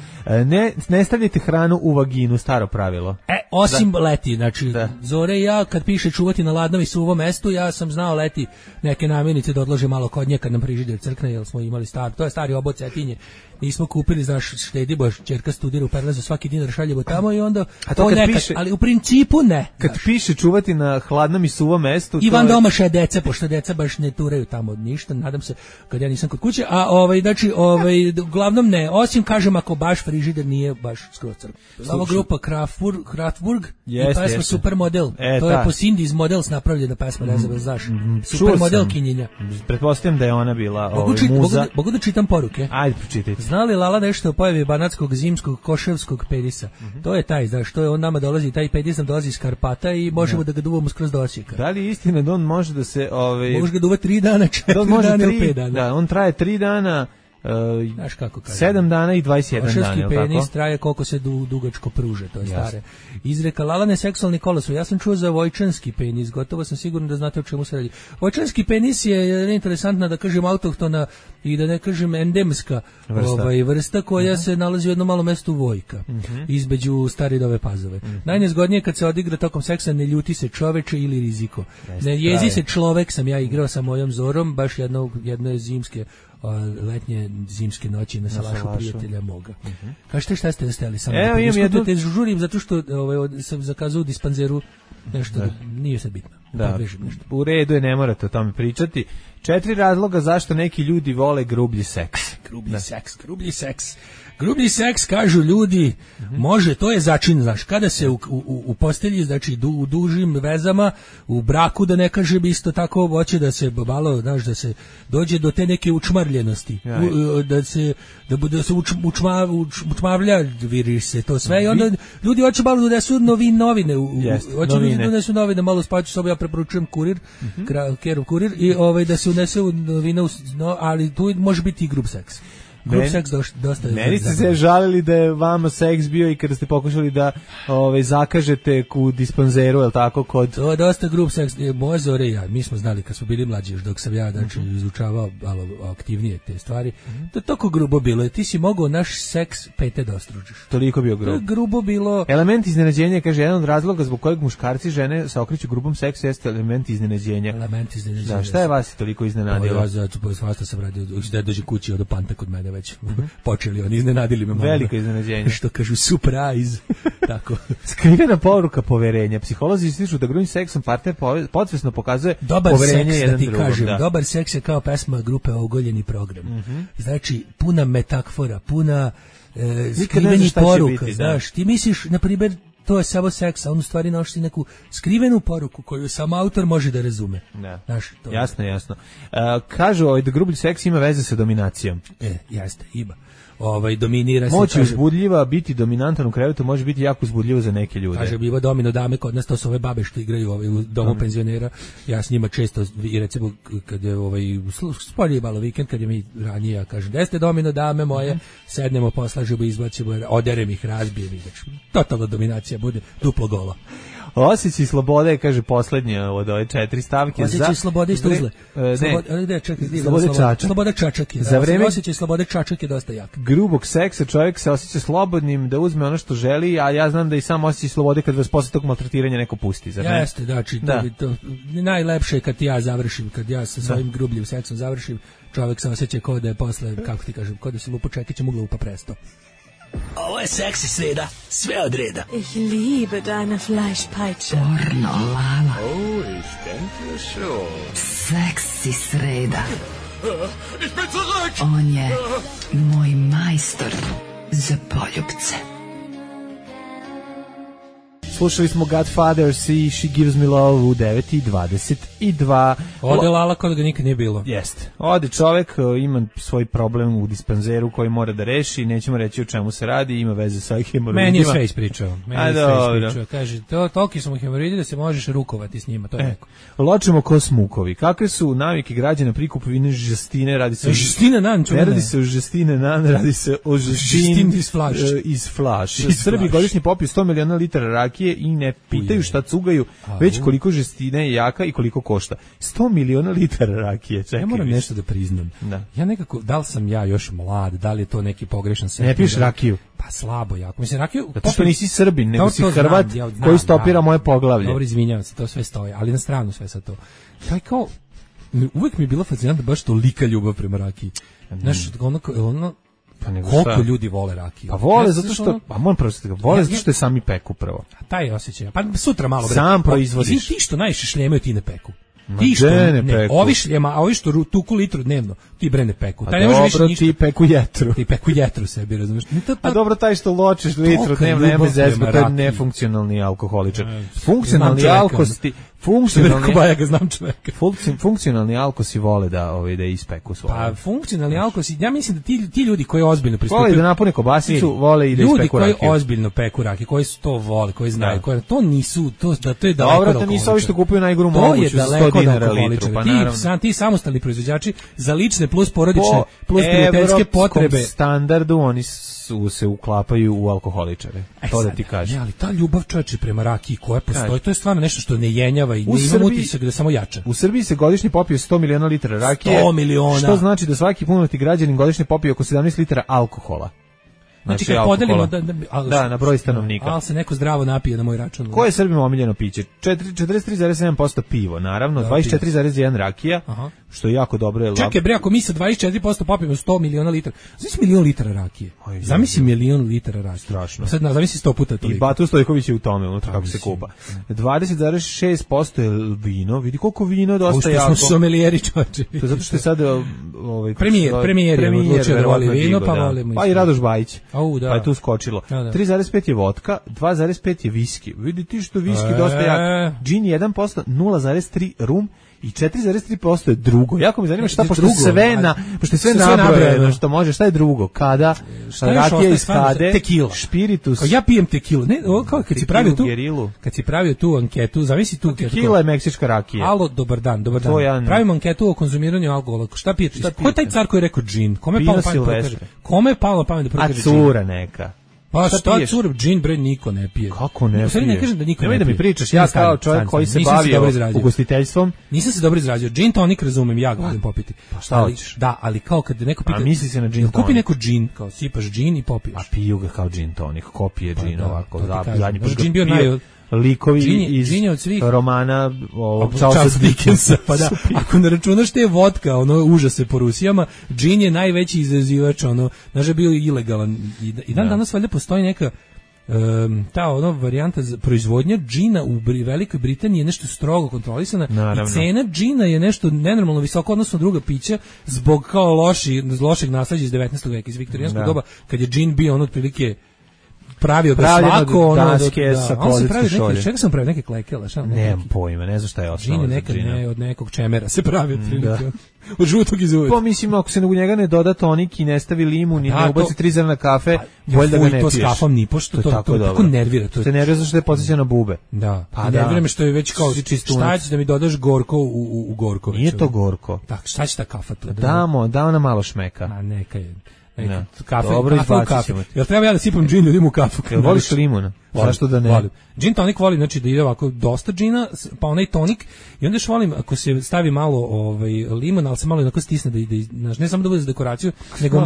Ne stavljajte hranu u vaginu, staro pravilo. Osim leti, znači Zore i ja kad piše čuvati na ladnom i suvom mestu, ja sam znao leti neke namirnice da odlože malo kod nje kad nam frižider crkne, jer smo imali to je stari obod Cetinje. Nismo kupili, znaš, štedimo, ćerka studira u Perlezu, svaki dinar šaljemo tamo i onda to nekad, piše, ali u principu ne. Kad piše čuvati na hladnom i suvom mestu... Ivan domaša je deca, pošto deca baš ne turaju tamo ništa, nadam se, kad ja nisam kod kuće, znači, uglavnom ne, osim, kažem, ako baš frižider nije baš skroz crk. Ova grupa Kraftwerk i pesma Supermodel, to je po Cindy's Models napravljena pesma, ne znam, znaš, Supermodel kinjenja. Pretpostavljam da je ona bila muza. Mogu da čitam poruke? Ajde, pročitajte. Zna li Lala nešto o pojavi banatskog zimskog koševskog penisa? To je taj, znaš, to je on nama dolazi, taj penis nam dolazi iz Karpata i možemo da ga duvamo skroz do Osijeka. Da li je istina da on može da se... Može ga duvati 3 dana, 4 dana ili 5 dana. Da, on traje 3 dana Znaš kako kaže? 7 dana i 21 dan, je li tako? Penis traje koliko se dugačko pruže, to je stare. Izreka Lalane seksualni kolosur. Ja sam čuo za vojčanski penis, gotovo sam siguran da znate o čemu se radi. Vojčanski penis je interesantna, da kažem, autohtona i da ne kažem endemska vrsta koja se nalazi u jednom malom mestu Vojka, između Stare i Nove Pazove. Najnezgodnije kad se odigra tokom seksa, ne ljuti se čoveče ili riziko. Ne jezi se človek, sam ja igrao sa mojom Zorom, baš jedne zimske letnje zimske noći na salašu prijatelja moga. Kažete šta ste ostali samo da prediskutujete, žurim zato što sam zakazao u dispanzeru nešto, nije sad bitno. Da, u redu je, ne morate o tome pričati. 4 razloga zašto neki ljudi vole grublji seks. Grublji seks, kažu ljudi, može, to je začin, znaš, kada se u postelji, znači u dužim vezama, u braku, da ne kažem isto tako, hoće da se malo, znaš, da se dođe do te neke učmarljenosti, da se učmavlja, viri se to sve, i onda ljudi hoće malo da donesu novine, hoće ljudi da donesu novine, malo spaću sobu, ja preporučujem Kurir, Kerov Kurir, i da se unese novine, ali tu može biti i grub seks. Meni ste se žalili da je vama seks bio i kada ste pokušali da zakažete u dispanzeru, je li tako? To je dosta grub seks. Moje Zore i ja, mi smo znali kad smo bili mlađi, još dok sam ja izučavao malo aktivnije te stvari, to je toliko grubo bilo. Ti si mogao naš seks pete da ostružiš. Toliko bio grubo. To je grubo bilo. Element iznenađenja, kaže, jedan od razloga zbog kojeg muškarci i žene se okreću grubom seksu jeste element iznenađenja. Da, šta je vas toliko iznenadilo? Ja svašta sam radio, da dođe kući od panta kod mene već počeli, oni iznenadili me malo. Veliko iznenađenje. Što kažu, surprise. Tako. Skrivena poruka poverenja. Psiholozi ističu da grubim seksom partner podsvesno pokazuje poverenje jedan drugom. Dobar seks, da ti kažem, dobar seks je kao pesma grupe Ogoljeni program. Znači, puna metafora, puna skrivenih poruka. Znaš, ti misliš, na primjer, to je samo seks, a on u stvari nosi neku skrivenu poruku koju sam autor može da razume. Znaš, jasno. Kažu da grublji seks ima veze sa dominacijom. Jeste, ima. Dominira se. Moć je uzbudljiva, biti dominantan u krevetu može biti jako uzbudljivo za neke ljude. Kaže, biva domino dame, kod nas to su ove babe što igraju u domu penzionera. Ja s njima često, i recimo, kad je spolje malo vikend, kad je mi ranije, ja kažem, gde ste domino dame moje, sednemo, poslažemo, izbacimo, oderem ih, razbijem ih. Totalna dominacija bude duplo golo. Osjećaj slobode, kaže poslednje od ove 4 stavke. Osjećaj slobode isto uzle. Sloboda čačak je. Za vreme osjećaj slobode čačak je dosta jak. Grubog seksa čovjek se osjeća slobodnim da uzme ono što želi, a ja znam da i sam osjećaj slobode kad vas posle tog maltretiranja neko pusti. Jeste, znači, to najlepše je kad ja završim, kad ja sa svojim grubljim seksom završim, čovjek se osjeća kao da je posle, kako ti kažem, kao da se lupa čekićem ugla upa presto. Ovo je seksi sreda, sve od reda. Ich liebe deine Fleischpeitsche. Pornolala. Oh, ich denke schon. Seksi sreda. Ich bin zurück! On je moj majstor za poljubce. Slušali smo Godfathers i She Gives Me Love u 9:22. Ode Lala kod ga nikad nije bilo. Jeste. Ode čovek, ima svoj problem u dispanzeru koji mora da reši, nećemo reći o čemu se radi, ima veze sa hemoroidima. Meni je sve ispričao. Kaže, toliki su mu hemoroidi da se možeš rukovati s njima, to je neko. Ločemo ko smukovi. Kakve su navike građana pri kupovini žestine? Radi se žestina nan, ne radi se o žestine nan, radi se o žestin iz flaš. Srbi godišnje popiju 100 miliona litara rakije i ne pitaju šta cugaju, već koliko žestine je jaka i koliko košta. 100 miliona litara rakije. Čekaj, ja moram nešto da priznam. Ja nekako, da li sam ja još mlad, da li je to neki pogrešan sekund? Ne piješ rakiju? Pa slabo jako. Mislim, rakiju... Zato što nisi Srbin, nego si Hrvat koji stopira moje poglavlje. Dobro, izvinjavam se, to sve stoji, ali na stranu sve sa to. Taj kao, uvek mi je bila fascinantna baš tolika ljubav prema rakiji. Znaš, ono koliko ljudi vole rakiju. Pa vole zato što, pa moram prvo da vole zato što je sami peku prvo. A taj osjećaj. Pa sutra malo sam proizvodiš. Ti što najviše šljemaju ti ne peku. Ti što ne, ovi šljema, a ovi što tuku litru dnevno, ti bre ne peku. Taj ne može više ništa. Ti peku jetru. Ti peku jetru sebi, razumiješ? A dobro, taj što ločiš litru dnevno, nema zezbe, to je nefunkcionalni alkoholičar. Funkcionalni Bajaga, znam čoveka. Funkcionalni alkosi vole da ispeku svoje. Pa funkcionalni alkosi, ja mislim da ti ljudi koji ozbiljno pristupaju, vole da napune kobasicu, vole i da ispeku rakiju. Ljudi koji ozbiljno peku rakiju, koji su to vole, koji znaju, koji to nisu, to je daleko od alkoholičara. Dobro, to nisu ovi što kupuju najgoru moguću za 100 dinara litru, pa naravno. Ti samostalni proizvođači za lične plus porodične plus prijateljske potrebe. Po standardu oni se uklapaju u alkoholičare. To da ti kažem. Ali ta ljubav čoveče prema rakiji koja postoji, to je stvarno nešto što ne jenjava i ne ima utisak da samo jača. U Srbiji se godišnje popije 100 miliona litara rakije. 100 miliona. Što znači da svaki punoletni građanin godišnje popije oko 17 litara alkohola. Znači kad podelimo na broj stanovnika. Ali se neko zdravo napije na moj račun. Koje je Srbima omiljeno piće? 43,7% pivo, naravno, 24,1 rakija, što je jako dobro. Čekaj bre, ako mi sa 24% popijemo 100 miliona litara, zamisli milion litara rakije. Zamisli milion litara rakije. Strašno. Sad zamisli 100 puta toliko. I Batu Stojković je u tome, unutra kako se kupa. 20,6% je vino, vidi koliko vino, dosta jako. Smo sommelieri, čoveče. To zato što je sad premijer odlučio da voli vino, pa volimo. Pa i Radoš Bajić. Da. Pa je tu skočilo. 3,5 je vodka, 2,5 je viski. Vidi ti što viski dosta jak. Džin 1%, 0,3 rum i 4,3% je drugo. Jako me zanima šta, pošto je sve nabrojeno, što može, šta je drugo? Kada, rakija iz kade, tekila, špiritus. Ja pijem tekilu. Ne, kao kad si pravio tu anketu, zavisi tu anketu. Tekila je meksička rakija. Alo, dobar dan. Pravimo anketu o konzumiranju alkohola. Šta pijete? Ko je taj car koji je rekao džin? Kome je palo na pamet da prokaže džin? A cura neka. Pa šta cura, džin bre niko ne pije. Kako ne pije? Ne kažem da niko ne pije. Nemoj da mi pričaš, ja kao čovjek koji se bavio ugostiteljstvom. Nisam se dobro izrazio. Džin tonik razumem, ja ga volim popiti. Pa šta hoćeš? Da, ali kao kad neko pita. A misli se na džin tonik. Kupi neko džin, kao sipaš džin i popiješ. A piju ga kao džin tonik, kopije džin ovako. Zadnji put džin bio likovi iz romana Charles Dickensa, pa da, ako ne računaš te vodka, užase po Rusijama, džin je najveći izazivač, znaš je bio ilegalan i danas valjda postoji neka ta varijanta proizvodnja džina u Velikoj Britaniji je nešto strogo kontrolisana. Naravno. I cena džina je nešto nenormalno visoko odnosno druga pića zbog kao lošeg nasleđa iz 19. veka, iz viktorijanskog doba, kad je džin bio otprilike pravio ga svako daske sa kozicke šolje. Čega sam pravio neke klekele? Nemam pojma, ne znam šta je osnova za džina. Od nekog čemera se pravi od žutog iz uvek. Pa mislim, ako se u njega ne doda tonik i ne stavi limun i ne ubaci 3 zrna kafe, bolje da ga ne piješ. To s kafom ni pošto, to tako nervira. Se nervira zašto je podsjeća na bube. Da, pa nervira me što je već kao šta ćeš da mi dodaš gorko u gorko. Nije to gorko. Tak, šta će ta kafa? Damo na malo šmeka. A neka je. Kafe, dobro izbacit. Jel treba ja da sipam džin ljudima u kafu? Jel voliš limuna? Zašto da ne? Džin tonik volim, znači da ide ovako dosta džina, pa onaj tonik, i onda još volim ako se stavi malo limun, ali se malo onako stisne da ide, ne samo da bude za dekoraciju, nego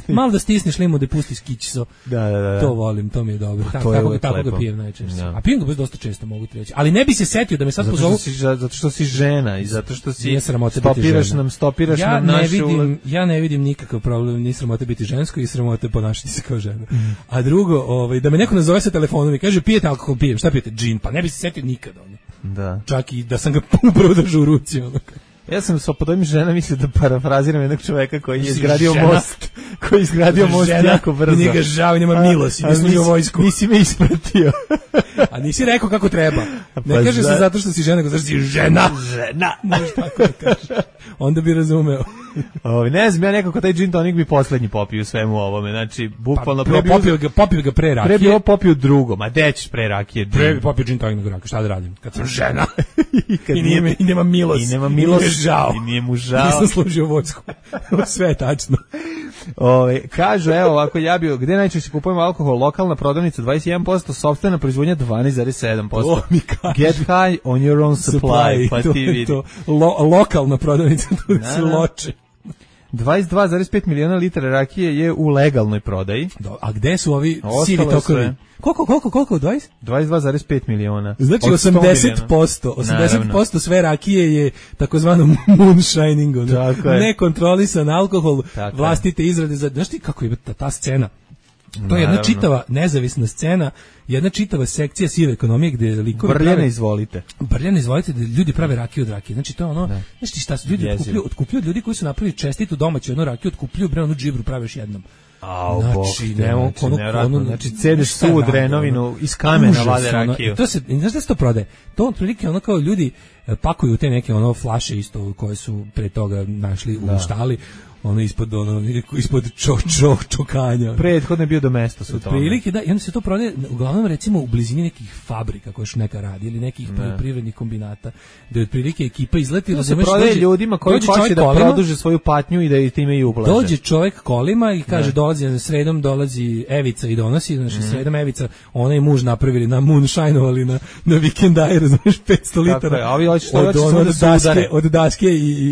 malo da stisneš limun da pusti skićiso. Da. To volim, to mi je dobro. Tako ga pijem najčešće. A pijem ga dosta često, mogu ti reći. Ali ne bi se setio da me sad pozovu. Zato što si žena i zato što si stopiraš nam našu. Ja ne vidim nikakav problem, ni sramote biti žensko i sramote ponašati se kao žena. A drugo, da me neko nazove sa telefonom i kaže pijete alkohol, pijem, šta pijete? Džin, pa ne bi se setio nikada. Da. Čak i da sam ga upravo držao u ruci. Ja sam sa podojim žena mislio da parafraziram jednog čoveka koji je izgradio most. Koji je izgradio most jako brzo. Nije ga žao, nema milosti, nisi u vojsku. Nisi me ispratio. A nisi rekao kako treba. Ne kaže se zato što si žena, nego zato što si žena. Možeš tako da kažeš. Onda bi razumeo. Ne znam, ja nekako taj gin tonic bi poslednji popio u svemu ovome. Znači, bukvalno popio ga pre rakije. Pre bi ovo popio drugo. Ma gde ćeš pre rakije? Pre bi popio gin tonic nego rakije. Šta da radim? Kad sam žena. I nema milost. I nema milost. Žao. I nije mu žao. Nisam služio vojsku. Sve je tačno. Kažu, evo ovako, gde najčešće kupujemo alkohol? Lokalna prodavnica 21%, sopstvena proizvodnja 12,7%. Get high on your own supply. Pa ti vidi. Lokalna prodavnica, tu se loče. 22,5 miliona litara rakije je u legalnoj prodaji. A gde su ovi sivi tokovi? Koliko? 22,5 miliona. Znači 80% sve rakije je takozvano moonshining, nekontrolisan alkohol, vlastite izrade. Znaš ti kako je ta scena? To je jedna čitava nezavisna scena, jedna čitava sekcija sive ekonomije gde likovi Brljane izvolite, da ljudi prave rakiju od rakije. Znači to je znači šta su ljudi otkupljuju od ljudi koji su napravili čestitu domaću jednu rakiju, otkupljuju onu džibru, prave još jednom. Znači, cedeš suvu drenovinu iz kamena vade rakiju. To se, znaš da se to prodaje? To otprilike ono kao ljudi pakuju te neke ono flaše isto koje su pre toga našli u štali, ispod čokanja. Prethodno je bio do mesta su to. Prilike, da, i onda se to prodaje uglavnom recimo u blizini nekih fabrika koje još neka radi ili nekih poljoprivrednih kombinata, da je otprilike ekipa izleti. To se prodaje ljudima koji hoće da produže svoju patnju i da i time i ublaže. Dođe čovjek kolima i kaže sredom dolazi Evica i donosi, znači sredom Evica, ona i muž napravili na moonshineovali na vikendaj, razumiješ, 500 litara. Od daske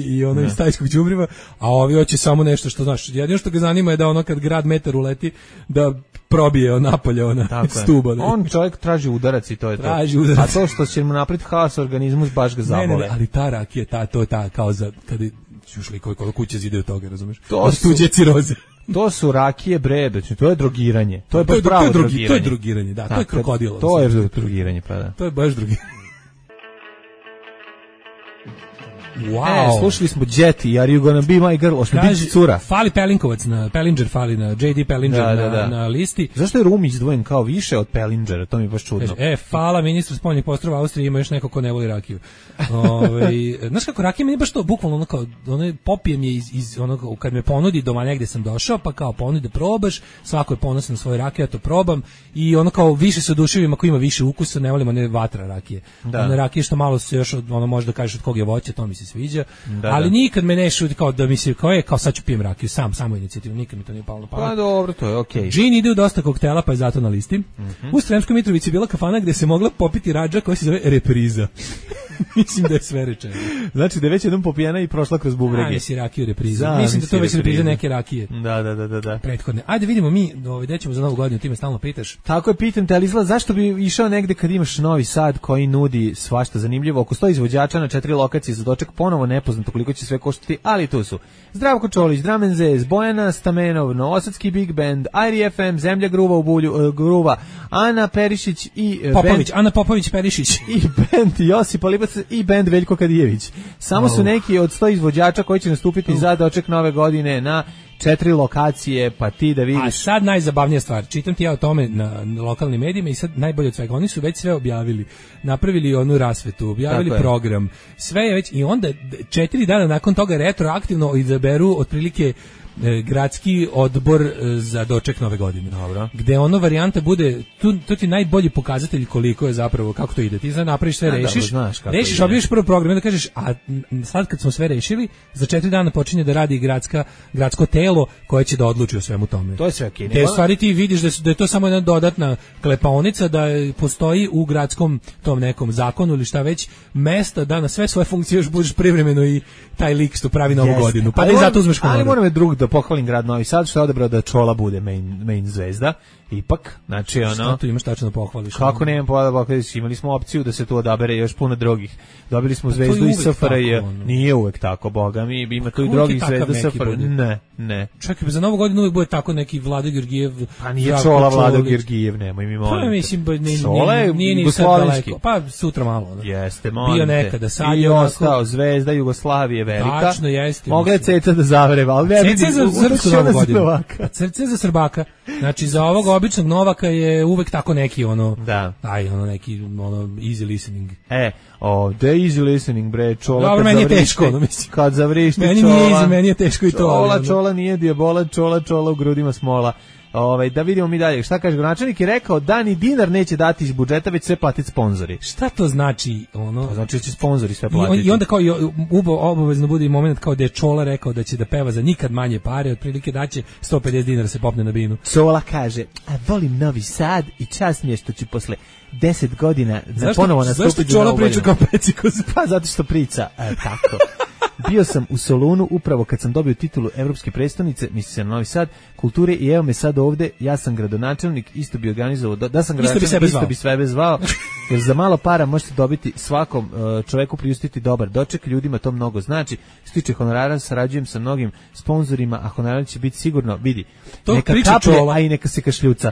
i ono iz tajskog đubriva, a ovi hoće samo nešto što znaš. Jedino što ga zanima je da ono kad grad metar uleti da probije napolje ona stuba. Da. On čovjek traži udarac i to je traži to. Udarac. A to što će mu napraviti haos organizmu baš ga zabole. Ne, ali ta rakija, to je ta kao za kada čušli koliko kuće zide od toga, razumeš? To su tuđe ciroze. To su rakije bre, znači to je drogiranje. To je baš pravo drogiranje. To je drogiranje, da, to je krokodilo. To je drogiranje, pa da. To je baš drogiranje. Wow. Slušali smo Jet i Are You Gonna Be My Girl, ošto biti cura. Fali Pelinkovac, Pellinger fali na JD Pellinger na listi. Zašto je Rum izdvojen kao više od Pellingera, to mi je baš čudno. Fala ministru spoljnih poslova Austrije, ima još neko ko ne voli rakiju. Znaš kako, rakija meni baš to, bukvalno ono kao, popijem je iz onog, kad me ponudi doma negde sam došao, pa kao ponudi da probaš, svako je ponosan na svoje rakije, ja to probam i ono kao više se oduševim ako ima više ukusa, ne volimo ne vatra rakije. One rakije što malo se još, može da kažeš od kog je voće, to mi se sviđa, ali nikad me ne šuti kao da mi se kao sad ću pijem rakiju, samo inicijativu, nikad mi to nije palo na pamet. Pa dobro, to je okej. Džin ide u dosta koktela, pa je zato na listi. U Sremskoj Mitrovici je bila kafana gde se mogla popiti radža koja se zove Repriza. Mislim da je sve rečeno. Znači da je već jednom popijena i prošla kroz bubrege. Misli rakiju Repriza. Mislim da to već Repriza neke rakije. Da. Prethodne. Ajde vidimo mi, gde ćemo za Novu godinu, ti me stalno pitaš. Tako je, pitam te, ali izgleda zašto bi išao negde kad imaš Novi Sad koji nudi svašta zanimljivo. Oko 100 izvođača na 4 lokacije za doček, ponovo nepoznato koliko će sve koštati, ali tu su Zdravko Čolić, Drum & Zez, Bojana Stamenov, Novosadski Big Band, Airi FM, Zemlja Gruva u Bulju, Gruva, Ana Perišić i Ana Popović Perišić i band Josip Libac i band Veljko Kadijević. Samo su neki od 100 izvođača koji će nastupiti za doček Nove godine na 4 lokacije, pa ti da vidiš. A sad najzabavnija stvar, čitam ti ja o tome na lokalnim medijima i sad najbolje od svega, oni su već sve objavili, napravili onu rasvetu, objavili program, sve je već, i onda 4 dana nakon toga retroaktivno izaberu otprilike gradski odbor za doček Nove godine. Dobro. Gde varijanta bude, to ti najbolji pokazatelj koliko je zapravo, kako to ide. Ti sad napraviš sve, rešiš, objaviš prvo program i onda kažeš, a sad kad smo sve rešili, za 4 dana počinje da radi gradsko telo koje će da odluči o svemu tome. To je sve okej. Te stvari ti vidiš da je to samo jedna dodatna klepaonica, da postoji u gradskom tom nekom zakonu ili šta već mesta da na sve svoje funkcije još budeš privremeno i taj lik što pravi Novu godinu. Pa da i zato uzmeš komodu. Ali moram da pohvalim grad Novi Sad što je odabrao da Čola bude main zvezda. Ipak, znači Šta tu imaš tačno da pohvališ? Kako nemam pohvališ, imali smo opciju da se tu odabere još puno drugih. Dobili smo zvezdu iz SFRJ. Nije uvek tako, boga mi, ima tu i drugih zvezda SFRJ. Ne. Čekaj, za Novu godinu uvek bude tako neki Vlado Georgijev. Pa nije Čola Vlado Georgijev, nemoj mi molim. Pa mislim, nije ni sad daleko. Pa sutra malo. Jeste, molim bio nekada, sad je ostao zvezda Jugoslavije velika. Tačno, jeste. Mogla je Ceca da zavreva, ali ne Ceca za srpsku Novu godinu. Ceca za Srbaka. Znači, za ovog običnog Novaka je uvek tako neki neki easy listening. The easy listening, bre, Čola. Dobro, meni je teško, mislim. Kad zavrišti Čola. Meni nije easy, meni je teško i to. Čola nije dijabola, Čola u grudima smola. Da vidimo mi dalje. Šta kaže gradonačelnik? Je rekao da ni dinar neće dati iz budžeta, već sve platiti sponzori. Šta to znači? To znači da će sponzori sve platiti. I onda kao obavezno bude i moment kao da je Čola rekao da će da peva za nikad manje pare, otprilike da će 150 dinara se popne na binu. Čola kaže, volim Novi Sad i čast mi je što ću posle 10 godina ponovo nastupiti. Zašto Čola priča kao Pecikoz? Pa zato što priča tako. Bio sam u Solunu upravo kad sam dobio titulu evropske prestonice, misli se na Novi Sad, kulture, i evo me sad ovde, ja sam gradonačelnik, isto bi organizovao, da sam gradonačelnik, isto bi sebe zvao, jer za malo para možete dobiti svakom čoveku priustiti dobar doček, ljudima to mnogo znači. Što tiče honorara, sarađujem sa mnogim sponzorima, a honorar će biti sigurno, vidi, to neka kaplje, a i neka se kašljuca.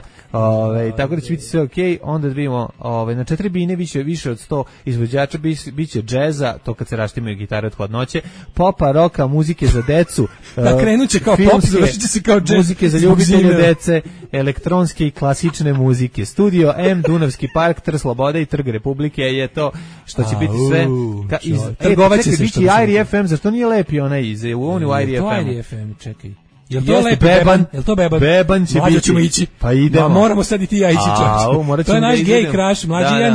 Tako da će biti sve okej. Onda da vidimo, na 4 bine više od 100 izvođača biće džeza, to kad se raštimaju gitare od hladnoće, popa, roka, muzike za decu. Da, krenuće kao pop, završit će se kao džez. Muzike za ljubitelje dece, elektronske i klasične muzike. Studio M, Dunavski park, Trg Slobode i Trg Republike je to što će biti sve. Trgovaće se što. Biće Airi FM, zašto nije lepi onaj iz u Airi FM? To Airi FM, čekaj. Jel to lepi Beban? Jel to Beban? Beban će mlađo biti. Ćemo ići. Pa idemo. Ma, moramo sad i ti ja ići, čovječe. To je naš gej crush, mlađi ja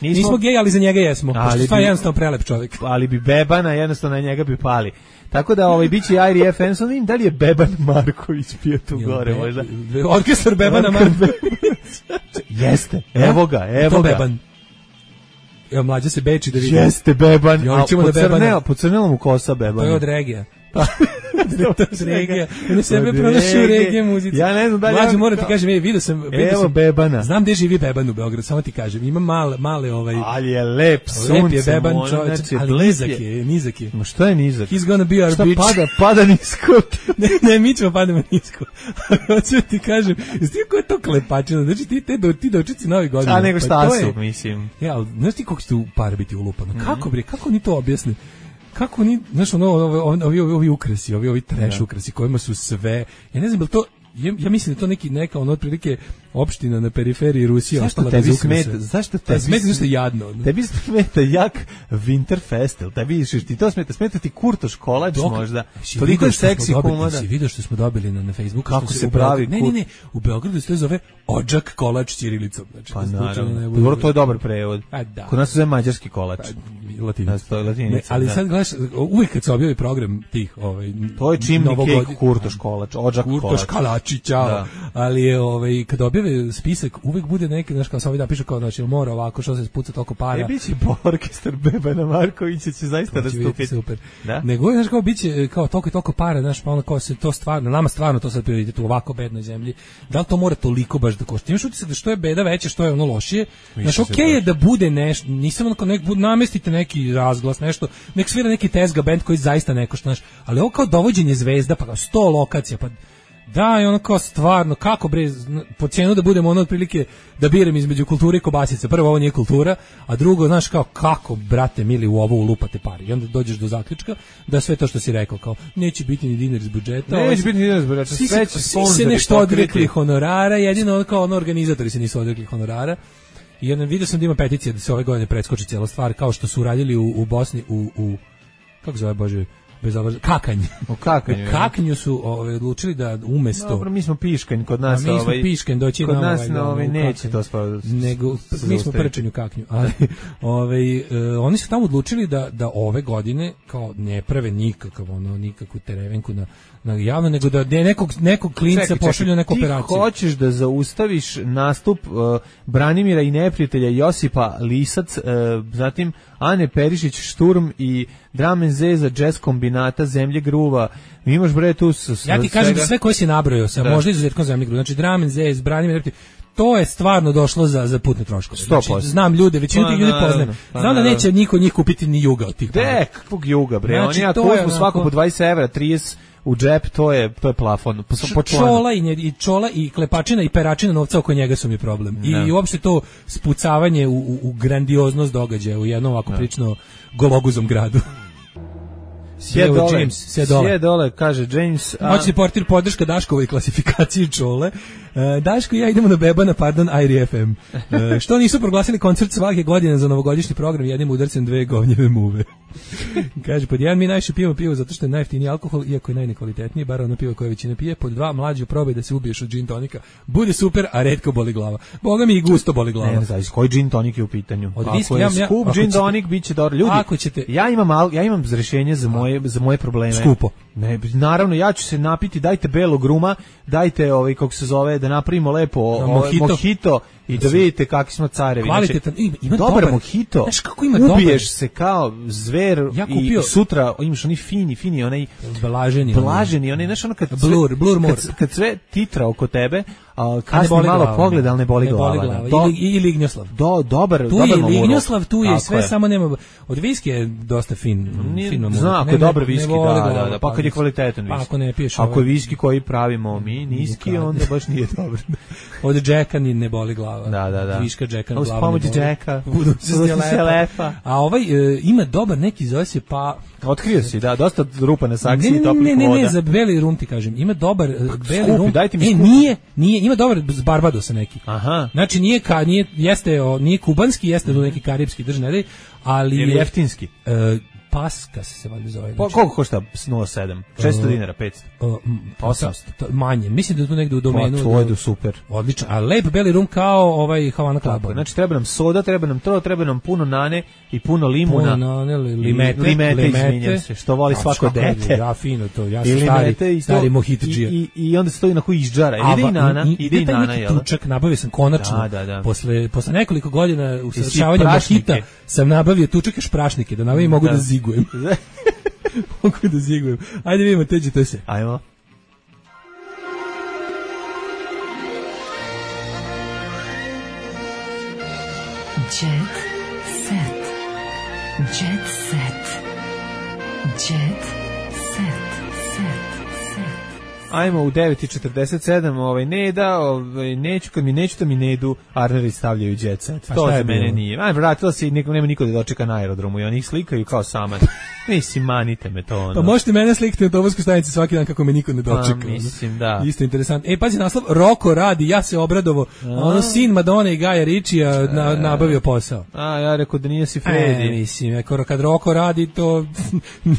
nismo gej, ali za njega jesmo. Pošto stvar je jednostavno prelep čovjek. Ali bi Bebana, jednostavno na njega bi pali. Tako da biće Airi FM, sam vidim da li je Beban Marković pio tu gore, možda. Orkestar Bebana Marković. Jeste, evo ga. To Beban. Evo, mlađa se beči da vidi. Jeste Beban, a pocrnela mu kosa Bebana. To je od regija. Regija. On sebe pronašao u regije muzici. Ja ne znam da li... Mlađe, moram ti kažem, vidio sam Bebana. Znam gde živi Beban u Beogradu, samo ti kažem. Ima male Ali je lep, lep je Beban čovječ, ali nizak je. Ma što je nizak? He's gonna be our bitch. Pada nisko. ne, mi ćemo padamo nisko. Hoću ti kažem, znaš ko je to klepačina? Znači ti dočici Novi godin. A nego šta su, mislim. Ja, ali znaš ti koliko će tu par biti ulupano? Kako oni to objasne? Kako ni, znaš, ovi ukrasi, ovi trash ukrasi kojima su sve, ja ne znam, je to, ja mislim da to neka otprilike opština na periferiji Rusije ostala bez ukrasa. Zašto tebi smeta nešto jadno? Tebi smeta jak Winterfest, tebi ti to smeta ti Kurtoš kolač možda. Toliko je seksi komoda. Si vidio što smo dobili na Facebooku? Kako se pravi? Ne, u Beogradu se to zove odžak kolač ćirilicom. Znači, pa naravno, to je dobar prevod. Kod nas se zove mađarski kolač. Latinac. Ali sad gledaš, uvijek kad se objavi program tih, to je chimney cake Kurtoš kolač, odžak kolač. Kurtoš kalači, čao. Ali je, kad objave spisak, uvijek bude neki, znaš, kao sam da piše kao, znači, mora ovako, što se spuca toliko para. Biće orkestar Bebana Markovića će zaista nastupiti. Super. Nego, znaš, kao biće, kao toliko i toliko para, znaš, pa ono kao se to stvarno, nama stvarno to sad prioritet u ovako bednoj zemlji. Da li to mora toliko baš da košta? Imaš utisak da što je beda veća, što je ono lošije. Znaš, okej je da bude nešto, nisam onako, namestite neki razglas, nešto, nek svira neki tezga band koji zaista ne košta, znaš, ali ovo kao dovođenje zvezda, pa kao 100 lokacija, pa da, i ono kao stvarno, kako bre, po cijenu da budemo ono otprilike da biram između kulture i kobasice. Prvo, ovo nije kultura, a drugo, znaš, kao kako, brate mili, u ovo ulupate pari. I onda dođeš do zaključka da sve to što si rekao, kao, neće biti ni dinar iz budžeta. Neće biti ni dinar iz budžeta, sve će sponzori. Svi se nešto odrekli honorara, jedino kao ono organizatori se nisu odrekli honorara. I onda vidio sam da ima peticija da se ove godine preskoči cijela stvar, kao što su radili u Bosni, kako zove, Bože, Kakanj. U Kaknju su odlučili da umesto... Dobro, mi smo Piškanj, kod nas... mi smo Piškanj, doći kod nas neće to spraviti. Nego, mi smo Prčanj u Kaknju. Ali, oni su tamo odlučili da ove godine kao ne prave nikakvu terevenku na javno, nego da nekog klinca pošalju neku operaciju. Ti hoćeš da zaustaviš nastup Branimira i neprijatelja Josipa Lisac, zatim Ane Perišić Šturm i Drum and Zeza jazz kombinata Zemlje Gruva. Mi imaš bre tu ja ti kažem da sve koje si nabrojao, možda izuzetkom Zemlje Gruva. Znači Drum and Zez, Branimir, to je stvarno došlo za putne troškove. Znači, znam ljude, većinu tih ljudi poznajem. Znam da neće niko od njih kupiti ni juga od tih para. Kakvog juga bre? Znači, oni ako uzmu svako po 20 evra, 30 u džep, to je plafon. Čola i klepačina i peračina novca oko njega su mi problem. I uopšte to spucavanje u grandioznost događaja u jednom ovako prično gologuzom gradu. Sve dole, kaže James. Moćni portir podrška Daškovoj klasifikaciji Čole. Daško i ja idemo na Bebana, Airi FM. Što nisu proglasili koncert svake godine za novogodišnji program jednim udarcem dve govnjeve muve. Kaže, pod jedan mi najviše pijemo pivo zato što je najjeftiniji alkohol, iako je najnekvalitetniji, bar ono pivo koje većina pije. Pod dva, mlađu probaj da se ubiješ od gin tonika. Bude super, a retko boli glava. Boga mi i gusto boli glava. Ne znam, koji gin tonik je u pitanju? Ako je skup gin tonik, bit će dobro. Ljudi, ja imam rješenje za moje probleme. Skupo. Ne, naravno, ja ću se napiti, dajte belog ruma, dajte kako se zove, da napravimo lepo mojito i da vidite kakvi smo carevi. Kvalitetan, ima dobar mojito. Znaš kako ima ubiješ se kao zver i sutra imaš oni fini, onaj blaženi, onaj, znaš ono blur more. Kad sve titra oko tebe, kasni malo pogled, ali ne boli glava. I Lignjoslav. Dobar tu je mamuro. Lignjoslav, tu je tako sve, samo nema... Od viski je dosta fin mamuro. Zna, ako je dobar viski, da. Pa kad je kvalitetan viski. Ako ne piješ ako je viski koji pravimo mi, niski, onda baš nije dobro. Od džeka ne boli glava. Da. Viška džeka glava. Uz pomoć džeka. Budu se lepa. A ovaj ima dobar neki, zove se pa... Otkrio si, da, dosta rupa na saksiji i toplih voda. Ne, za beli rum ti kažem. Ima dobar beli rum. Dajte mi skupi. Nije, ima dobar z Barbadosa neki. Aha. Znači nije kubanski, jeste do neki karipski državni, ali je jeftinski. Paska se valjda zove. Pa koliko košta 0,7? 600 dinara, 500? 800? Manje, mislim da je tu negde u domenu. Pa to je super. Odlično, a lep beli rum kao ovaj Havana Club. Znači treba nam soda, treba nam to, treba nam puno nane i puno limuna. Puno nane, limete, izvinjam se, što voli svako dete. Ja fino to, ja sam stari mojitadžija. I onda stoji na koji izđara. Ide i nana, jel? Tučak nabavio sam konačno. Posle nekoliko godina usavršavanja mojita sam nabavio tučak još prašnike, da nabavim mogu da zigujem. Mogu da zigujem. Ajde vidimo, teđite se. Ajmo. Jet set. Jet set. Jet set. Ajmo u 9:47, neću, kad mi neću da mi ne idu, Arneri stavljaju jet set. To za mene nije. Vratila se i nema niko da dočeka na aerodromu i oni ih slikaju kao saman. Mislim, manite me to. Pa možete mene slikati na autobuskoj stanici svaki dan kako me niko ne dočeka. Pa, mislim, da. Isto interesantno. Pazi naslov, Roko radi, ja se obradovo. Sin Madone i Gaja Ričija nabavio posao. Ja rekao da nije si Fredi. Mislim, kad Roko radi, to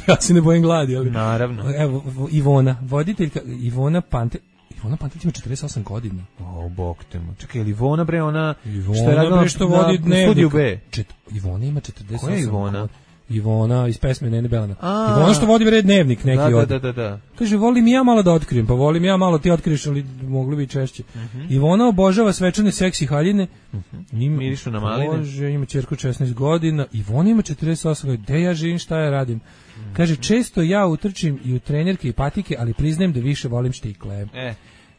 ja se ne bojim gladi. Ali... Naravno. Evo, Ivona, voditeljka, Ivona Pantić ima 48 godina. Bog te mu. Čekaj, Ivona bre, ona što je radila na studiju B. Ivona ima 48 Koja je Ivona? Ivona iz pesme Nene Belana. Ivona što vodi red dnevnik neki Da. Kaže, volim ja malo da otkrijem, pa volim ja malo ti otkriješ, ali mogli bi češće. Ivona obožava svečane seksi haljine. Mirišu na maline. Bože, ima ćerku 16 godina. Ivona ima 48 godina. Gde ja živim, šta ja radim? Kaže, često ja utrčim i u trenerke i patike, ali priznajem da više volim štikle.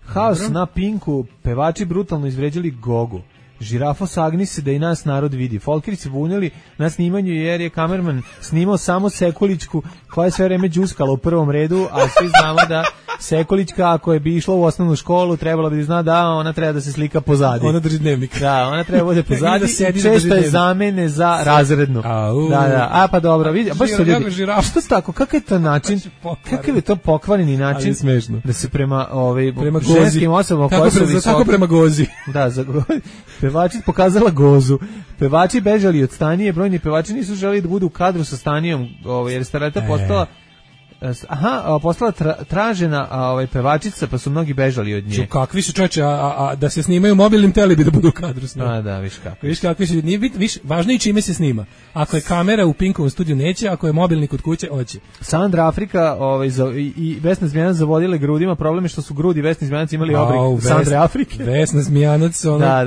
Haos na Pinku, pevači brutalno izvređali Gogu. Žirafo sagni se da i nas narod vidi. Folkeri se bunili na snimanju jer je kamerman snimao samo Sekulićku koja je sve vreme džuskala u prvom redu, a svi znamo da Sekulićka ako je bi išla u osnovnu školu trebala bi zna da ona treba da se slika pozadi. Ona drži dnevnik. Da, ona treba bude pozadi i često je zamene za razrednu. Da. Pa dobro, vidi, baš se ljudi. Što tako? Kakav je to način? Kakav je to pokvareni način? Da se prema ženskim osobama koje su visoke. Kako prema Gozi? Da, za pevači pokazala Gozu. Pevači bežali od Stanije, brojni pevači nisu želeli da budu u kadru sa Stanijom, jer stareta postala postala tražena pevačica, pa su mnogi bežali od nje. Kakvi su čoveče, a da se snimaju mobilnim tele bi da budu u kadru s njom. Da, viš kako. Viš kakvi su, važno i čime se snima. Ako je kamera u Pinkovom studiju neće, ako je mobilni kod kuće, hoće. Sandra Afrika i Vesna Zmijanac zavodile grudima, problem je što su grudi Vesni Zmijanac imali oblik Sandre Afrike. Vesna Zmijanac,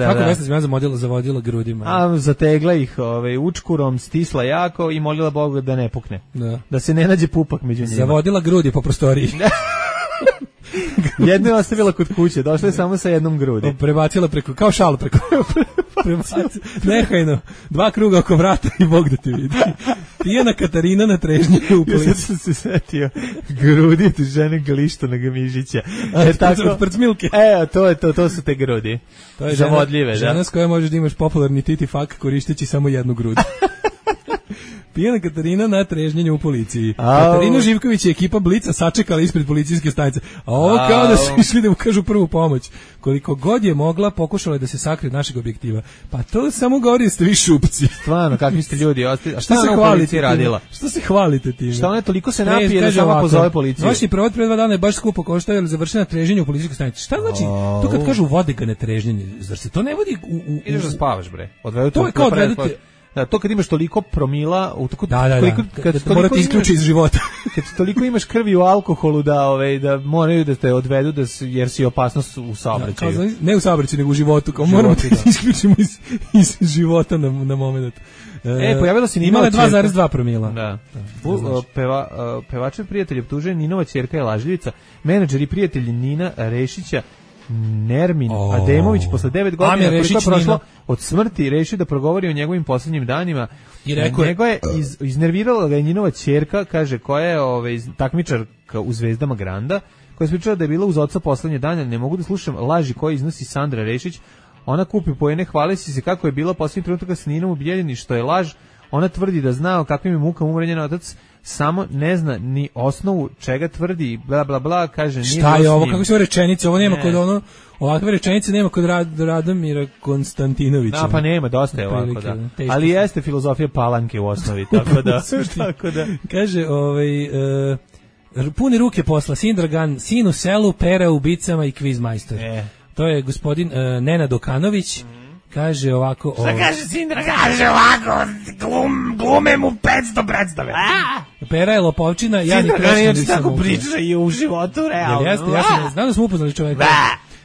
kako Vesna Zmijanac zavodila grudima? Zategla ih učkurom, stisla jako i molila Boga da ne pukne. Da se ne nađe pupak među njima. Zavodila grudi po prostoriji. Jedno je ostavila kod kuće, došla je samo sa jednom grudi. Prebacila preko, kao šalu preko. Nehajno, 2 kruga oko vrata i Bog da te vidi. Pijana Katarina na trežnju u policiji. Ja sam se setio grudi tu žene Galištona Gamižića. Od prcmilke. To su te grudi. To je zavodljive, žena s koja možeš da imaš popularni titi fak koristeći samo jednu grud. Pijana Katarina na trežnjenju u policiji. Katarina Živković i ekipa Blica sačekala ispred policijske stanice. A ovo kao da su išli da ukažu prvu pomoć. Koliko god je mogla, pokušala je da se sakrije od našeg objektiva. Pa to samo govori da ste vi šupci. Stvarno, kakvi ste ljudi. A šta ona u policiji radila? Što se hvalite time? Šta ona toliko se napije da samo pozove policiju? Vaši provod pre 2 dana je baš skupo koštao jer završena trežnjenje u policijskoj stanici. Šta znači? To kad kažu vode ga ne trežnjenje, zar se to ne vodi ideš da spavaš bre. To je kao odvedete. Da, to kad imaš toliko promila, kad morate isključiti iz života. Kad toliko imaš krvi u alkoholu da moraju da te odvedu jer si opasnost u saobraćaju. Ne u saobraćaju, nego u životu, kao moramo da isključimo iz života na moment. Pojavila se Ninova ćerka. Imala 2,2 promila. Da. Pevačev prijatelj optužuje Ninova ćerka je lažljivica. Menadžer i prijatelj Nina Rešića Nermin Ademović posle 9 godina koliko je prošlo od smrti rešio da progovori o njegovim poslednjim danima. I rekao njega je iznervirala ga njinova ćerka, kaže, koja je takmičarka u Zvezdama Granda, koja je pričala da je bila uz oca poslednje dane. Ne mogu da slušam laži koje iznosi Sandra Rešić. Ona kupi poene, hvali se kako je bila posljednjih trenutaka s Ninom u Bijeljini, što je laž. Ona tvrdi da zna o kakvim je mukama umre njen otac, samo ne zna ni osnovu čega tvrdi, bla bla bla, kaže nije. Šta je ovo, kako su rečenice, ovo nema kod ono, ovakve rečenice nema kod Radomira Konstantinovića. Pa nema, dosta je ovako, da. Ali jeste filozofija Palanke u osnovi, tako da. Kaže, puni ruke posla, Sindragan, sin u selu, pera u bicama i kvizmajstor. To je gospodin Nenad Okanović. Kaže ovako... Šta kaže Sindra? Kaže ovako, glume mu 500 predstave. Pera je lopovčina, ja ni krešno nisam tako priča i u životu, realno. Jeste, ja sam, znam da smo upoznali čoveka.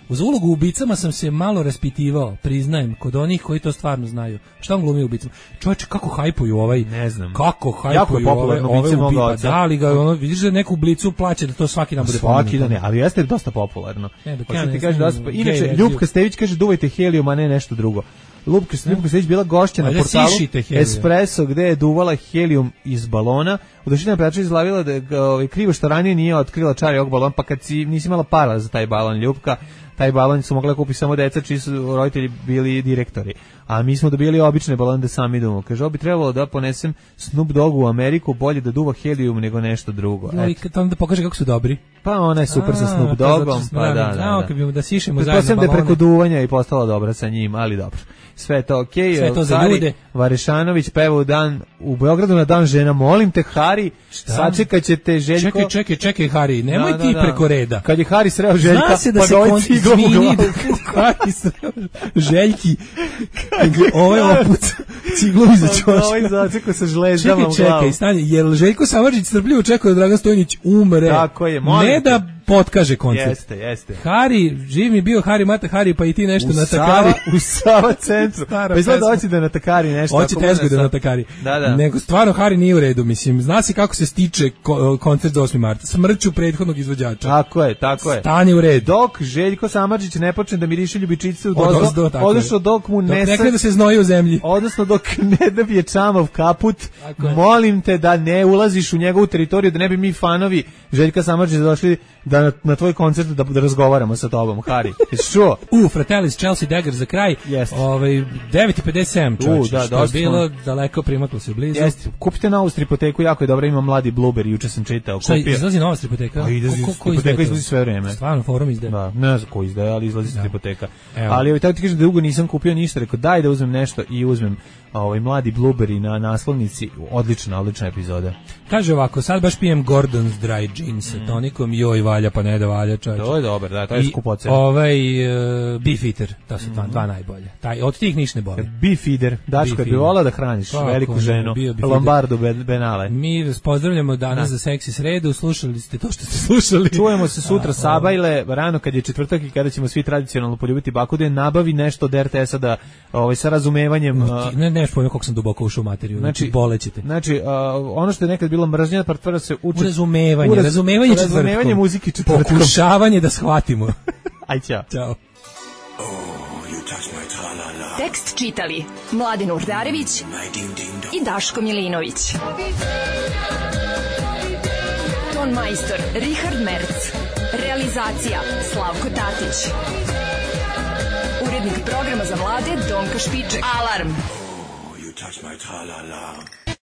Uz ulogu u ubicama sam se malo raspitivao, priznajem, kod onih koji to stvarno znaju. Šta on glumi u ubicama? Čovječe, kako hajpuju ovaj... Ne znam. Kako hajpuju ove ubica? Da li ga, ono, vidiš da neku blicu plaća da to svaki dan bude pomenuto? Svaki dan je, ali jeste dosta popularno. Inače, Ljupka Stević kaže duvajte helijum, a ne nešto drugo. Ljupka Stević bila gošća na portalu Espresso gde je duvala helijum iz balona. Udošina Prača izlavila da je krivo što ranije nije otkrila čari ovog balona, pa kad nisi imala para za taj balon, Ljupka, taj balon su mogla kupiti samo deca čiji su roditelji bili direktori. A mi smo dobili obične balone da sami idemo. Kaže, ovo bi trebalo da ponesem Snoop Doggu u Ameriku, bolje da duva helijum nego nešto drugo. I kad onda pokaže kako su dobri. Pa ona je super sa Snoop Doggom, pa da. Da sišemo zajedno balone. Da je preko duvanja i postala dobra sa njim, ali dobro. Sve je to okej. Sve to za ljude. Varešanović peva u Beogradu na dan žena. Molim te, Hari, sačekat ćete Željko. Čekaj, Hari, nemoj ti preko reda. Kad je Hari sreo Željka, pa ga ovaj ciglom u glavu. Hari sreo Željki. Ovo je oput ciglom iza ćoška. Ovo je začekao sa žleždama u glavu. Čekaj, stani, jer Željko Samardžić strpljivo čekao da Dragan Stojnić umre. Tako je, molim ne da potkaže koncert. Jeste. Hari, živ mi bio Hari, mata Hari, pa i ti nešto na Takari. U Sava centru. Pa izgleda hoće da na Takari nešto. Hoće tezgo da na Takari. Da. Nego stvarno Hari nije u redu, mislim. Zna se kako se stiče koncert za 8. marta. Smrću prethodnog izvođača. Tako je. Stani u red. Dok Željko Samardžić ne počne da miriše ljubičice u dozdo, odnosno dok mu ne krene da se znoji u zemlji. Odnosno dok ne dobije čamav kaput, molim te da ne ulaziš u njegovu teritoriju, da ne bi mi fanovi Željka Samardžića došli da na tvoj koncert da razgovaramo sa tobom, Hari. Jesi čuo? Fratellis Chelsea Dagger za kraj. 9:57, čovječe. Što je bilo daleko, primaklo se blizu. Jeste. Kupite novu stripoteku, jako je dobra, ima mladi Blueberry, juče sam čitao. Šta, izlazi nova stripoteka? Stripoteka izlazi sve vreme. Stvarno, forum izdaje. Da, ne znam ko izdaje, ali izlazi stripoteka. Ali tako ti kažem da dugo nisam kupio ništa, rekao daj da uzmem nešto i uzmem mladi Blueberry na naslovnici. Odlična epizoda. Kaže ovako, sad baš pijem Gordon's Dry Gin sa tonikom, joj valja pa ne da valja, čovječe. To je dobar, da, to je skupocen. Beef Eater, to su dva najbolje. Od tih niš ne boli. Beef Eater, Daško, bi volao da hraniš veliku ženu, Lombardu Benale. Mi vas pozdravljamo danas za Seksi sredu, slušali ste to što ste slušali. Čujemo se sutra Sabajle, rano kad je četvrtak i kada ćemo svi tradicionalno poljubiti bakude, nabavi nešto od RTS-a da sa razumevanjem... Ne pojma kako sam duboko ušao u materiju, znači bolećete. Znači, ono što je nekad bilo mržnja, pretvara se u razumevanje četvrtkom. Muzike četvrtkom. Pokušavanje da shvatimo. Aj, ćao. Ćao. Tekst čitali Mladen Urdarević i Daško Milinović. Ton majstor Richard Merc. Realizacija Slavko Tatić. Urednik programa za mlade Donka Špiček. Alarm! You touch my tra-la-la.